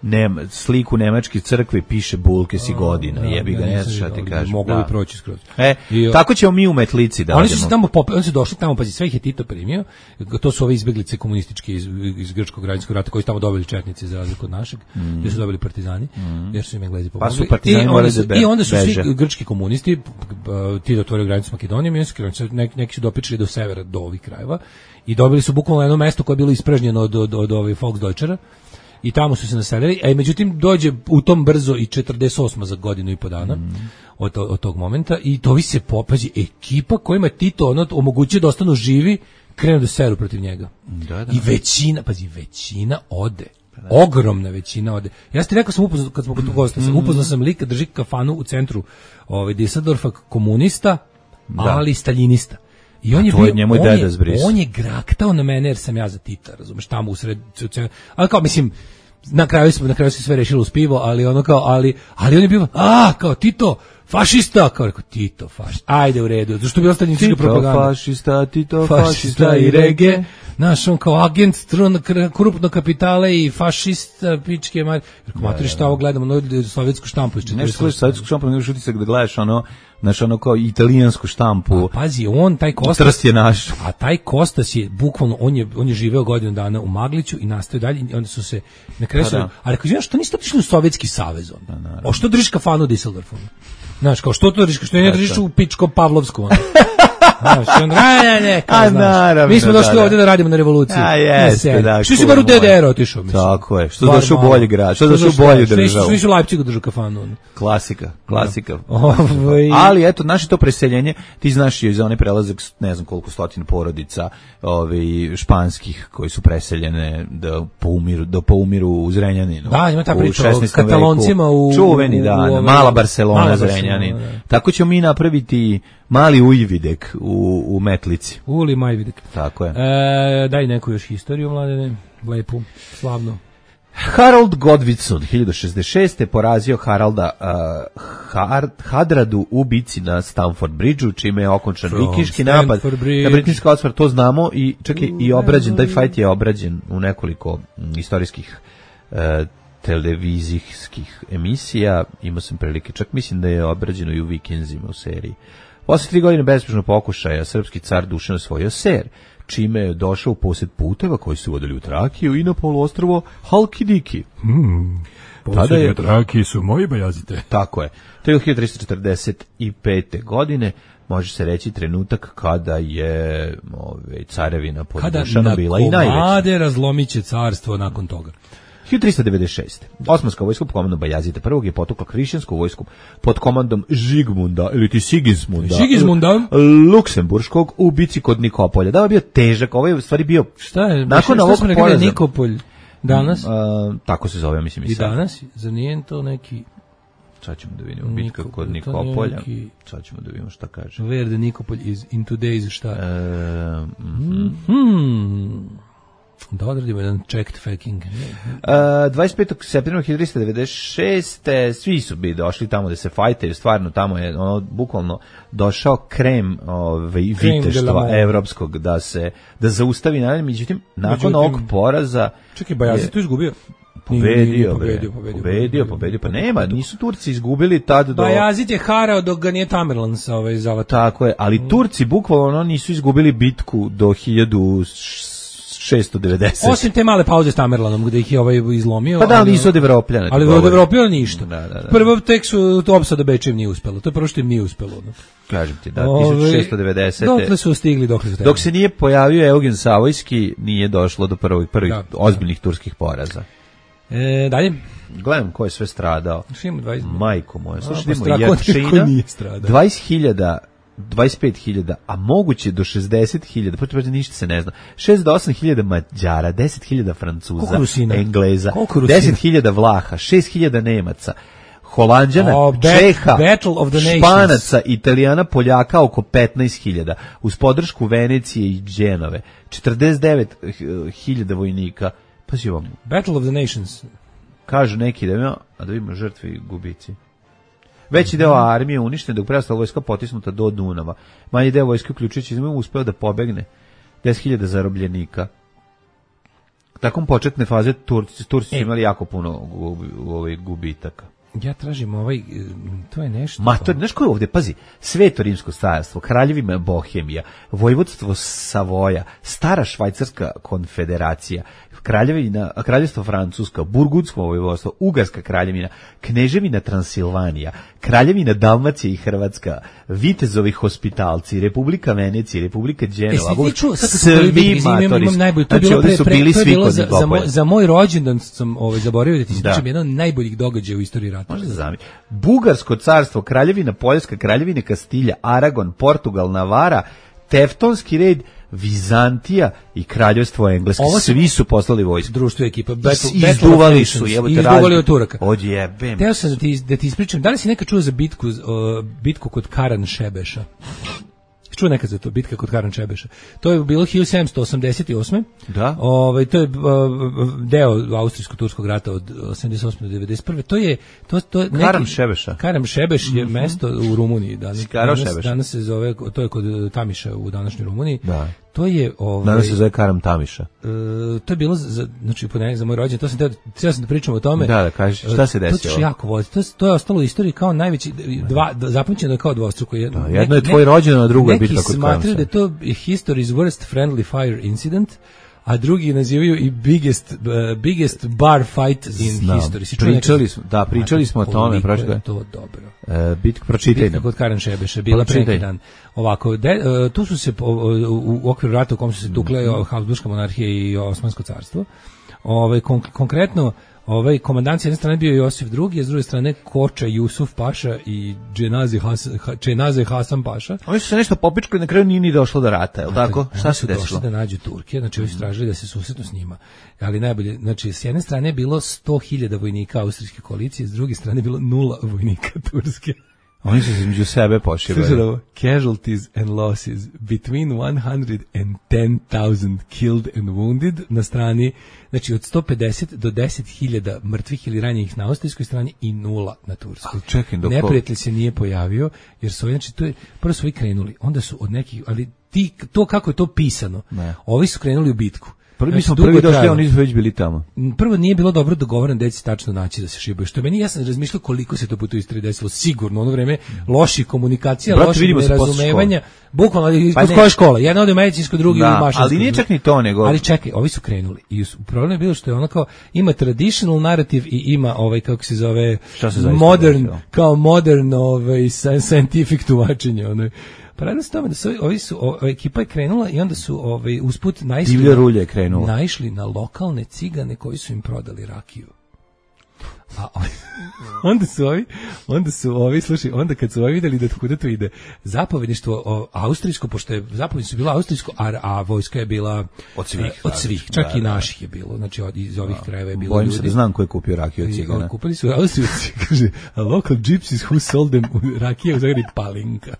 Nem, sliku nemačke crkve piše Bulkes i godina, Da, jebi ga, ja ne nisam znaš šta ti vidio, kažem. Moglo Da. bi proći skroz. E, I, o- tako ćemo mi u Metlici da Oni su se radimo. tamo pop, oni su došli tamo, pazi, sve ih je Tito primio. To su ove izbeglice komunističke iz, iz grčkog građanskog rata koji su tamo dobili četnici za razliku od našeg, Mm. gdje su dobili partizani, jer su im Englezi Pa pomogli. su partizani I, morali onda su, da be- I onda su beže. svi grčki komunisti, Tito otvorio granicu s Makedonijom, i neki, neki su dopičili do severa, do ovih krajeva, i dobili su bukvalno jedno mesto koje je bilo ispražnjeno od, od, od, od Volksdeutschera, i tamo su se naselili, a međutim dođe u tom brzo i četrdeset osma za godinu i po dana mm. od, od tog momenta i to vi se popazi, ekipa kojima je Tito ono, omogućio da ostanu živi, krenu da seru protiv njega. Da, da. I većina, pazi, većina ode. Ogromna većina ode. Ja ste rekao sam upoznao, kad smo kod gosta, sam upoznao sam lika, drži kafanu u centru ovaj, Düsseldorfa, komunista, Da. ali staljinista. I on A je to je bio, njemu i on, deda je, zbris. on je graktao na mene jer sam ja za Tita, razumeš, tamo u sred, ali kao, mislim, na kraju smo, na kraju se sve rešilo uz pivo, ali ono kao, ali, ali on je bio, a, kao Tito, fašista, kao rekao, Tito, fašista, ajde u redu, zašto bi ostali ničega Tito propaganda. fašista, Tito Fašista fašista i rege, znaš, on kao agent krupnog kapitala i fašista, pičke, mar... Rekao, matri, šta ovo gledamo, no, sovjetsku štampu iz Nešto četrdeset gledaš sovjetsku štampu, nego utisak da gledaš ono, znaš, ono kao italijansku štampu. Pazi, on, taj Kostas, Trst je naš. a taj Kostas je, bukvalno, on je, on je živeo godinu dana u Magliću i nastavio dalje, i onda su se, na kraju Pa su, da. a rekao, znaš, što niste otišli u Sovjetski savez onda? O što držiš kafanu u Düsseldorfu? Znaš, kao što to držiš, što ne držiš u pičko Pavlovsku, ono. Znaš, on, ne, ne, kao, A, znaš. naravno, Mi smo došli da, da. ovdje da radimo na revoluciji. A, jeste, da. Što si bar u D D R otišao, mislim. Tako je, što došao u bolji grad, što došao u bolju državu. Što nisi u Leipzigu držao kafanu, ono. Klasika, klasika. Ovaj- Ali eto, naše to preseljenje, ti znaš je za onaj prelazak, ne znam koliko stotina porodica, ovaj španskih koji su preseljene da poumiru, da poumiru u Zrenjaninu. Da, ima ta u priča o šesnaestom Kataloncima veku. u- čuveni, u- da, u da, ove- mala Barcelona, Mala Zrenjanin. Barcelona, da. Tako ćemo mi napraviti mali Ujvidek u, u Metlici. Uli Majvidek. Tako je. E, daj neku još historiju, mladene, lepu, slavnu. Harold Godwinson hiljadu šezdeset šeste porazio Haralda uh, Har, Hadradu u bici na Stamford Bridgeu, čime je okončan From vikinški napad Stamford Bridge. na britanski osvar, to znamo i čak i, i obrađen, taj fight je obrađen u nekoliko m, istorijskih uh, televizijskih emisija, imao sam prilike, čak mislim da je obrađeno i u Vikenzima u seriji. Posle tri godine bezpečnog pokušaja, srpski car Dušan osvojio Ser, čime je došao u posjed puteva koji su vodili u Trakiju i na poluostrvo Halkidiki. Tada je, Traki su moji bajazite. tako je, to je hiljadu tristo četrdeset pete. godine, može se reći trenutak kada je ove, carevina pod Kada Dušanom na bila i najveća. komade razlomit će carstvo nakon toga. hiljadu tristo devedeset šeste. Osmanska vojska pod komandom Bajazita prvog je potukla hrišćansku vojsku pod komandom Žigmunda ili ti Sigismunda, Sigismunda. Luksemburškog u bici kod Nikopolja. Da, je bio težak, ovaj je u stvari bio Šta je? nakon šta ovog smo rekli da je poraza. Nikopolj danas? A, tako se zove, mislim i I sad. danas? Zar nije to neki Sad ćemo da vidimo bitka Nikopolj, kod to nije Nikopolja. neki- Sad ćemo da vidimo šta kaže. Where the Nikopolj is in today's šta? E, mhm. Hmm. Da odradimo jedan checked faking. Uh, dvadeset petog septembra hiljadu tristo devedeset šeste. svi su bi došli tamo da se fajtaju, stvarno tamo je ono bukvalno došao krem ovaj Krem de la viteštva mode. evropskog da se da zaustavi naravno, međutim nakon Međutim- ovog poraza Čekaj, Bajazit je tu izgubio? pobedio, Nije, nije, bre, pobedio, pobedio, pobedio, pobedio, pa nema, nisu Turci izgubili tad do Bajazit je harao dok ga nije Tamerlan sa ovaj zavatao. tako je, ali Turci bukvalno ono nisu izgubili bitku do hiljadu šesto devedeset. Osim te male pauze s Tamerlanom gde ih je ovaj izlomio. Pa da, ali- nisu od Evropljana. Ali ti od govorim. Evropljana ništa. Da, da, da. Prvo tek su to opsada Bečejem nije uspelo. To je prvo što im nije uspelo. ono. Kažem ti, da, Ovaj, hiljadu šessto devedesete. Dokle su stigli, dokle su Dok se nije pojavio Eugen Savojski, nije došlo do prvih, prvih Da. ozbiljnih turskih poraza. E, dalje. Gledam ko je sve stradao. Što imamo dvadeset? Majko moja, slušaj, pa idemo strah, ko Jačina, nije stradao. dvadeset hiljada, dvadeset pet hiljada, a moguće do šezdeset hiljada, pa to ništa se ne zna. šezdeset osam hiljada Mađara, deset hiljada Francuza, Koliko Rusina? Engleza, Koliko Rusina? deset hiljada Vlaha, šest hiljada Nemaca, Holanđana, Oh, bat- Čeha, Battle of the Nations. Španaca, Italijana, Poljaka oko petnaest hiljada, uz podršku Venecije i Dženove, četrdeset devet hiljada vojnika. Pazi vam, Battle of the Nations. kažu neki da ima, a da vidimo žrtve i gubici. Veći deo armije uništen, dok preostala vojska potisnuta do Dunava. Manji deo vojske, uključujući izme, uspeo da pobegne. deset hiljada zarobljenika. Takom početne faze Turci, Turci su E. imali jako puno gubi, ovaj, gubitaka. Ja tražim ovaj, e, to je nešto. Ma to, znaš ko je ovdje, pazi, Sveto rimsko carstvo, kraljevima Bohemija, vojvodstvo Savoja, stara švajcarska konfederacija, kraljevina, kraljevstvo Francuska, Burgundsko vojvodstvo, Ugarska kraljevina, kneževina Transilvanija, kraljevina Dalmacija i Hrvatska, Vitezovi hospitalci, Republika Venecija, Republika E, Đenova, si ti čuo, sad kad smo govorili o bitki, imam, imam, imam najbolji, to je znači, bilo, ovdje pre, su pre, bili to je svi bilo kod za, za, moj, Nikopolja. za moj rođendan sam ovaj, zaboravio da ti Da. ispričam jedan od najboljih događaja u istoriji rata. Može da zami. Bugarsko carstvo, kraljevina Poljska, kraljevina Kastilja, Aragon, Portugal, Navara, Teftonski red, Vizantija i kraljevstvo Engleske. Ovo su- Svi su poslali vojsku. Društvo ekipa. Battle, Is- Battle of Izduvali Nations. su, jebote, Izduvali razli- od Turaka. Odjebem. Teo sam da ti, da ti ispričam, da li si nekad čuo za bitku, uh, bitku kod Karan Šebeša? Čuo nekad za to, bitka kod Karan Šebeša. To je bilo hiljadu sedamsto osamdeset osme. Da. Ovaj, to je uh, deo austrijsko-turskog rata od osamdeset osme do devedeset prve. To je to to je neki Karam Šebeša. Karam Šebeš je mesto u Rumuniji danas. Sikaro Danas, Šebeš. danas se zove, to je kod Tamiša u današnjoj Rumuniji. Da. To je ovaj Danas se zove Karam Tamiša. E, to je bilo za, znači ponedeljak za moj rođendan, to sam teo, htio sam da pričam o tome. Da, da, kaži, šta se To desilo? ćeš jako voliti. To, to je ostalo u istoriji kao najveći, dva, zapamćeno je kao dvostruko. Jedno, Da, jedno je tvoj rođendan, a drugo je bitka kod Neki smatraju Karamsa. da je to history's worst friendly fire incident, a drugi nazivaju i biggest, uh, biggest bar fight in Znam. history. Si Pričali smo, da, pričali smo o tome. Koliko je to dobro. Uh, bit, pročitaj Bitka nam. kod Karen Šebeša, bila pre neki dan. Ovako, de, uh, tu su se, po, u, u okviru rata u kom su se tukle mm-hmm. Habsburška monarhija i Osmansko carstvo, Ove, kon, konkretno, ovaj komandant s jedne strane bio Josif drugi, a s druge strane Koča Jusuf Paša i Dženaze Hasan, Dženaze Hasan Paša. Oni su se nešto popičkali, na kraju nije ni došlo do rata, je li tako? Šta se desilo? Došli da nađu Turke, znači oni su tražili da se susretnu s njima. Ali najbolje, znači s jedne strane je bilo sto hiljada vojnika austrijske koalicije, s druge strane je bilo nula vojnika turske. Oni su se između sebe pošivali. Casualties and losses between one hundred ten thousand killed and wounded na strani, znači od sto pedeset do deset hiljada mrtvih ili ranjenih na austrijskoj strani i nula na turskoj. Čekaj, dok neprijatelj se nije pojavio, jer su, znači, to je, prvo su ovi krenuli, onda su od nekih, ali ti, to kako je to pisano, ne. Ovi su krenuli u bitku. Prvi znači, smo prvi došli, oni su već bili tamo. Prvo nije bilo dobro dogovoreno da će tačno naći da se šibaju. Što meni, ja sam razmišljao koliko se to puta u istoriji desilo. Sigurno, ono vreme loših komunikacija, Brat, loših nerazumevanja. Bukvalno iz pa koje škola? Jedna ode u medicinsku, drugi da, u mašinsku. Ali nije čak ni to, nego... Ali čekaj, ovi su krenuli. I problem je bilo što je ono kao, ima traditional narrative i ima ovaj, kako se zove, se modern, kao modern ovaj, scientific tumačenje. Ono. Pa radno se tome da su ovi su, o, ekipa je krenula i onda su ovaj, usput naišli, Divlja rulja je krenula. naišli na lokalne cigane koji su im prodali rakiju. A onda su ovi, onda su ovi, slušaj, onda kad su ovi vidjeli da kuda to ide, zapovjedništvo o, austrijsko, pošto je zapovjedništvo bilo austrijsko, a, a vojska je bila od svih, od svih, čak da, i naših je bilo, znači od, iz ovih krajeva je bilo Bojim ljudi. se da znam ko je kupio rakiju od cigana. Kupili su Austrijci, kaže, a local gypsies who sold them rakije u Zagrebi Palinka.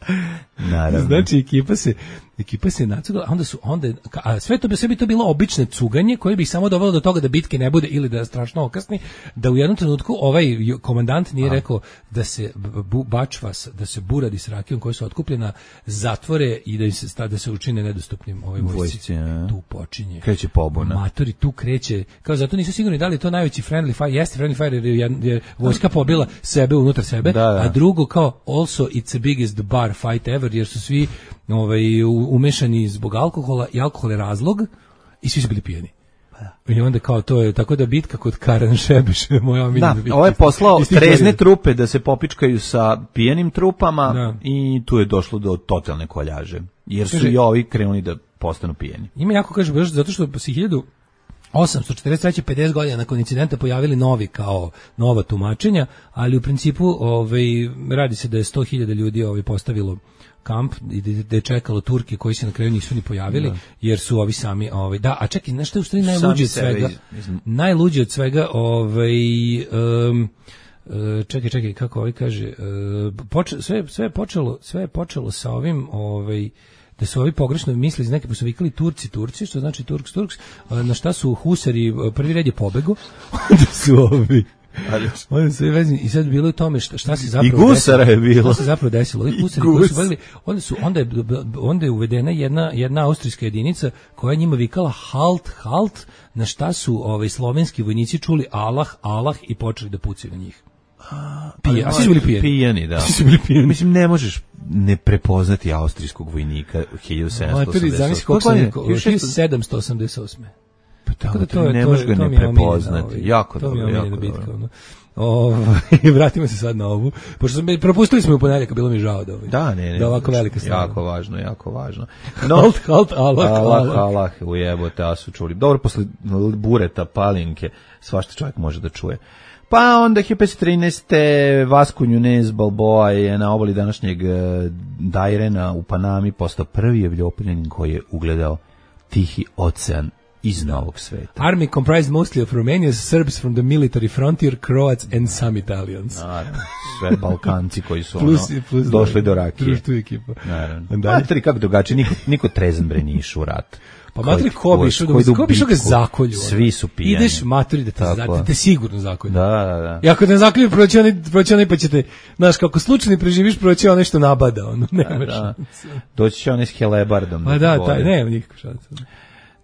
Naravno. Znači ekipa se ekipa se nacugala, a onda su onda a sve to bi sebi to bilo obično cuganje koje bi samo dovelo do toga da bitke ne bude ili da strašno okasni, da u jednom trenutku ovaj komandant nije a. rekao da se bu, bačvas, da se buradi s rakijom koja su otkupljena zatvore i da im se da se učine nedostupnim ovoj vojsci. Tu počinje. Kreće pobuna. Matori tu kreće. Kao zato nisu sigurni da li je to najveći friendly fire. Jeste friendly fire jer je, je vojska pobila sebe unutar sebe, da, da. a drugo kao also it's the biggest bar fight ever jer su svi ovaj umešani zbog alkohola i alkohol je razlog i svi su bili pijeni. Pa I onda kao to je, tako da bitka kod Karen Šebeša, moja omiljena bitka. Da, ovo je poslao trezne trupe da se popičkaju sa pijenim trupama da. I tu je došlo do totalne koljaže. Jer su i ovi krenuli da postanu pijeni. Ima jako kaže, baš zato što se hiljadu osamsto četrdeset treće pedeset godina nakon incidenta pojavili novi kao nova tumačenja, ali u principu ovaj, radi se da je sto hiljada ljudi ovaj, postavilo kamp i da je čekalo Turke koji se na kraju nisu ni pojavili da. Jer su ovi sami ovaj da a čekaj nešto je u stvari najluđe od svega iz, najluđe od svega ovaj um, čekaj čekaj kako ovaj kaže poče, sve sve je počelo sve je počelo sa ovim ovaj da su ovi pogrešno mislili iz neke pa su vikali Turci Turci što znači Turks Turks na šta su husari prvi red je pobego onda su ovi ali oni su vezni i sad bilo je tome šta, šta se zapravo i gusara je bilo. Šta se zapravo desilo? Ovi gusari koji su bili, onda su onda je onda je uvedena jedna jedna austrijska jedinica koja je njima vikala halt halt, na šta su ovaj slovenski vojnici čuli Allah Allah i počeli da pucaju na njih. Pija, a svi su bili pijeni. Pijeni, da. Svi su bili pijeni. Mislim, ne možeš ne prepoznati austrijskog vojnika hiljadu sedamsto osamdeset osam. hiljadu sedamsto osamdeset osam. Pa tako da to je, ne možeš ga ne prepoznati. Ovaj, jako to dobro, mi je jako bitka, dobro. Ono. O, vratimo se sad na ovu. Pošto smo, propustili smo u ponedjeljak, bilo mi žao da ovaj. Da, ne, ne. Da ovako velika stvar. Jako važno, jako važno. No, halt, halt, Allah, Allah, Allah, ujebote, a su čuli. Dobro, posle bureta, palinke, svašta čovjek može da čuje. Pa onda hiljadu petsto trinaeste. Vasco Nunez Balboa je na obali današnjeg Dajrena u Panami postao prvi Evropljanin koji je ugledao Tihi ocean iz novog sveta. Army comprised mostly of Romanians, Serbs from the military frontier, Croats and some Italians. Naravno, sve Balkanci koji su plus, ono, plus došli do rakije. Društvo ekipa. Naravno. Materi kako drugačije, niko, niko trezan bre nije išao u rat. Pa materi ko bi išao, ko bi išao ga zakolju. Svi su pijani. Ideš materi da te, da te sigurno zakolju. Da, da, da. I ako te zakolju, proći onaj, proći onaj pa ćete, znaš, kako slučajno preživiš, proći onaj što nabada, ono, nemaš. Da, da. Doći će onaj s helebardom. Pa da, taj, nema nikakve šanse.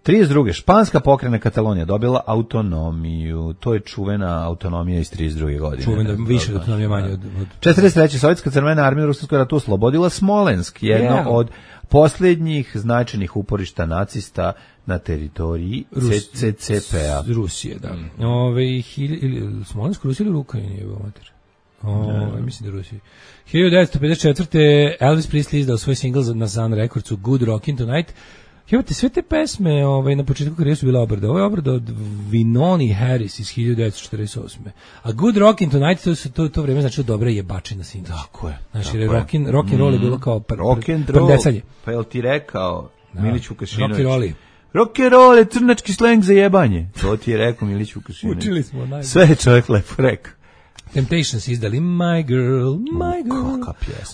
trideset druge španska pokrajina Katalonija dobila autonomiju. To je čuvena autonomija iz trideset druge godine. Čuvena, više autonomija manje od... od... četrdeset treće Sovjetska crvena armija u Ruskom ratu oslobodila Smolensk, jedno yeah. od posljednjih značajnih uporišta nacista na teritoriji C C P-a. Rusije, da. Mm. Ove, hilj, ili, Smolensk, Rusija ili Ukrajina je bio mater? Ove, mislim da Rusija. hiljadu devetsto pedeset četvrte. Elvis Presley izdao svoj singl na Sun Recordsu Good Rockin' Tonight. Jevate, sve te pesme ovaj, na početku karijere su bile obrade. Ovo je obrada od Vinoni Harris iz hiljadu devetsto četrdeset osme. A Good Rockin' Tonight, to, to, to vreme znači dobra jebačina sinoć. Tako je. Znači, rockin, rock and roll je bilo kao pr, rock and pr, prdecanje. Pa je li ti rekao da. Milić Vukašinović? Rock and roll. Rock and roll je crnački sleng za jebanje. To ti je rekao Milić Vukašinović. Učili smo najbolje. Sve je čovjek lepo rekao. Temptations izdali My Girl, My Girl.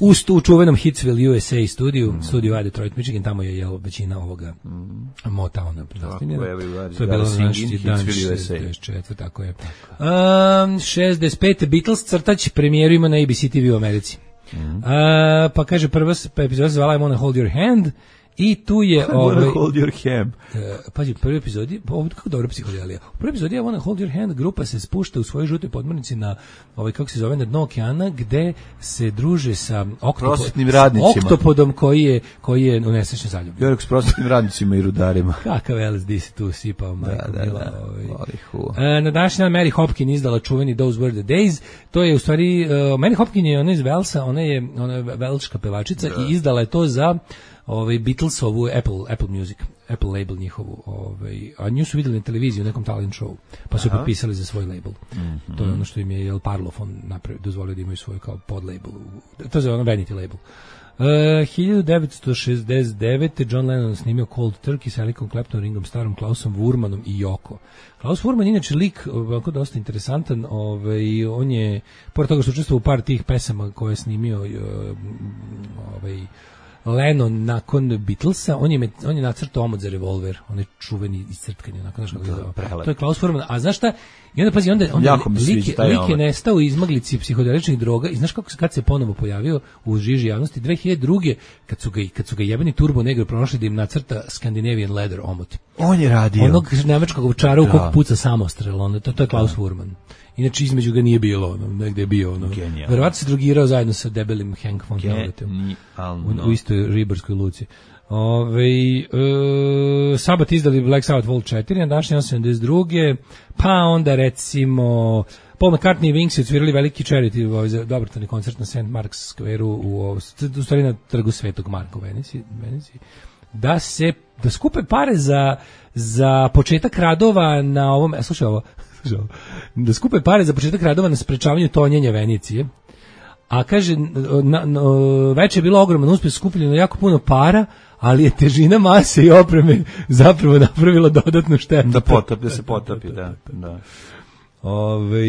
U, u čuvenom Hitsville U S A studiju, mm. studiju A Detroit, Michigan, tamo je jel, većina ovoga mm. Motowna. To je bilo naši dan šezdeset četvrte tako je. Um, šezdeset pete Beatles crtač premijeru ima na A B C T V u Americi. Mm. Uh, pa kaže prva epizoda zvala I Wanna Hold Your Hand. I tu je ovaj Hold Your Hand. Uh, pazi, prvi epizodi, ovo kako dobra psihodelija. U prvi epizodi I Wanna Hold Your Hand grupa se spušta u svojoj žutoj podmornici na ovaj kako se zove na dno okeana gde se druže sa prosvetnim radnicima. Oktopodom koji je koji je u nesrećnoj zaljubi. Jorek s prosvetnim radnicima i rudarima. Kakav L S D se tu sipao, majko da, mila. Da, ovaj. uh, na današnji dan Mary Hopkin izdala čuveni Those Were the Days. To je u stvari uh, Mary Hopkin je ona iz Velsa, ona je ona je velška pevačica da. I izdala je to za ovaj Beatlesovu Apple Apple Music, Apple label njihovu, ovaj a nju su videli na televiziji u nekom talent show, pa su potpisali za svoj label. Mm-hmm. To je ono što im je El Parlophone napravio, dozvolio da imaju svoj kao pod label. To je ono vanity label. Uh, hiljadu devetsto šezdeset devete. John Lennon snimio Cold Turkey sa Ericom Claptonom, Ringom Starrom, Klausom Wurmanom i Yoko. Klaus Wurman je inače lik ovako dosta interesantan, ovaj on je pored toga što učestvovao u par tih pesama koje je snimio ovaj Lennon nakon Beatlesa, on je on je nacrtao omot za revolver, on je čuveni iscrtkani nakon što ga to je Klaus Wurman. A znaš šta? I onda pazi, onda onda lik, lik je nestao u izmaglici psihodeličnih droga i znaš kako kad se ponovo pojavio u žiži javnosti dve hiljade druge kad su ga kad su ga jebeni Turbo Negro pronašli da im nacrta Scandinavian Leather omot. On je radio onog nemačkog ovčara u kog puca samostrel, onda to, to je Klaus Wurman. Inače između ga nije bilo, ono, negde je bio, ono. Verovatno se drogirao zajedno sa debelim Hank von Helvetom u, u istoj ribarskoj luci. Ove, e, Sabat izdali Black Sabbath Vol četiri, na današnje sedamdeset druge. Pa onda recimo Paul McCartney i Wings odsvirali veliki charity, ovaj, za dobrotvorni koncert na Saint Mark's Square-u u, u stvari na trgu Svetog Marka u Veneciji, Veneciji. Da se da skupe pare za za početak radova na ovom, e, slušaj ovo, slušaj ovo, da skupe pare za početak radova na sprečavanju tonjenja Venecije. A kaže, na, na, već je bilo ogroman uspjeh, skupljeno jako puno para, ali je težina mase i opreme zapravo napravila dodatnu štetu. Da potopi, da se potopi, da. da. Ove,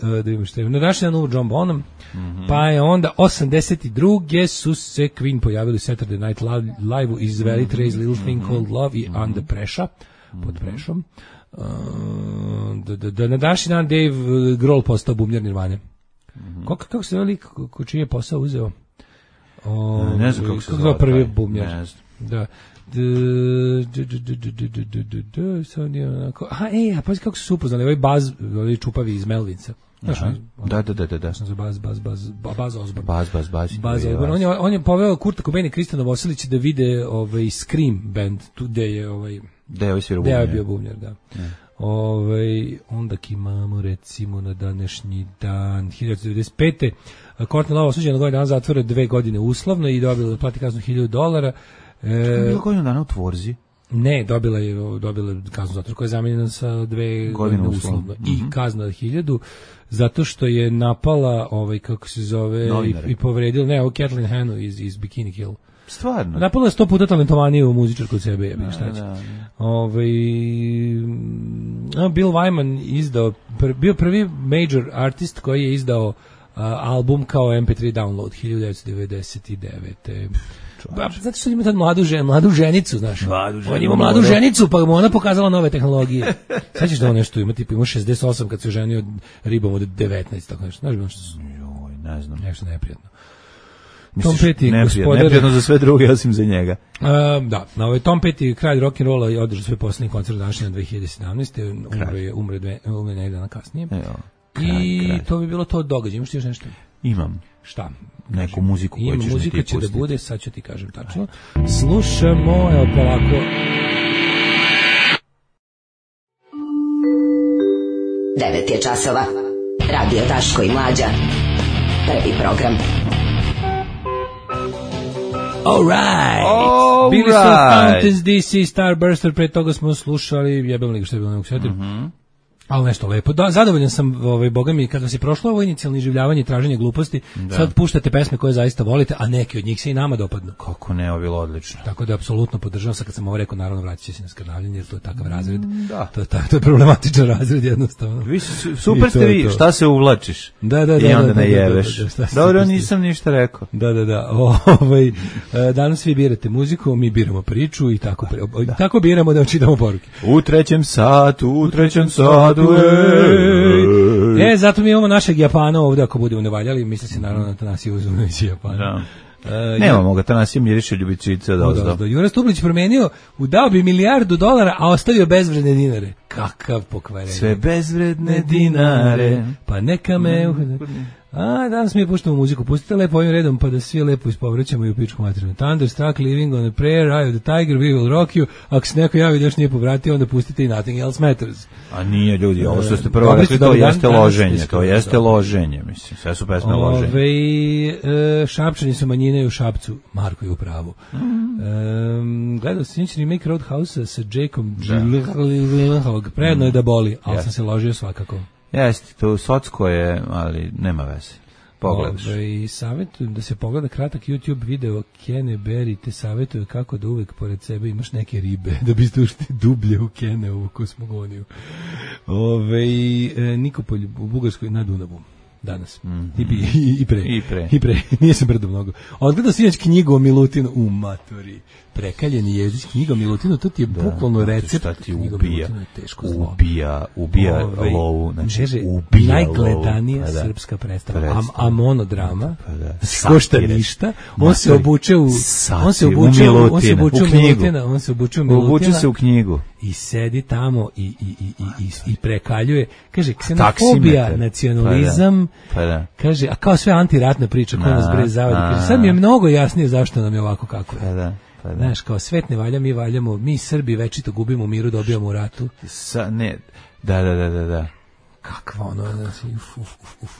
da vidimo što je. Na današnji dan umro John Bonham, mm-hmm. Pa je onda osamdeset druge su se Queen pojavili u Saturday Night Live-u izveli mm-hmm. Trace Little Thing Called Love i mm-hmm. Under Pressure, pod prešom. Uh, da, da, da na današnji dan Dave Grohl postao bubnjar Nirvane. Mm-hmm. Kako, kako se lik ko čiji je posao uzeo? O, ne, ne znam kako se zove prvi bubnjar. Ne znam. Da. Aha, ej, a pa kako su se upoznali, ovaj Baz, ovaj čupavi iz Melvinca. Znaš, da, da, da, da, da. Sam za Baz, Baz, Baz, Baz Osborne. Baz, Baz, Baz. Baz Osborne. On je, on je poveo Kurta Cobaina i Kristana Vosilića da vide ovaj Scream band, tu gde je ovaj... Gde je ovaj svirao bubnjar. Gde je bio bubnjar, da. Ove, onda imamo recimo na današnji dan hiljadu devedeset pete. Courtney Love osuđena na godinu dana zatvora, dve godine uslovno i dobila da plati kaznu hiljadu dolara. E, bilo godinu dana u tvorzi? Ne, dobila je dobila kaznu zatvora koja je zamijenjena sa dve godine uslovno i mm-hmm. kazna od hiljadu zato što je napala ovaj kako se zove i, i povredila ne, ovo Kathleen Hanna iz iz Bikini Kill. Stvarno. Napala je sto puta talentovaniju muzičarku od sebe, jebim šta će. Ovaj Bill Wyman izdao pr, bio prvi major artist koji je izdao uh, album kao em pe tri download hiljadu devetsto devedeset devete. Ba, zato što ima tad mladu, žen, mladu ženicu, znaš. Mladu ženu, on ima mladu ženicu, pa mu ona pokazala nove tehnologije. Sad ćeš da on nešto ima, tipa ima šezdeset osam kad se oženio ribom od devetnaest, tako nešto. Znaš bi ono što su... Joj, ne znam. Nešto neprijatno. Misliš, Tom Petty, neprijatno, gospodar- neprijatno za sve druge osim za njega. Uh, da, na ovaj Tom Petty, kralj rock'n'rolla, je održao svoj posljednji koncert današnji na dve hiljade sedamnaeste. Umro je, umro je dve, umro je nekaj dana kasnije. Evo, I kralj, kralj. to bi bilo to od događaja. Imaš ti još nešto? Imam. Šta? Neku muziku koju Ima ćeš mi muzika ti će da pustiti. bude, sad ću ti kažem tačno. Slušamo, evo polako. devet je časova. Radio Daško i Mlađa. Prvi program. All right. All Bili su right. Countess D C, Starburster, pre toga smo slušali, jebem li ga što je bilo, ne mogu sjetiti. Ali nešto lepo. Da, zadovoljan sam, ovaj, boga mi, kada se prošlo ovo inicijalno iživljavanje i traženje gluposti, sad puštate pesme koje zaista volite, a neki od njih se i nama dopadnu. Kako ne, ovo je bilo odlično. Tako da apsolutno podržavam, sad kad sam ovo rekao, naravno vratit će se na skrnavljenje, jer to je takav razred. Da. To je, ta, to je problematičan razred jednostavno. Vi su, super I ste to je vi, to. šta se uvlačiš? Da, da, da. I onda da, da, najeveš. da, da, šta ste Dobro, pustili? nisam ništa rekao. Da, da, da. Ovaj, e, danas vi birate muziku, mi biramo priču i tako, pre- tako biramo da čitamo poruke. U trećem satu, u trećem satu, ej. E, zato mi imamo našeg Japana ovdje, ako budemo nevaljali, misli se naravno na Tanasiju Uzunović Japana. Da. E, Nemamo ga, Tanasija miriše ljubičice od ozdo. Da, Jura Stublić promenio, udao bi milijardu dolara, a ostavio bezvredne dinare. Kakav pokvarenje. Sve bezvredne dinare. Pa neka me... A, danas mi puštamo muziku. Pustite lepo ovim redom, pa da svi lepo ispovrećamo i u pičku materinu. Thunderstruck, Living on a Prayer, Eye of the Tiger, We Will Rock You. Ako se neko javi da još nije povratio, onda pustite i Nothing Else Matters. A nije, ljudi, ovo što ste prvo Dobri rekli, ste, to dobar dan, jeste danas loženje, ste to jeste dobro. loženje, mislim, sve su pesme loženje. Ove, e, Šapčani su manjine u Šapcu. Marko je u pravu. Mm. E, gledao sam sinični remake Roadhouse-a sa Jakeom Gyllenhaalom. Predno je da boli, ali Yes. sam se ložio svakako. Jeste, to socko je, ali nema veze. Pogledaš. Ove, savjetujem da se pogleda kratak YouTube video Kene Berry, te savjetuje kako da uvek pored sebe imaš neke ribe, da biste ušli dublje u Kene, u kosmogoniju. Ove, e, Nikopolj u Bugarskoj na Dunavu. Danas. Mm-hmm. I, i, I pre. I pre. I pre. Nije sam brdo mnogo. Odgledao sinoć knjigu o Milutinu. U maturi. Prekaljeni jezić, knjiga o Milutinu, to ti je Da, bukvalno znate recept. šta ti Knjiga o ubija, Milutinu je teško zlo. ubija, ubija Ovaj, lovu, znači kaže, ubija najgledanija lovu. Pa da. srpska predstava, Predstava. a, a monodrama, Pa da. košta Satire. ništa, on se Matori. obuče u, on se Satire. obuče U u, on se Milutina, obuče u u knjigu. Milutina, on se obuče u Milutina, Uvuče se u knjigu. i sedi tamo i, i, i, i, i, i prekaljuje, kaže, ksenofobija, Taksimetar. nacionalizam, Pa da. kaže, a kao sve antiratna priča, ko Na, nas bre zavadi, na. kaže, sad mi je mnogo jasnije zašto nam je ovako kako Pa je. da. Pa da. Znaš, kao svet ne valja, mi valjamo, mi Srbi večito gubimo u miru, dobijamo u ratu. Sa, ne, da, da, da, da, da. Kakva ono, znači, uf, uf, uf, uf.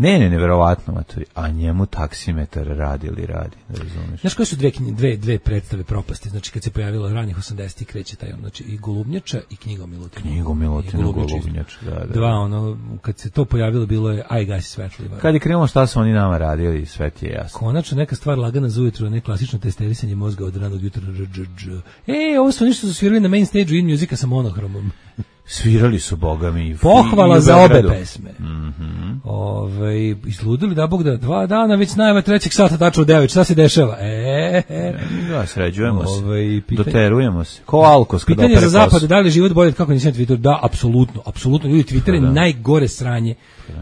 Ne, ne, neverovatno, matori. A njemu taksimetar radi ili radi, da razumeš? Znaš koje su dve, knji- dve, dve predstave propasti, znači kad se pojavilo ranih osamdesetih kreće taj, ono, znači i Golubnjača i knjiga o Milutinu. Knjigu Milutinu I Golubnjača isto. Golubnjač, da, da. Dva, ono, kad se to pojavilo bilo je aj gasi svetlo. Kad je krenulo šta su oni nama radili, sve ti je jasno. Konačno neka stvar lagana za ujutro, ne klasično testerisanje mozga od ranog jutra. E, ovo su ništa su svirali na main stage-u In Musica sa monohromom. Svirali su, boga mi. Pohvala i u za obe Beogradu. pesme. Mm-hmm. Ove, izludili da Bog da dva dana već najava trećeg sata tačno u devet. Šta se dešava? E, e. Da, sređujemo se. Ove, pitanje- Doterujemo se. Ko Alkos kada Pitanje opere za zapad, kosu. da li je život bolje od kako nisam Twitter? Da, apsolutno, apsolutno. Ljudi, Twitter je najgore sranje.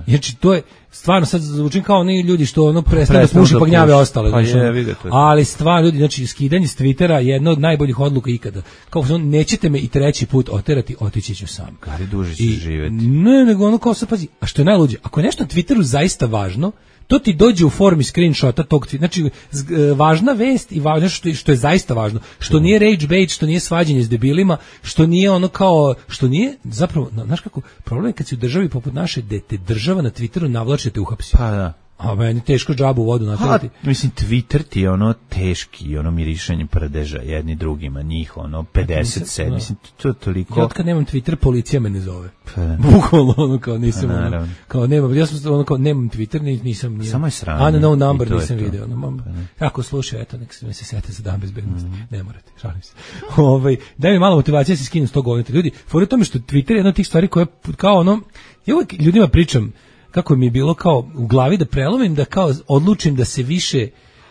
Znači, to je, stvarno sad zvučim kao oni ljudi što ono prestane da Prestanu puši da pa gnjave puši. ostale. Pa znači, je, ono. vidi to je. Ali stvarno, ljudi, znači, skidanje s Twittera je jedna od najboljih odluka ikada. Kao, ono, nećete me i treći put oterati, otići ću sam. Gari duže će I, živeti. ne, nego ono kao sad, pazi, a što je najluđe, ako je nešto na Twitteru zaista važno, to ti dođe u formi screenshota tog tweeta. Znači, z- e, važna vest i važno što, je- što je zaista važno. Što nije rage bait, što nije svađanje s debilima, što nije ono kao, što nije, zapravo, na- znaš kako, problem je kad si u državi poput naše, da te država na Twitteru navlače te uhapsi. Pa da. A meni teško džabu u vodu Pa, natrati. mislim, Twitter ti je ono teški, ono mirišanje prdeža jedni drugima, njih ono pedeset sedam, da. mislim, to je toliko... Ja od kad nemam Twitter, policija me ne zove. Pa da. Bukvalno ono kao nisam, Pa, ono, naravno. kao nemam, ja sam ono kao nemam Twitter, ni- nisam, nisam Samo je sranje. unknown number I to je nisam to. video. Ono, mam, Pa ne. ako slušaj, eto, nek se me se sete za dan bezbednosti. Mhm. Ne morate, šalim se. Ovaj, daj mi malo motivacije da se skinem s tog govnita. Ljudi, fora je u tome što Twitter je jedna od tih stvari koja kao ono, ja uvijek ljudima pričam kako mi je bilo kao u glavi da prelomim, da kao odlučim da se više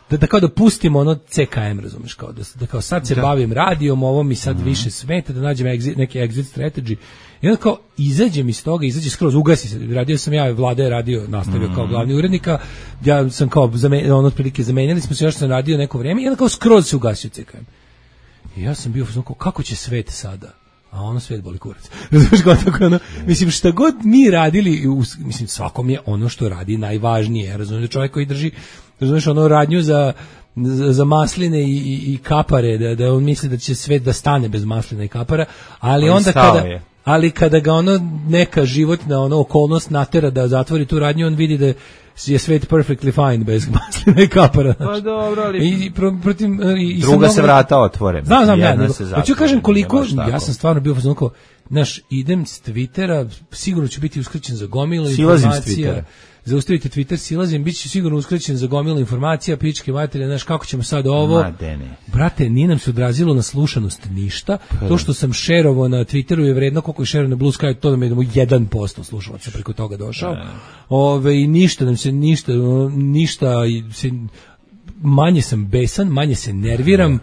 da, da kao da pustimo ono C K M, razumeš, kao da, da kao sad se da. bavim radijom, ovo mi sad mm. više smeta, da nađem exit, neki exit strategy. I onda kao izađem iz toga, izađe skroz, ugasi se. Radio sam ja, Vlada je radio, nastavio mm. kao glavni urednika. Ja sam kao zame, ono otprilike zamenjali smo se, još sam radio neko vrijeme i onda kao skroz se ugasio C K M. I ja sam bio kao, kako će svet sada? A ono svet boli kurac. Razumiješ kao tako ono, mislim šta god mi radili, mislim svakom je ono što radi najvažnije. Razumiješ, čovjek koji drži, razumiješ, ono radnju za za, za masline i, i, i kapare, da, da on misli da će svet da stane bez maslina i kapara, ali on onda kada je. Ali kada ga ono neka životna ono okolnost natera da zatvori tu radnju, on vidi da je svet perfectly fine bez maslina i kapara. Pa dobro, ali i pro, protiv i, i druga se vrata otvore. Znam, znam, ja. Hoću kažem koliko ja sam stvarno bio fazonko, znaš, idem s Twittera, sigurno ću biti uskraćen za gomilu informacija. Zaustavite Twitter, silazim, bit će sigurno uskraćen za gomilu informacija, pičke materije, znaš, kako ćemo sad ovo. Ma, brate, nije nam se odrazilo na slušanost ništa. Pa, to što sam šerovao na Twitteru je vredno koliko je šerovao na Blue Sky, to da mi je jedan posto slušalaca preko toga došao. Ove, i ništa nam se, ništa, ništa, se, manje sam besan, manje se nerviram.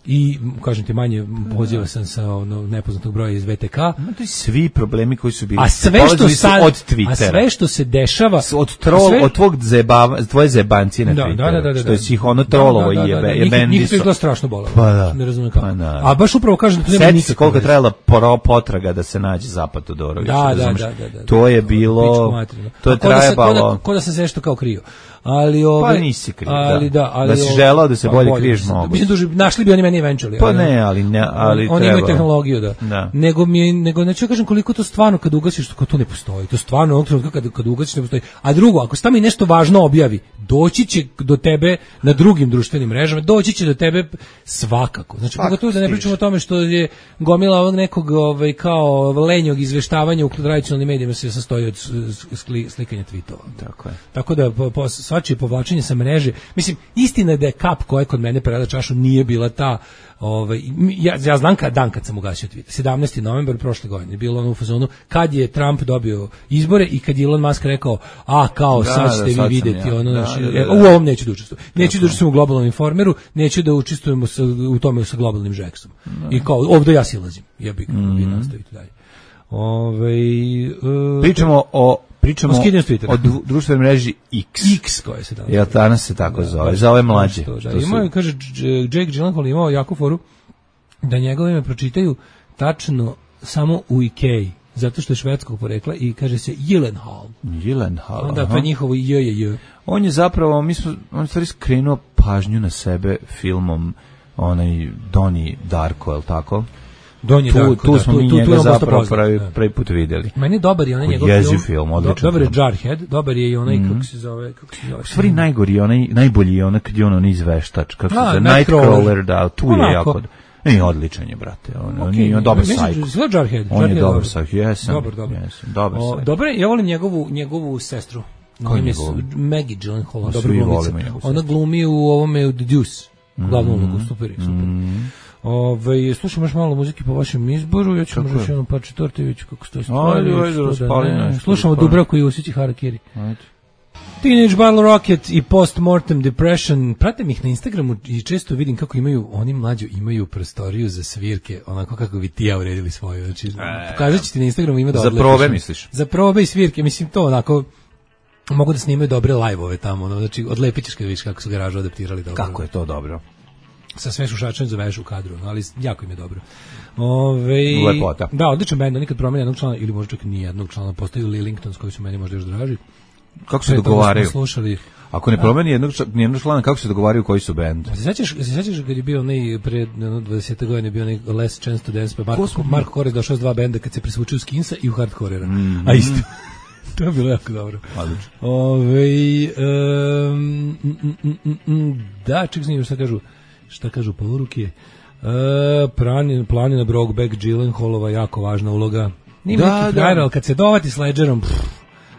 I kažem ti, manje poziva sam sa ono nepoznatog broja iz V T K. Ma to je svi problemi koji su bili. A sve što sad, od Twittera. A sve što se dešava od trol, sve, od tvog zebava, tvoje zebancije na da, Twitteru. Da, da, da, da, što je svih ono trolovo da, da, da, jebe, je bendi. Njih to je strašno bolelo. Pa da. Ne razumijem kako. Pa da. A baš upravo kažem da nema nikakve. Koliko je trajala poro potraga da se nađe Zapad Todorović. Da, da, da, da, da. To je bilo, to je trajalo. Ko da se sve što kao krio. Ali ove, pa nisi krio, ali da. da, ali da si želao da se bolje, bolje kriješ mogu. Mislim duže, našli bi oni meni eventually. Pa ne, ali ne, ali oni treba. imaju tehnologiju, da. da. Nego mi nego neću kažem koliko to stvarno kad ugasiš, to, to ne postoji. To stvarno onog trenutka kad kad ugasiš ne postoji. A drugo, ako se tamo i nešto važno objavi, doći će do tebe na drugim društvenim mrežama, doći će do tebe svakako. Znači pogotovo da ne pričamo o tome što je gomila ovog nekog ovaj kao lenjog izveštavanja u tradicionalnim medijima se sastoji od slikanja tvitova. Tako je. Tako da po, po, svačije povlačenje sa mreže, mislim, istina je da je kap koja je kod mene prelila čašu nije bila ta, ovaj, ja, ja znam kad dan kad sam ugasio Twitter, sedamnaesti novembar prošle godine, bilo ono u fazonu, kad je Trump dobio izbore i kad je Elon Musk rekao, a kao, da, sad ćete vi vidjeti, ja. ono, da, naši, da, da, da. u ovom neću da učestvujem, neću da učestvujem u globalnom informeru, neću da učestvujemo sa, u tome sa globalnim Jacksom. I kao, ovdje ja silazim, ja bih mm. vi nastavite dalje. Ove, uh, Pričamo o Pričamo o, o društvenoj mreži X. X koja se danas. Jel danas se tako da, zove? Za ove mlađe. To, da. Ima, kaže, Jake Gyllenhaal imao jako foru da njegovo ime pročitaju tačno samo u Ikei, zato što je švedskog porekla i kaže se Gyllenhaal. Gyllenhaal. Onda pa njihovo J je J. On je zapravo, mi smo, on stvari skrenuo pažnju na sebe filmom onaj Donnie Darko, je li tako? Donji tu, Darko, tu da, smo tu, mi tu, njega tu zapravo pravi, pravi put vidjeli. Meni dobar je onaj njegov film, film odličan dobar je film. Jarhead, dobar je i onaj, mm. kako se zove, kako se zove. U stvari najgori, onaj, najbolji je onaj kad je ono izveštač, kako A, se zove, Nightcrawler, da, tu onako. Je jako, ne, odličan je, brate, on, okay, on je on dobar sajk. Zove Jarhead. On je dobar sajk, jesam. Dobar, dobar. Jesam, dobar sajk. Dobro, ja volim njegovu, njegovu sestru. Maggie Gyllenhaal, dobra glumica. Ona glumi u ovome u The Deuce, glavnu ulogu, super, super. Ove, slušamo još malo muzike po vašem izboru, ja ću možda još jednom par četvrte, vidjeti kako stoji stvari. Slušamo Dubravku i Usići Harakiri. Ajde. Teenage Bottle Rocket i Postmortem Depression. Pratim ih na Instagramu i često vidim kako imaju, oni mlađo imaju prostoriju za svirke, onako kako bi ti ja uredili svoju. Znači, e, pokazat ću ti na Instagramu, ima da za odlepiš. Za probe misliš? Za probe i svirke, mislim to onako, mogu da snimaju dobre live-ove tamo, ono, znači odlepit ćeš kad vidiš kako su garažu adaptirali. Dobro. Kako je to dobro? Sa sve šušačem zaveš u kadru, ali jako im je dobro. Ove, Lepota. Da, odličan bend, nikad promeni jednog člana, ili možda čak ni jednog člana, postaju Lillingtons koji su meni možda još draži. Kako se dogovaraju? Slušali, ako ne promeni jednog, jednog člana, kako se dogovaraju koji su bend? Se sećaš, se sećaš kad je bio onaj pre dvadeset godina bio onaj Last Chance to Dance, pa Marko, Marko Kores došao s dva benda kad se presvučio u Skinsa i u Hardcorera. Mm. A isto. To je bilo jako dobro. Ove, um, mm, mm, mm, da, ček snimim šta kažu. Šta kažu poruke? Uh, Planina, planina Brokeback Gyllenhaalova, jako važna uloga. Nima da, neki frajer, ali kad se dovati s Ledgerom, pff,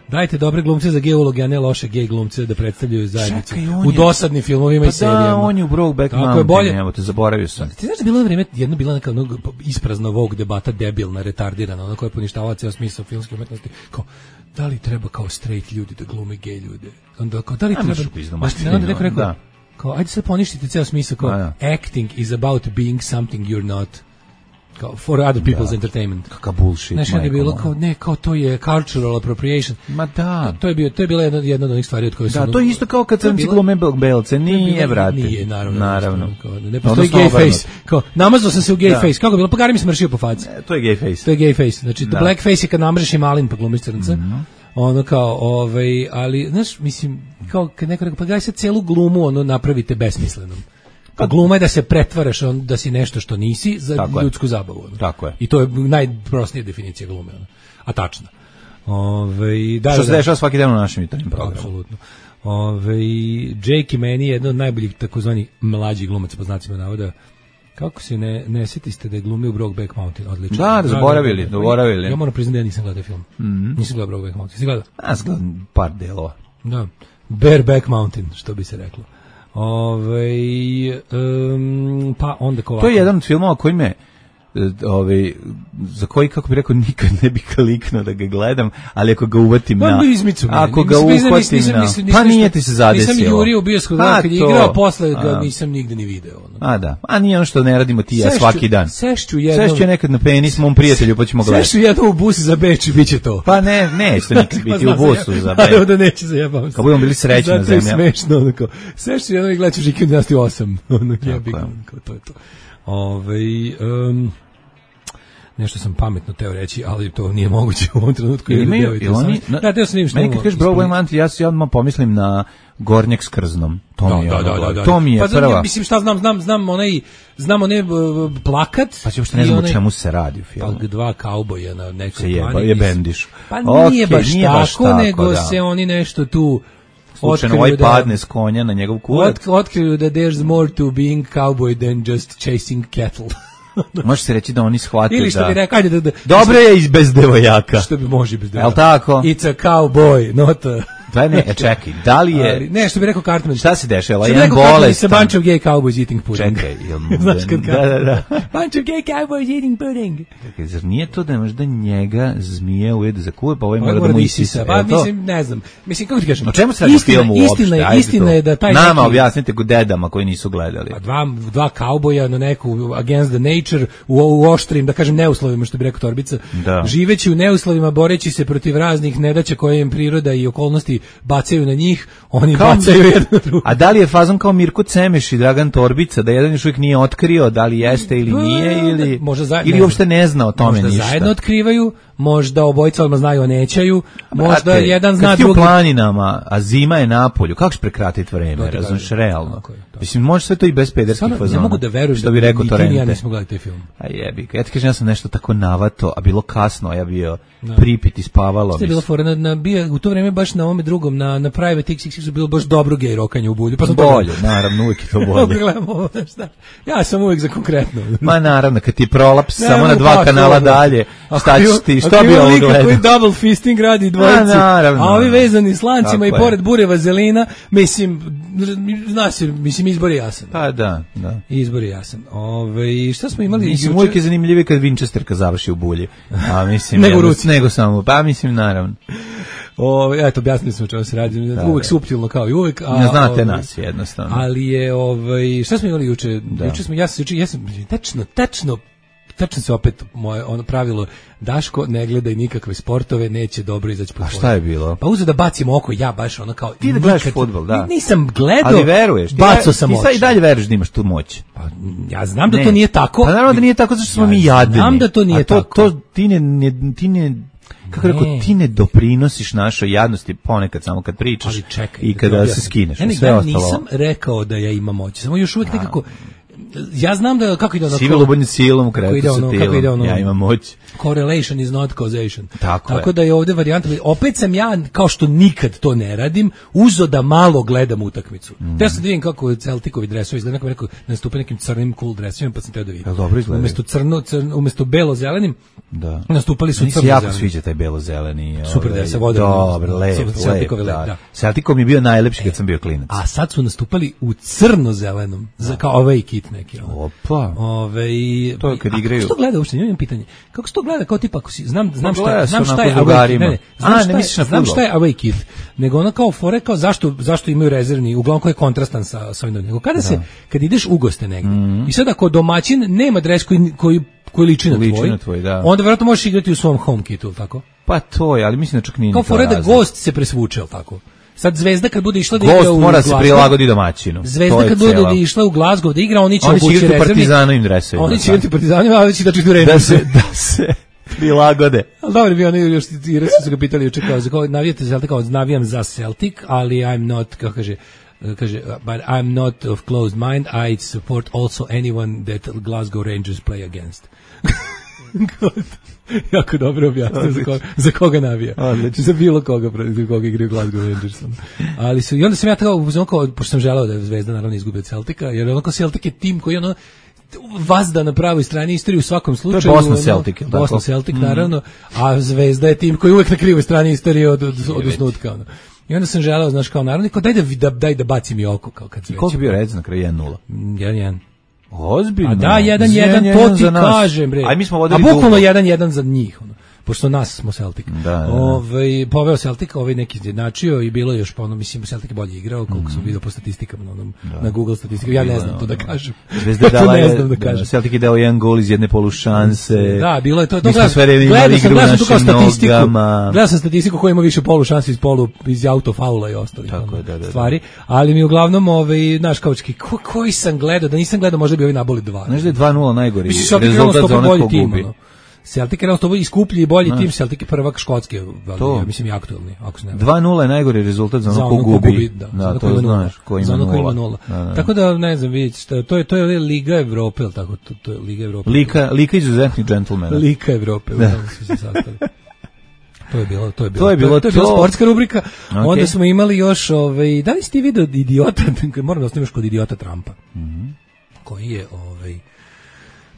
dajte dobre glumce za gej uloge, a ne loše gej glumce da predstavljaju zajednicu. Čekaj, u dosadnim filmovima pa i serijama. Da, on je u Brokeback Mountain, evo te, zaboravio sam. Ti znaš da bilo vrijeme, jedna bila neka onog isprazna Vogue debata, debilna, retardirana, ona koja je poništavala cijel smisao filmske umetnosti, kao, da li treba kao straight ljudi da glume gej ljude? Onda kao, da li treba... Onda neko rekao, kao, ajde sad poništite ceo smisao, kao, A, acting is about being something you're not. Kao, for other people's da. entertainment. Kakav bullshit. Znaš, je bilo kao, ne, kao to je cultural appropriation. Ma da. To je, bio, to je bila jedna, jedna od onih stvari od koje da, sam... Da, to je isto kao kad crnci glume belce. Nije, brate. Nije, naravno. Naravno. Kao, ne postoji gay face. Kao, namazao sam se u gay da. face. Kako bilo? Pa gari mi smršio po faci. E, to je gay face. To je gay face. Znači, da. black face je kad namreš i malin pa glumiš crnca. Mm-hmm. Ono kao, ovaj, ali, znaš, mislim, kao kad neko rekao, pa gaj sad celu glumu ono napravite besmislenom. Pa gluma je da se pretvaraš on, da si nešto što nisi za tako ljudsku je. zabavu. Ono. Tako je. I to je najprostnija definicija glume. Ono. A tačna. Ove, da, što se da, dešava svaki dan u našem jutarnjem programu. Apsolutno. Ove, Jake i meni je jedan od najboljih takozvani mlađih glumaca, po znacima navoda. Kako se ne, ne setiste da je glumio u Brokeback Mountain? Odlično. Da, da, zaboravili, zaboravili. Ja moram priznati da ja nisam gledao film. Mm-hmm. Nisam gledao Brokeback Mountain. Si gledao? Ja sam gledao par delova. Da. Bareback Mountain, što bi se reklo. Ove, um, pa onda ko ovako. To je jedan od filmova koji me Ove, za koji, kako bih rekao, nikad ne bih kliknuo da ga gledam, ali ako ga uvatim pa, na... Izmicu, ako ga uhvatim na... Pa nije ti se zadesilo. Nisam jurio u bioskop, kad je igrao, posle ga nisam nigde ni video. Ono. A da, a nije ono što ne radimo ti ja svaki dan. Sešću jednom... Sešću nekad na penis mom prijatelju, pa ćemo gledati. Sešću jednom u bus za Beč i bit će to. Pa ne, neće nikad biti u busu za Beč. Evo da neće, zajebavam se. Kad budemo bili srećna zemlja. Zato je smešno, onako. Sešću jednom i gledat ću Žiki u dvanaest osam. Ono, jebik, onako, to je to. Ove, um, nešto sam pametno teo reći, ali to nije moguće u ovom trenutku. Imaju, ili oni... Da, teo sam im što... Meni kad kažeš Brokeback Mountain, ja se odmah pomislim na Gornjak s krznom. To da, mi je da, ono, da, da, to mi je pa, prva. Da, mislim šta znam, znam, znam onaj, znam onaj uh, plakat. Pa će uopšte ne znam onaj, o čemu se radi u filmu. Pa dva kauboja na nekoj se jeba, je bendiš. Pa okay, nije baš nije tako, baš tako, nego da. se oni nešto tu... Slučajno ovaj da, padne s konja na njegov kurat. Ot, otkriju da there's more to being cowboy than just chasing cattle. Može se reći da oni shvate da... Ili što bi rekao, ajde da... da dobro je i bez devojaka. Što bi može bez devojaka. Jel tako? It's a cowboy, not a... Daj ne, e, čekaj, da li je... Ali, ne, što bi rekao Cartman. Šta se dešava? Jedan bolestan. It's a bunch of gay cowboys eating pudding. Čekaj, jel... Znaš kad da, da, da. Bunch of gay cowboys eating pudding. Čekaj, zar nije to da možda njega zmije ujede za kuve, pa ovaj mora da mu isisa? Pa mislim, ne znam. Mislim, kako ti kažem? O čemu se radi u filmu uopšte? Istina je, istina je da taj... Nama objasnite go dedama koji nisu gledali. Pa dva, dva kauboja na neku against the nature, u, u oštrim, da kažem, neuslovima, što bi rekao Torbica, da. Živeći u neuslovima, boreći se protiv raznih nedaća koje im priroda i okolnosti bacaju na njih, oni kao bacaju jedno drugo. A da li je fazon kao Mirko Cemeš i Dragan Torbica, da jedan još uvijek nije otkrio da li jeste ili nije, ili, možda za, ili ne uopšte ne zna o tome možda ništa. Možda zajedno otkrivaju, možda obojica odmah znaju o nećaju, možda Brate, jedan zna drugi. Kad ti u planinama, a zima je napolju, kako ćeš prekratiti vreme, razumiješ, realno. Mislim, može sve to i bez pederskih fazona. Ne mogu da verujem što bi da rekao Torrente. Ja nismo gledali taj film. A jebi, ja ti kažem, ja sam nešto tako navato, a bilo kasno, a ja bio da. pripit i spavalo. Što je bilo fora, na, na, bio, u to vreme baš na ovome drugom, na, na Private X X X bilo baš dobro gej rokanje u bulju. Pa sam bolje, to... naravno, uvijek je to bolje. Gledamo, šta? Ja sam uvijek za konkretno. Ma naravno, kad ti prolaps ne, samo na dva pa, kanala to, dalje, šta ćeš ti, što bi ovo gledao? Koji double fisting radi dvojici, a, a ovi vezani s lancima i pored bure vazelina, mislim, znaš, mislim, izbor je jasan. Pa da, da. Izbor je jasan. Ove, šta smo imali? Mislim, uvijek je zanimljivije kad Winchesterka završi u bulji. A mislim, nego, ja, nego samo, pa mislim, naravno. O, eto, objasnili smo čemu se radi, da, uvek da. suptilno kao i uvek. A, ne znate ovaj, nas, jednostavno. Ali je, ovaj, šta smo imali juče? Da. Juče smo, ja sam, juče, ja sam, tečno, tečno, tačno se opet moje ono pravilo, Daško ne gledaj nikakve sportove, neće dobro izaći po. A šta je bilo? Pa uzeo da bacim oko, ja baš ono kao ti da gledaš fudbal, da. Nisam gledao. Ali veruješ, bacao sam oči. Ti i dalje veruješ da imaš tu moć. Pa ja znam da ne. to nije tako. Pa naravno da nije tako zato što smo ja mi jadni. Znam da to nije A to, tako. To ti ne, ne ti ne kako ne. rekao, ti ne doprinosiš našoj jadnosti ponekad samo kad pričaš čekaj, i kada da se skineš. Ja sve ostalo. Nisam rekao da ja imam moć, samo još uvijek nekako ja znam da kako ide ono Sive lubanje silom u kretu sa tilom, ono, ja imam moć. Correlation is not causation. Tako, Tako je. da je ovdje varijanta, opet sam ja, kao što nikad to ne radim, uzo da malo gledam utakmicu. Mm. Te sam da vidim kako Celticovi dresovi izgleda, neko mi rekao da nastupe nekim crnim cool dresovima, pa sam teo da vidim. Ja, dobro izgleda. Umesto crno, crno, umesto belo-zelenim, da. nastupali su crno-zeleni. jako sviđa taj belo-zeleni. Super dres, voda. Dobro, lep, lep, Celticovi da. lep, da. Celticom je bio najlepši kad sam bio klinac. A sad su nastupali u crno-zelenom, za, kao away kit. hit neki. Ono. Opa. Ove, i, to je kad a igraju. kako se to gleda uopšte? Imam pitanje. Kako se to gleda kao tipa, ako si, znam, znam šta, gleda znam se šta je onako away, drugarima. ne, ne, A, znam, ne šta, misliš na je, znam fudbal. šta je away kid, nego ono kao fore, kao zašto, zašto imaju rezervni, uglavnom koji je kontrastan sa, sa ovim, nego kada se, kad ideš u goste negdje, Mhm. i sad ako domaćin nema dres koji, koji, koji liči na Liči tvoj, na tvoj, da. onda vjerojatno možeš igrati u svom home kitu, tako? Pa to je, ali mislim da čak nije Kao ni to fore da razlog. gost se presvuče, jel tako? Sad Zvezda kad bude išla da igra Gost u mora se Glasgow, prilagodi domaćinu. Zvezda To je kad bude cela. da išla u Glasgow da igra, oni će Oni će obući igrati u rezervni. Partizanovim dresovima, Oni će sad. igrati u Partizanima, a će da će Da se, da se prilagode. Ali dobro bi oni još i reći su ga pitali juče kao za koga navijate za Celtic, kao navijam za Celtic, ali I'm not, kako kaže, kaže but I'm not of closed mind, I support also anyone that Glasgow Rangers play against. Jako dobro objasnio za koga, za koga navija. Odlično. Za bilo koga, za koga igraju Glasgow Rangers. Ali su, i onda sam ja tako, kao, pošto sam želeo da je Zvezda naravno izgubi od Celtica, jer onako Celtic je tim koji ono vazda na pravoj strani istorije u svakom slučaju. To je Bosna ono, Celtic, je li tako? Bosna Celtic, naravno, a Zvezda je tim koji je uvek na krivoj strani istorije od, od, od osnutka. Ono. I onda sam želeo, znaš, kao naravno, kao daj da, da, daj da bacim i oko. Kao kad I koliko je bio rec na kraju jedan nula? jedan jedan. Ozbiljno. A da, jedan jedan, to ti kažem, bre. Aj, mi smo A vodili bukvalno dugo. jedan jedan za njih, ono. Pošto nas smo Celtic. Da, da, da. Ovaj poveo Celtic, ovaj neki izjednačio i bilo je još pa ono, mislim Celtic je bolje igrao, koliko Mhm. sam video po statistikama na onom na Google statistikama. Ja ne znam to da kažem. Zvezda je To dala ne je, znam da da, kažem. Celtic je dao jedan gol iz jedne polušanse. Da, bilo je to. to Mi smo gledam- sve vreme imali gledao sam, igru u gledao sam tu kao našim statistiku. nogama. Gledao sam statistiku ko ima više polušansi iz polu iz autofaula i ostalih Tako ono, je, da, da, da. stvari, ali mi uglavnom ovaj naš kaučki ko, koji sam gledao, da nisam gledao možda bi ovi naboli dva. Znaš da je dva nula najgori Mislim, Celtic je rezultat realno za sto onog bolji ko tim, gubi. ono. Celtic je realno sto bolji i skuplji i bolji tim, Celtic je prvak Škotske, ali To. ja mislim i aktuelni, ako se ne varam. dva nula je najgori rezultat za Za onog ko ono ko gubi. da, za Da, ono ko to ima nula. znaš, ko ima Za ono ko ima nula. nula. Da, da. Tako da, ne znam, vidite, šta- to je, to je Liga Evrope, ili tako, to, to je Liga Evrope. Lika, lika izuzetnih džentlmena. Lika Evrope, u tome su se sastali. To je bilo, to je bilo. To je bilo to je bila to. sportska rubrika. Ok. Onda smo imali još, ovaj, da li si ti video idiota, moram da ostaviš kod idiota Trumpa, koji je, ovaj,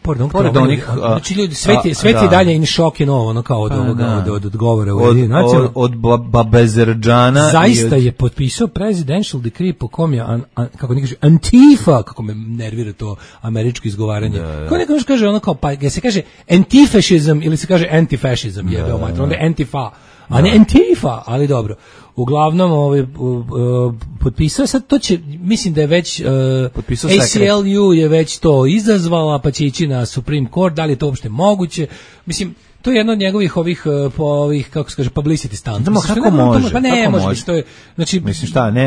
pored onog Pored Trumpa, onih, a- znači ljudi, svet je, a, svet je da. dalje in shock and all, ono kao od Pa, ovoga, da. od, od, od govora u Od, Ujedinjenim od, nacijama. od Ba- Babezerđana. Zaista i od- je potpisao presidential decree po kom je, an, an, kako neki kaže, Antifa, kako me nervira to američko izgovaranje. Kako neko još kaže ono kao, pa je se kaže antifašizam ili se kaže antifašizam, jebe o mater, onda je Antifa, a ne Antifa, ali dobro. Uglavnom, ovaj, uh, uh, potpisao, sad to će, mislim da je već, uh, Potpisao A C L U je već to izazvala, pa će ići na Supreme Court, da li je to uopšte moguće, mislim, to je jedno od njegovih ovih, uh, po ovih, kako se kaže, publicity stunt. Znamo Mislim, kako što ne- može, Pa ne, kako može može. biti, to je, znači, Mislim šta, ne,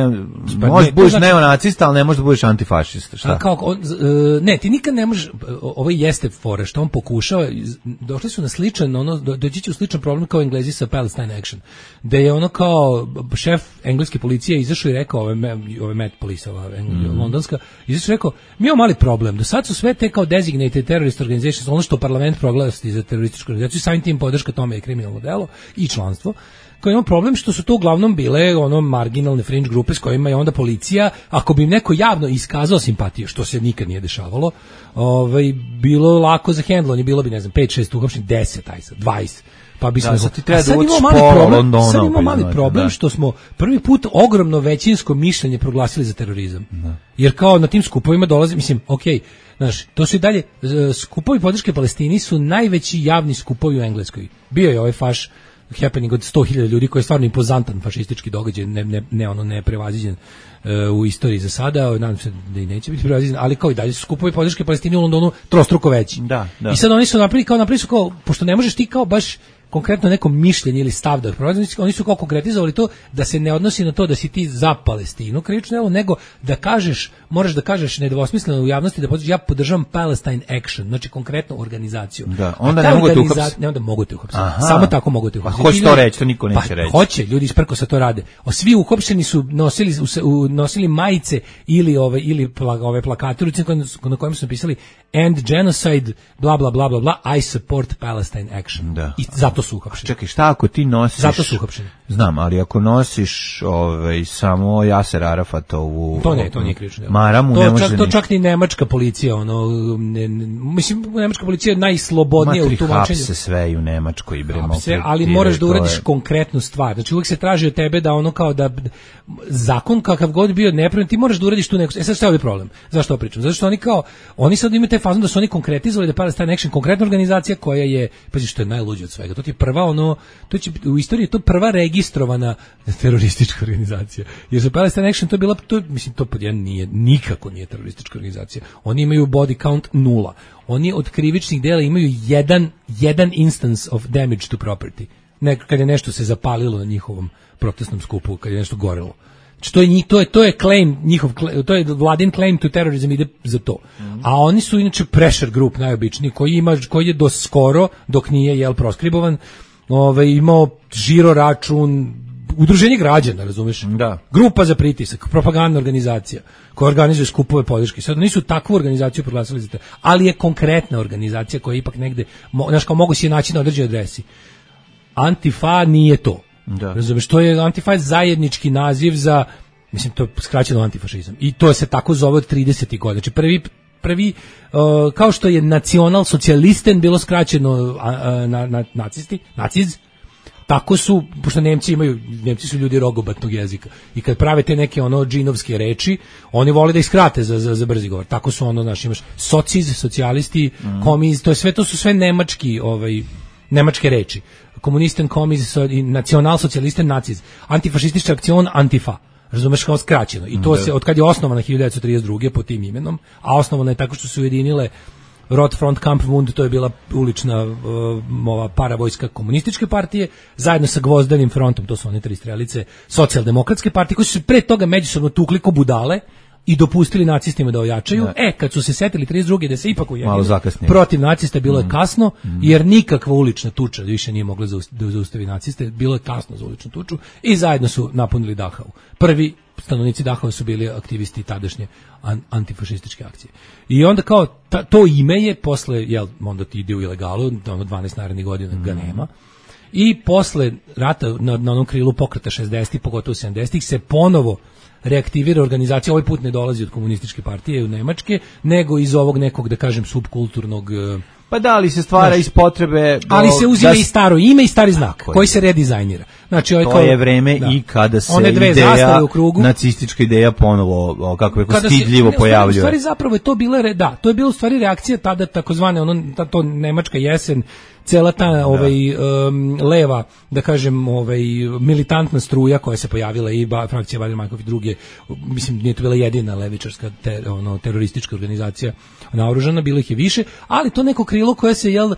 Pa možeš ne, da budeš to znači- neonacista, ali ne možeš da budeš antifašista, šta? A kao, on, z- e, ne, ti nikad ne možeš, ovo jeste fora, što on pokušava, iz- došli su na sličan, ono, do- doći će u sličan problem kao Englezi sa Palestine Action, da je ono kao šef engleske policije izašao i rekao, ove, me- ove Met Police, ova Engl- Mm. londonska, izašao i rekao, mi imamo mali problem, do sad su sve te kao designated terrorist organizations, ono što parlament proglasi za terorističku organizaciju, samim tim podrška tome je kriminalno delo i članstvo, koji ima problem što su to uglavnom bile ono marginalne fringe grupe s kojima je onda policija, ako bi im neko javno iskazao simpatiju, što se nikad nije dešavalo, ovaj, bilo lako za hendlovanje, bilo bi, ne znam, pet šest uhapšenih, deset, aj sad, dvadeset. Pa bi Da, smo sad ti treba a sad da učiš imamo mali pola problem, Londona, sad imamo pa mali izvaditi, problem da. što smo prvi put ogromno većinsko mišljenje proglasili za terorizam. Jer kao na tim skupovima dolazi, mislim, okej, znaš, to su i dalje, e, skupovi podrške Palestini su najveći javni skupovi u Engleskoj. Bio je ovaj faš happening od sto hiljada ljudi koji je stvarno impozantan fašistički događaj, ne, ne, ne ono neprevaziđen e, u istoriji za sada, nadam se da i neće biti prevaziđen, ali kao i dalje su skupovi podrške Palestini u Londonu trostruko veći. Da, da. I sad oni su napravili kao napravili su kao, pošto ne možeš ti kao baš konkretno neko mišljenje ili stav da proizvodi, oni su kao konkretizovali to da se ne odnosi na to da si ti za Palestinu krivično delo, nego da kažeš, moraš da kažeš nedvosmisleno u javnosti da podržiš, ja podržavam Palestine Action, znači konkretnu organizaciju. Da, onda A ta ne mogu te organiza- uhapsiti. Ne, onda mogu te uhapsiti. Aha. Samo tako mogu te Pa uhapsiti. hoće Ti to ljudi- reći, to niko neće pa, reći. Hoće, ljudi iz prkosa to rade. O, svi uhapšeni su nosili u, u- nosili majice ili ove ili pla, ove plakate u ruci na kojem su napisali end genocide, bla, bla, bla, bla, bla, I support Palestine action. Da. I zato su uhapšeni. Čekaj, šta ako ti nosiš... Zato su uhapšeni. Znam, ali ako nosiš ovaj, samo Jaser Arafatovu... To ne, to nije krivično delo. Maramu to ne može... Čak, to čak ni nemačka policija, ono, ne, ne, mislim, nemačka policija je najslobodnija u tumačenju. Matri, hapse sve i u Nemačkoj i bre, hapse, ali moraš da uradiš je... konkretnu stvar. Znači uvijek se traži od tebe da ono kao da zakon kakav god bio nepravilan, ti moraš da uradiš tu neku... E sad šta je ovdje problem? Zašto ovo pričam? Zato što oni kao, oni sad imaju taj fazon da su oni konkretizovali da Palestine Action konkretna organizacija koja je, pa što je najluđe od svega. To ti je prva ono, to će u istoriji to prva registrovana teroristička organizacija. Jer za Palestine Action to je bila, to, mislim, to pod jedan nije, nikako nije teroristička organizacija. Oni imaju body count nula. Oni od krivičnih dela imaju jedan, jedan instance of damage to property. Ne, kad je nešto se zapalilo na njihovom protestnom skupu, kad je nešto gorelo. Znači, to je, to je, to je claim, njihov, to je vladin claim to terrorism ide za to. Mm-hmm. A oni su inače pressure group najobičniji, koji ima, koji je do skoro, dok nije, jel, proskribovan, ovaj, imao žiro račun, udruženje građana, razumeš? Da. Grupa za pritisak, propagandna organizacija koja organizuje skupove podrške. Sad nisu takvu organizaciju proglasili za to, ali je konkretna organizacija koja je ipak negde, znaš, kao mogu si je naći na određenoj adresi. Antifa nije to. Da. Razumeš, to je Antifa zajednički naziv za, mislim, to je skraćeno antifašizam. I to se tako zove od tridesetih godina. Znači prvi prvi uh, kao što je nacionalsocijalisten bilo skraćeno uh, na, na nacisti, naciz, tako su, pošto Nemci imaju, Nemci su ljudi rogobatnog jezika i kad prave te neke ono džinovske reči, oni vole da ih skrate za, za, za brzi govor. Tako su ono, znaš, imaš sociz, socijalisti, mm. komiz, to je sve, to su sve nemački, ovaj, nemačke reči. Komunisten, komiz, nacionalsocijalisten, naciz. Antifašistička akcion, antifa. Razumeš, kao skraćeno. I to mm. se, od kad je osnovana hiljadu devetsto trideset druge po tim imenom, a osnovana je tako što su ujedinile Rotfront Kampfbund, to je bila ulična uh, ova paravojska komunističke partije, zajedno sa Gvozdanim frontom, to su one tri strelice, socijaldemokratske partije, koji su se pre toga međusobno tukli ko budale i dopustili nacistima da ojačaju. Da. E, kad su se setili trideset druge da se ipak ujedinili protiv nacista, bilo je mm. kasno, mm. jer nikakva ulična tuča više nije mogla da zaustavi naciste, bilo je kasno za uličnu tuču i zajedno su napunili Dachau. Prvi stanovnici Dachau su bili aktivisti tadašnje an, antifašističke akcije. I onda kao ta, to ime je posle, jel, onda ti ide u ilegalu, ono dvanaest narednih godina mm. ga nema. I posle rata na, na onom krilu pokreta šezdesetih, pogotovo sedamdesetih, se ponovo reaktivira organizacija, ovaj put ne dolazi od komunističke partije u Nemačke, nego iz ovog nekog, da kažem, subkulturnog... Pa da, ali se stvara znaš, iz potrebe... Do, ali se uzima da, i staro ime i stari znak, koji se redizajnira. Znači, to kao, je vreme da. I kada se one dve ideja, u krugu, nacistička ideja ponovo, kako je stidljivo se, pojavljuje. U stvari zapravo je to bila, da, to je bila u stvari reakcija tada takozvane, ono, ta, to nemačka jesen, cela ta da. ovaj, um, leva, da kažem, ovaj, militantna struja koja se pojavila i ba, frakcija Baader-Meinhof i druge, mislim, nije to bila jedina levičarska ter, ono, teroristička organizacija naoružana, bilo ih je više, ali to neko krilo koje se jel,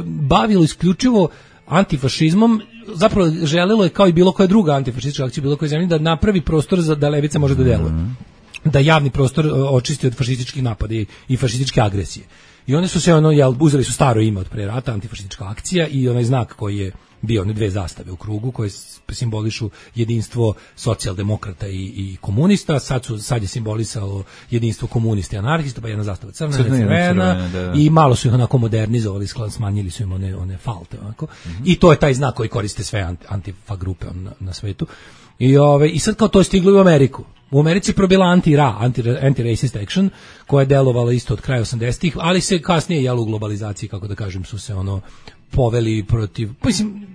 bavilo isključivo antifašizmom, zapravo želelo je kao i bilo koja druga antifašistička akcija, bilo koja zemlja, da napravi prostor za da levica može da deluje. Mm. Da javni prostor očisti od fašističkih napada i, i fašističke agresije. I oni su se ono, jel, uzeli su staro ime od pre rata, antifašistička akcija i onaj znak koji je bio, one dve zastave u krugu koje simbolišu jedinstvo socijaldemokrata i, i komunista, sad, su, sad je simbolisalo jedinstvo komunista i anarhista, pa jedna zastava crna, crna, crvena, da, da. I malo su ih onako modernizovali, smanjili su im one, one falte. Onako. Mm-hmm. I to je taj znak koji koriste sve antifa grupe na, na svetu. I, ove, I sad kao to je stiglo u Ameriku. U Americi je probila anti-ra, anti-racist action, koja je delovala isto od kraja osamdesetih, ali se kasnije, jel, u globalizaciji, kako da kažem, su se ono poveli protiv, mislim,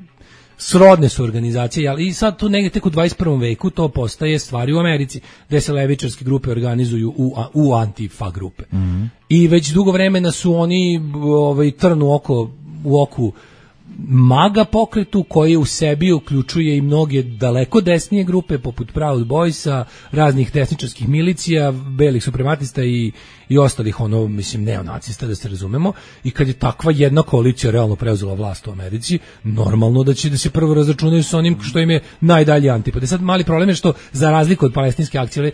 srodne su organizacije, ali i sad tu negdje tek u dvadeset prvom veku to postaje stvari u Americi, gde se levičarske grupe organizuju u, u antifa grupe. Mm-hmm. I već dugo vremena su oni ovaj, trn u oko, u oku maga pokretu koji u sebi uključuje i mnoge daleko desnije grupe poput Proud Boysa, raznih desničarskih milicija, belih suprematista i, i ostalih ono, mislim, neonacista, da se razumemo. I kad je takva jedna koalicija realno preuzela vlast u Americi, normalno da će da se prvo razračunaju sa onim što im je najdalje antipod. E sad mali problem je što za razliku od palestinske akcije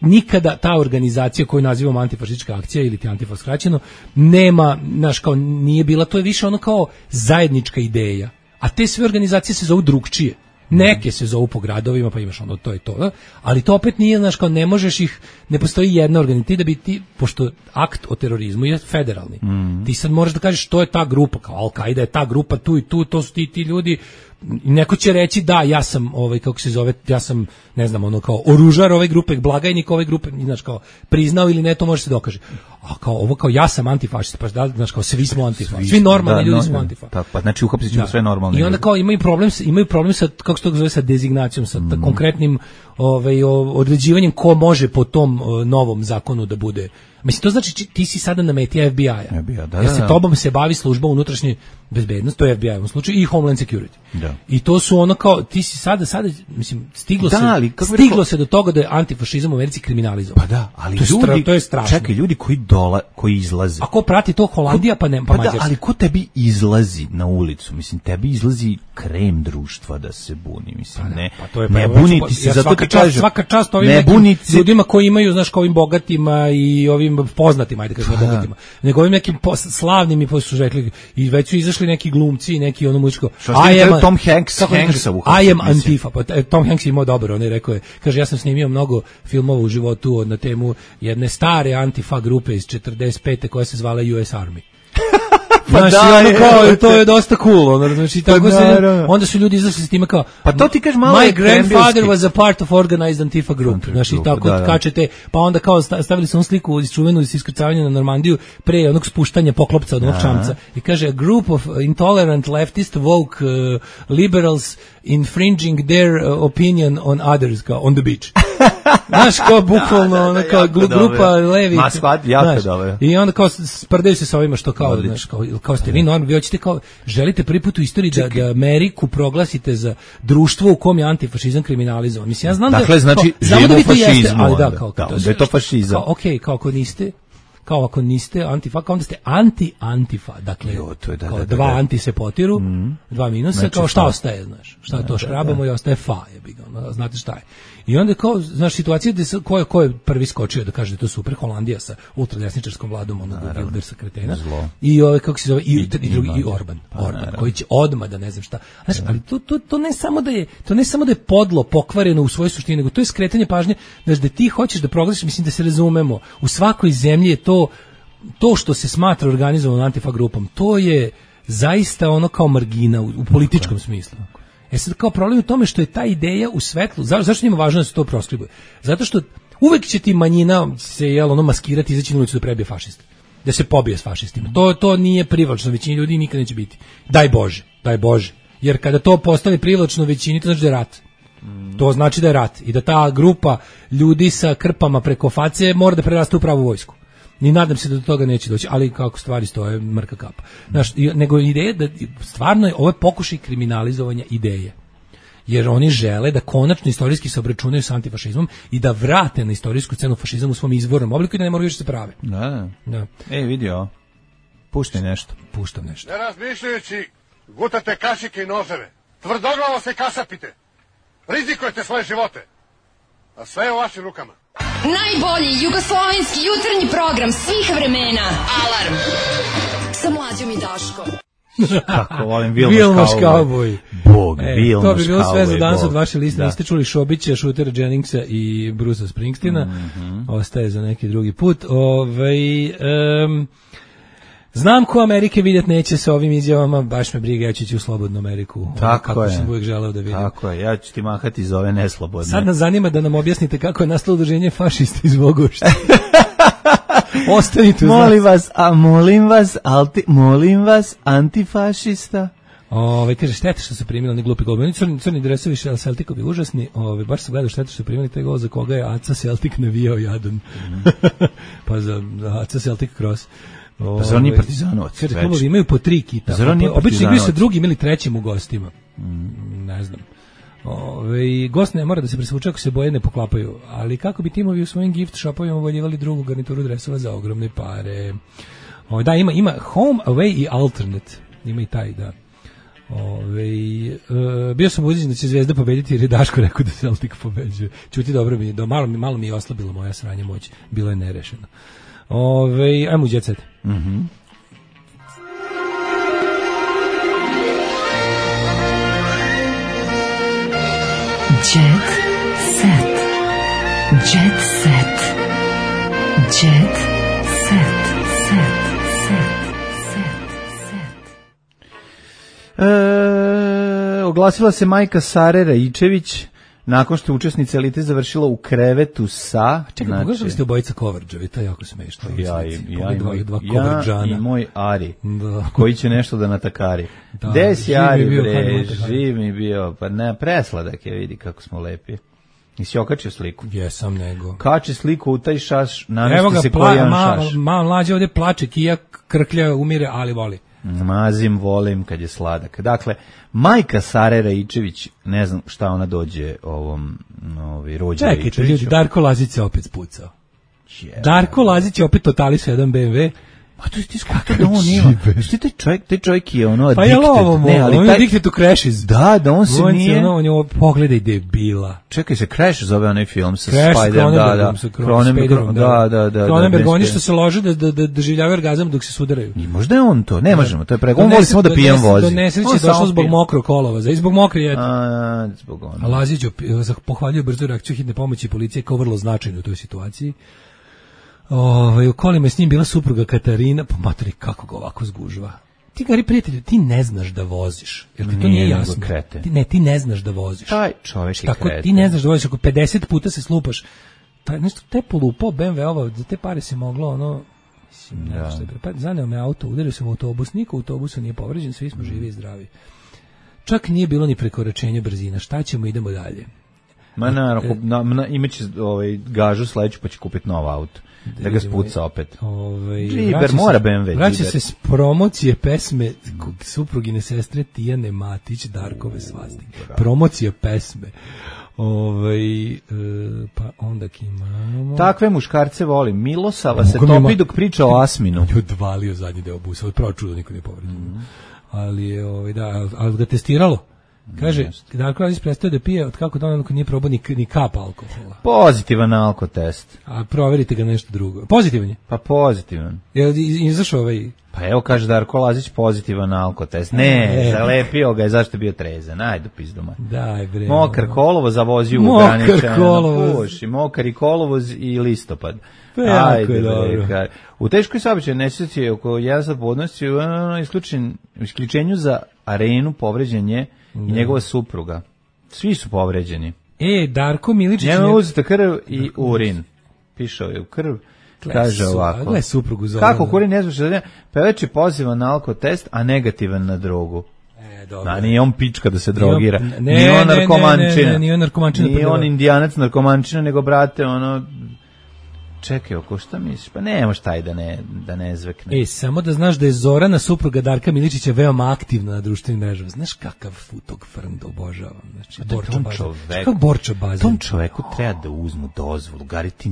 nikada ta organizacija koju nazivamo antifašistička akcija ili ti antifa skraćeno, nema, znaš, kao nije bila, to je više ono kao zajednička ideja. A te sve organizacije se zovu drugčije. Neke se zovu po gradovima, pa imaš ono to i to, da? Ali to opet nije, znaš, kao ne možeš ih, ne postoji jedna organizacija, ti da bi ti, pošto akt o terorizmu je federalni, mm. ti sad moraš da kažeš što je ta grupa, kao Al-Qaida je ta grupa tu i tu, to su ti, ti ljudi. Neko će reći da ja sam ovaj kako se zove ja sam ne znam ono kao oružar ove grupe, blagajnik ove grupe, znaš kao priznao ili ne, to može se dokaže. A kao ovo kao ja sam antifašista, pa da znaš kao svi smo antifa, svi, svi normalni da, ljudi no, smo antifa. Tako, pa znači uhapsit ćemo sve normalne. I onda kao imaju problem imaju problem sa kako se to zove sa dezignacijom, sa mm. konkretnim ovaj određivanjem ko može po tom o, novom zakonu da bude. Mislim, to znači ti si sada na meti F B I-a. F B I, da, jer se da, da. tobom se bavi služba unutrašnje bezbednosti, to je F B I u ovom slučaju, i Homeland Security. Da. I to su ono kao, ti si sada, sada mislim, stiglo, da, se, ali, stiglo rekao, se do toga da je antifašizam u Americi kriminalizovan. Pa da, ali to, ljudi, stra, to je strašno. Čekaj, ljudi koji dola, koji izlaze. A ko prati to Holandija, pa ne, pa, pa da, ali ko tebi izlazi na ulicu? Mislim, tebi izlazi krem društva da se buni, mislim, pa, ne. Pa to je ne buniti se, ja, zato ti kažem. Svaka čast ovim ljudima koji imaju, znaš, kao ovim bogatima i ovim poznatima, ajde kažemo bogatima, nego ovim nekim slavnim i posle su rekli, i već su izašli neki glumci, neki ono muzičko, I am Tom Hanks, Hanksa I am Antifa, pa Tom Hanks je imao dobro, on je rekao je, kaže, ja sam snimio mnogo filmova u životu na temu jedne stare Antifa grupe iz četrdeset pete koja se zvala U S Army. Pa znaš, da, ono kao, to je dosta cool, ono, znači, tako pa se, onda su ljudi izašli s time kao, pa to ti kažeš malo my grandfather was a part of organized Antifa group, znači, tako da, da. Kačete, pa onda kao stavili su on sliku iz čuvenu iz iskrcavanja na Normandiju pre onog spuštanja poklopca od onog čamca i kaže, a group of intolerant leftist woke uh, liberals infringing their uh, opinion on others, kao on the beach. Znaš, kao bukvalno, da, da, da, kao grupa dobro. Levi. Ma, shvat, jako dobro. I onda kao sprdaju se sa ovima što kao, znaš, kao, kao ste vi normalni, vi hoćete kao, želite prvi put u istoriji da, da Ameriku proglasite za društvo u kom je antifašizam kriminalizovan. Mislim, ja znam dakle, da... Znači, živimo da u fašizmu. Jeste, ali da, kao, da, da je to fašizam. Kao, okej, okay, kao ako niste... kao ako niste antifa, kao onda ste anti-antifa, dakle, jo, to je da, kao da, da, dva da. Anti se potiru, mm. dva minusa, znači, kao šta ostaje, znaš, šta da, to škrabamo da, da. I ostaje fa, jebi ga, znate šta je. I onda kao, znaš, situacija gde ko je, ko je prvi skočio da kaže da je to super, Holandija sa ultradesničarskom vladom, onog Wildersa kretena, zlo. I ove, kako se zove, i, i, i drugi, i Orban, pa, Orban, naravno. Koji će odmah da ne znam šta. Znaš, ali to, to, to ne samo da je, to ne samo da je podlo, pokvareno u svojoj suštini, nego to je skretanje pažnje, znaš, da ti hoćeš da proglasiš, mislim da se razumemo, u svakoj zemlji je to to što se smatra organizovanom antifa grupom, to je zaista ono kao margina u, u političkom smislu. E sad kao problem u tome što je ta ideja u svetlu, za, zašto njima važno da se to proskribuje? Zato što uvek će ti manjina se jel, ono maskirati, izaći na ulicu da prebije fašiste, da se pobije s fašistima. To, to nije privlačno većini ljudi, nikad neće biti. Daj Bože, daj Bože. Jer kada to postane privlačno većini, to znači da je rat. To znači da je rat i da ta grupa ljudi sa krpama preko face mora da preraste u pravu vojsku. Ni nadam se da do toga neće doći, ali kako stvari stoje, mrka kapa. Znaš, nego ideja da stvarno je ovo je pokušaj kriminalizovanja ideje. Jer oni žele da konačno istorijski se obračunaju sa antifašizmom i da vrate na istorijsku scenu fašizam u svom izvornom obliku i da ne moraju više se prave. Da, da. Ej, vidio, puštaj nešto. Puštam nešto. Ne razmišljajući, gutate kašike i noževe. Tvrdoglavo se kasapite. Rizikujete svoje živote. A sve je u vašim rukama. Najbolji jugoslovenski jutarnji program svih vremena. Alarm. Sa Mlađom i Daškom. Kako volim Vilmoš Cowboy. Bog, e, Vilmoš Cowboy. To bi bilo sve za danas od vaše liste. Niste čuli Šobića, Shootera Jenningsa i Brucea Springsteena. Mm-hmm. Ostaje za neki drugi put. Ove, um, znam ko Amerike vidjet neće sa ovim izjavama, baš me briga, ja ću ići u slobodnu Ameriku. Tako kako je. sam uvijek želeo da vidim. Tako je, ja ću ti mahati iz ove neslobodne. Sad nas zanima da nam objasnite kako je nastalo udruženje fašisti iz Vogošća. Ostanite uz molim vas, a molim vas, alti, molim vas, antifašista. Ove, kaže, šteta što su primili oni glupi gol. Oni crni, crni dresovi Celticovi užasni. Ove, baš se gledao šteta što su primili taj gol za koga je Aca Celtic navijao jadan. Mm. pa za Aca Celtic Cross. Pa zar oni Partizanovac? Kaže, klubovi imaju po tri kita. Zar oni obično igraju sa drugim ili trećim u gostima. Mm. Ne znam. Ove, gost ne mora da se presvuče ako se boje ne poklapaju, ali kako bi timovi u svojim gift shopovima uvoljivali drugu garnituru dresova za ogromne pare. Ove, da, ima, ima home, away i alternate. Ima i taj, da. Ove, e, bio sam uđen da će Zvezda pobediti jer je Daško rekao da Celtic pobeđuje. Čuti, dobro mi je, do, malo, malo mi je oslabilo moja sranje moć. Bilo je nerešeno. Ove, ajmo u Jet Set. Mhm. Jet set. Jet set. Jet set. Set. Set. Set. Set. E, oglasila se majka Sare Raičević nakon što je učesnica elite završila u krevetu sa... Čekaj, znači, pogledali ste obojica coverđevi, to je jako smešno. Ja, i, ja, i moj, dva ja i moj Ari, da. koji će nešto da natakari. Da, Gde si Ari, bio, bre, živ mi bio, pa ne, presladak je, vidi kako smo lepi. Nisi okačio sliku? Jesam, nego. Kači sliku u taj šaš, namesti se pla, koji je ma, šaš. Ma, mlađe ovdje plače, kija, krklja, umire, ali voli. Mazim, volim kad je sladak. Dakle, majka Sare Raičević, ne znam šta ona dođe ovom ovi rođe Raičeviću. Čekajte, ljudi, Darko Lazić se opet spucao. Yeah. Darko Lazić je opet totalisao jedan be em ve. Pa to je ti skako da on ima. Što taj čovjek, taj čovjek je ono addicted. Pa je ovo, ne, ali on taj... je addicted to crashes. Da, da on se on nije... Ono, on je ovo, pogledaj debila. Čekaj se, Crash zove onaj film sa Crash, Spider-om, da, da. Cronenbergom, da, da, da. Cronenberg, oni što se lože da, da, da doživljavaju orgazam dok se sudaraju. I možda je on to, ne možemo, to je preko. On voli samo da pijem vozi. Do nesreće je došlo zbog mokrog kolova, i zbog mokre jede. A, zbog ono. A Lazić pohvaljuje brzu reakciju hitne pomoći policije kao vrlo značajnu u toj situaciji. Ovaj u kolima je s njim bila supruga Katarina, pa materi kako ga ovako zgužva. Ti gari prijatelju, ti ne znaš da voziš. Jer ti to nije, nije jasno. Ti ne, ti ne znaš da voziš. Taj čovjek je tako, kreten. ti ne znaš da voziš, ako pedeset puta se slupaš. Taj nešto te polupao be em ve ovo, za te pare se moglo ono mislim, ne znam šta je. Pa zaneo me auto, udario sam u autobus, niko u autobusu nije povređen, svi smo živi i zdravi. Čak nije bilo ni prekoračenja brzina. Šta ćemo, idemo dalje. Ma naravno, na, na, imaće ovaj gažu sledeću pa će kupiti nov auto. Da ga spuca opet. Ovaj Džiber mora be em ve. Vraća se s promocije pesme suprugine sestre Tijane Matić, Darkove svastik. Promocija pesme. Ovaj e, pa onda imamo. Takve muškarce volim. Milosava se topi dok priča o Asminu. Je odvalio zadnji deo busa, od pravo čudo niko nije povređen. Mm. Ali je ovaj da, ali ga testiralo. Kaže, Darko Lazić prestaje da pije od kako donako nije probao ni, ni kap alkohola. Pozitivan alkotest. A proverite ga nešto drugo. Pozitivan je? Pa pozitivan. Je izašao ovaj... Pa evo kaže Darko Lazić pozitivan alkotest. Ne, e, zalepio ga je, zašto je bio trezan. Ajde, pizdoma. Daj bre. Mokar kolovoz zavozio u ograničeno. Mokar kolovoz. Puši, mokar i kolovoz i listopad. Ajde, bre. U teškoj saobraćajnoj nesreći oko jedan sat podnosi isključen, isključenju za arenu povređen je i njegova supruga. Svi su povređeni. E, Darko Miličić... Njema je uzeta krv i urin. Pišao je u krv. Kaže ovako. Gle suprugu Zorana. Kako kurin ne zvuči? Pevač je pozivan na alkotest, a negativan na drogu. E, dobro. A nije on pička da se drogira. Ne, nije on narkomančina. Ne, ne, ne, nije on narkomančina. Nije on indijanac narkomančina, nego brate, ono... Čekaj, oko šta misliš? Pa nemaš taj da ne, da ne zvekne. E, samo da znaš da je Zorana, supruga Darka Miličića, veoma aktivna na društvenim mrežama. Znaš kakav futog frnd obožavam. Znači, Borča Bazen. Kakav Borča Bazen. Tom čoveku treba da uzmu dozvolu. Gari ti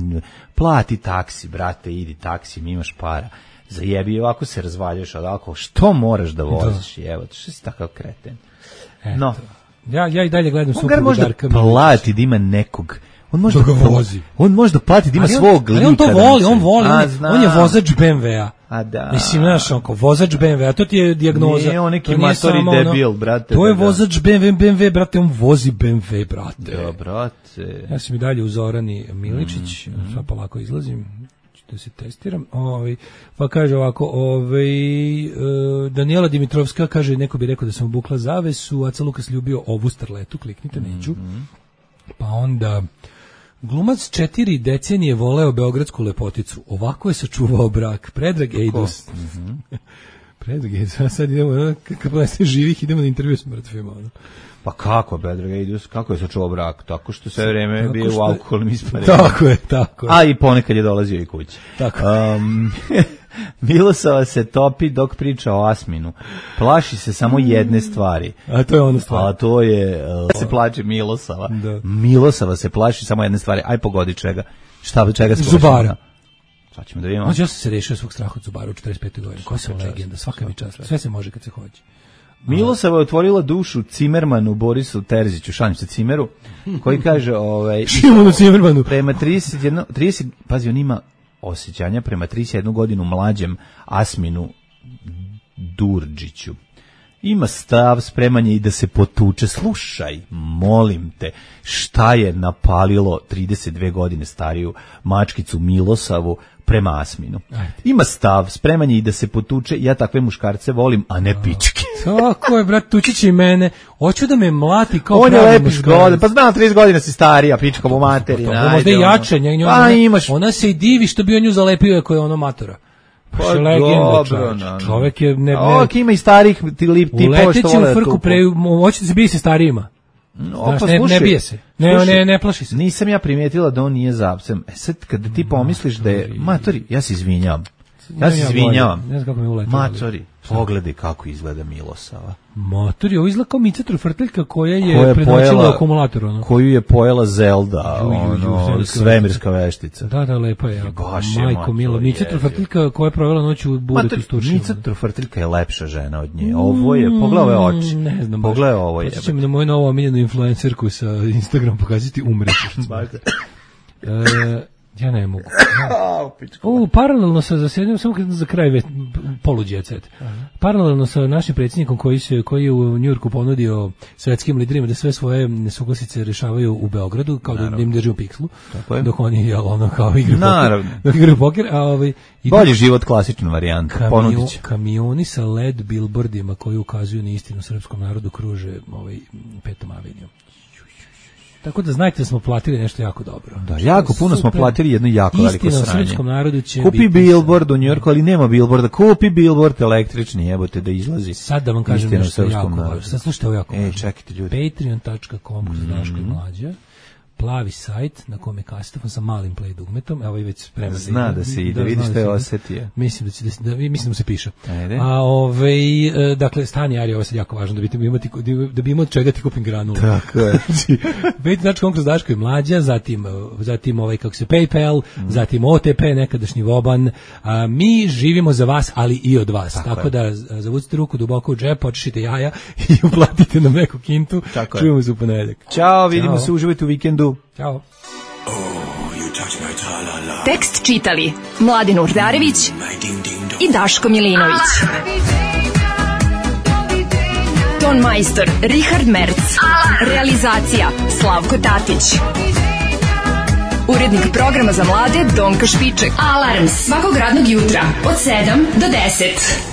plati taksi, brate, idi taksi, mi imaš para. Zajebi, ovako se razvaljaš od alkohola. Što moraš da voziš? Da. Evo, što si takav kreten. Eto. No. Ja, ja i dalje gledam suprugu Darka Miličića. On možda plati da ima nekog... On može da vozi. On može da plati da ima ali on, svog lika. Ali on to voli, on voli. A, on, on je vozač be em ve-a. A da. Mislim, znaš, onko, vozač be em ve-a, to ti je dijagnoza. Nije on neki matori debil, ono, brate. To je vozač be em ve, be em ve, brate, on vozi be em ve, brate. Da, brate. Ja sam i dalje u Zorani Miličić, mm, mm. sad pa lako izlazim, da se testiram. Ovaj, pa kaže ovako, ovaj, uh, Daniela Dimitrovska kaže, neko bi rekao da sam obukla zavesu, Aca Lukas ljubio ovu starletu, kliknite, neću. Mm. Pa onda... Glumac četiri decenije voleo beogradsku lepoticu. Ovako je sačuvao brak. Predrag Ejdus. Mm-hmm. Predrag Ejdus. Sad idemo, kako se živih, idemo na intervju s mrtvima. Ono. Pa kako, Predrag Ejdus? Kako je sačuvao brak? Tako što sve vreme bio što... u alkoholnim isparenima. Tako je, tako je. A i ponekad je dolazio i kući. Tako um, Milosava se topi dok priča o Asminu. Plaši se samo jedne stvari. A to je ono stvar. A to je... Uh, se plače Milosava. Da. Milosava se plaši samo jedne stvari. Aj pogodi čega. Šta, čega se plaši? Zubara. Sad ćemo da vidimo. Ja sam se rešio svog straha od Zubara u četrdeset petoj godini. Ko sam legenda, svaka mi čast. Sve se može kad se hoće. Milosava je otvorila dušu Cimermanu Borisu Terziću, šalim se Cimeru, koji kaže... Ovaj, Šimonu Cimermanu. Prema trideset jedan, trideset, pazi, on ima osjećanja prema trideset jednu godinu mlađem Asminu Durdžiću. ima stav, spreman je i da se potuče. Slušaj, molim te, šta je napalilo trideset dve godine stariju mačkicu Milosavu prema Asminu? Ima stav, spreman je i da se potuče. Ja takve muškarce volim, a ne pičke. Tako je, brat, tući će i mene. Hoću da me mlati kao on pravi je muškarac. lepi zgodan, pa znam, trideset godina si starija, pička mu materi. Pa, pa, možda i jače, njoj, pa, ona, imaš. ona se i divi što bi on nju zalepio ako je ono matora. Pa je legenda, čovjek. Čovjek je... Ne, ne, ok, ima i starih tipova što vole. Uleteći u frku, pre, hoćete se bije se starijima. No, Znaš, pa, ne, slušaj, ne bije se. Ne, slušaj, ne, ne plaši se. Nisam ja primijetila da on nije zapsem. E sad, kada ti pomisliš da je... Matori, ja se izvinjavam. Ja se izvinjavam. Ne znam kako mi uletio. Matori, pogledaj kako izgleda Milosava. Matori, ovo izgleda kao Mica Trofrteljka koja je, koja je predočila akumulator. Ono. Koju je pojela Zelda, ju, ju, ju, ono, svemirska veštica. Da, da, lepa je. Majko Milo, Mica Trofrteljka koja je provela noć u buretu s tušima. Mica Trofrteljka je lepša žena od nje. Ovo je, pogledaj ove oči. Ne znam. Pogledaj ovo je. Počećemo na moju novu omiljenu influencerku sa Instagram pokazati umreću. e, Ja ne mogu. O, paralelno sa zasjedanjem, samo za kraj već poluđecet. Paralelno sa našim predsjednikom koji se koji je u Njujorku ponudio svetskim liderima da sve svoje nesuglasice rešavaju u Beogradu, kao Naravno. Da im drži u pikslu. Dok oni jel ono kao igraju poker. Dok igraju poker, a ovaj bolji život, klasična varijanta. Kamio, kamioni sa L E D billboardima koji ukazuju na istinu srpskom narodu kruže ovaj Petom avenijom. Tako da znajte da smo platili nešto jako dobro. Da, jako puno smo platili jedno jako veliko sranje. Istina u srpskom narodu će kupi billboard u Njujorku, ali nema billboarda. Kupi billboard električni, jebote da izlazi. Sad da vam kažem nešto jako važno. Sad slušajte ovo jako važno. Ej, čekajte ljudi. patreon dot com kroz Daško i Mlađa. Plavi sajt na kome kasitafon sa malim play dugmetom, evo i već spreman. Zna da se ide, vidi što je osetio. Mislim da će da, da mislim da mu se piše. Ajde. A ovaj dakle stani Ari, ovo je sad jako važno da bi imati da bi imao od čega ti kupim granule. Tako je. patreon dot com kroz Daško i Mlađa, zatim zatim ovaj kako se PayPal, mm. zatim O T P nekadašnji Voban. A, mi živimo za vas, ali i od vas. Tako, Tako da zavucite ruku duboko u džep, počešite jaja i uplatite nam neku kintu. Čujemo se u ponedeljak. Ćao, vidimo Ćao. se, uživajte u vikendu. Ćao. Oh, tekst čitali Mladin Urdarević i Daško Milinović. Ton majstor Richard Merc. Realizacija Slavko Tatić. Urednik programa za mlade Donka Špiček. Alarms svakog radnog jutra od sedam do deset.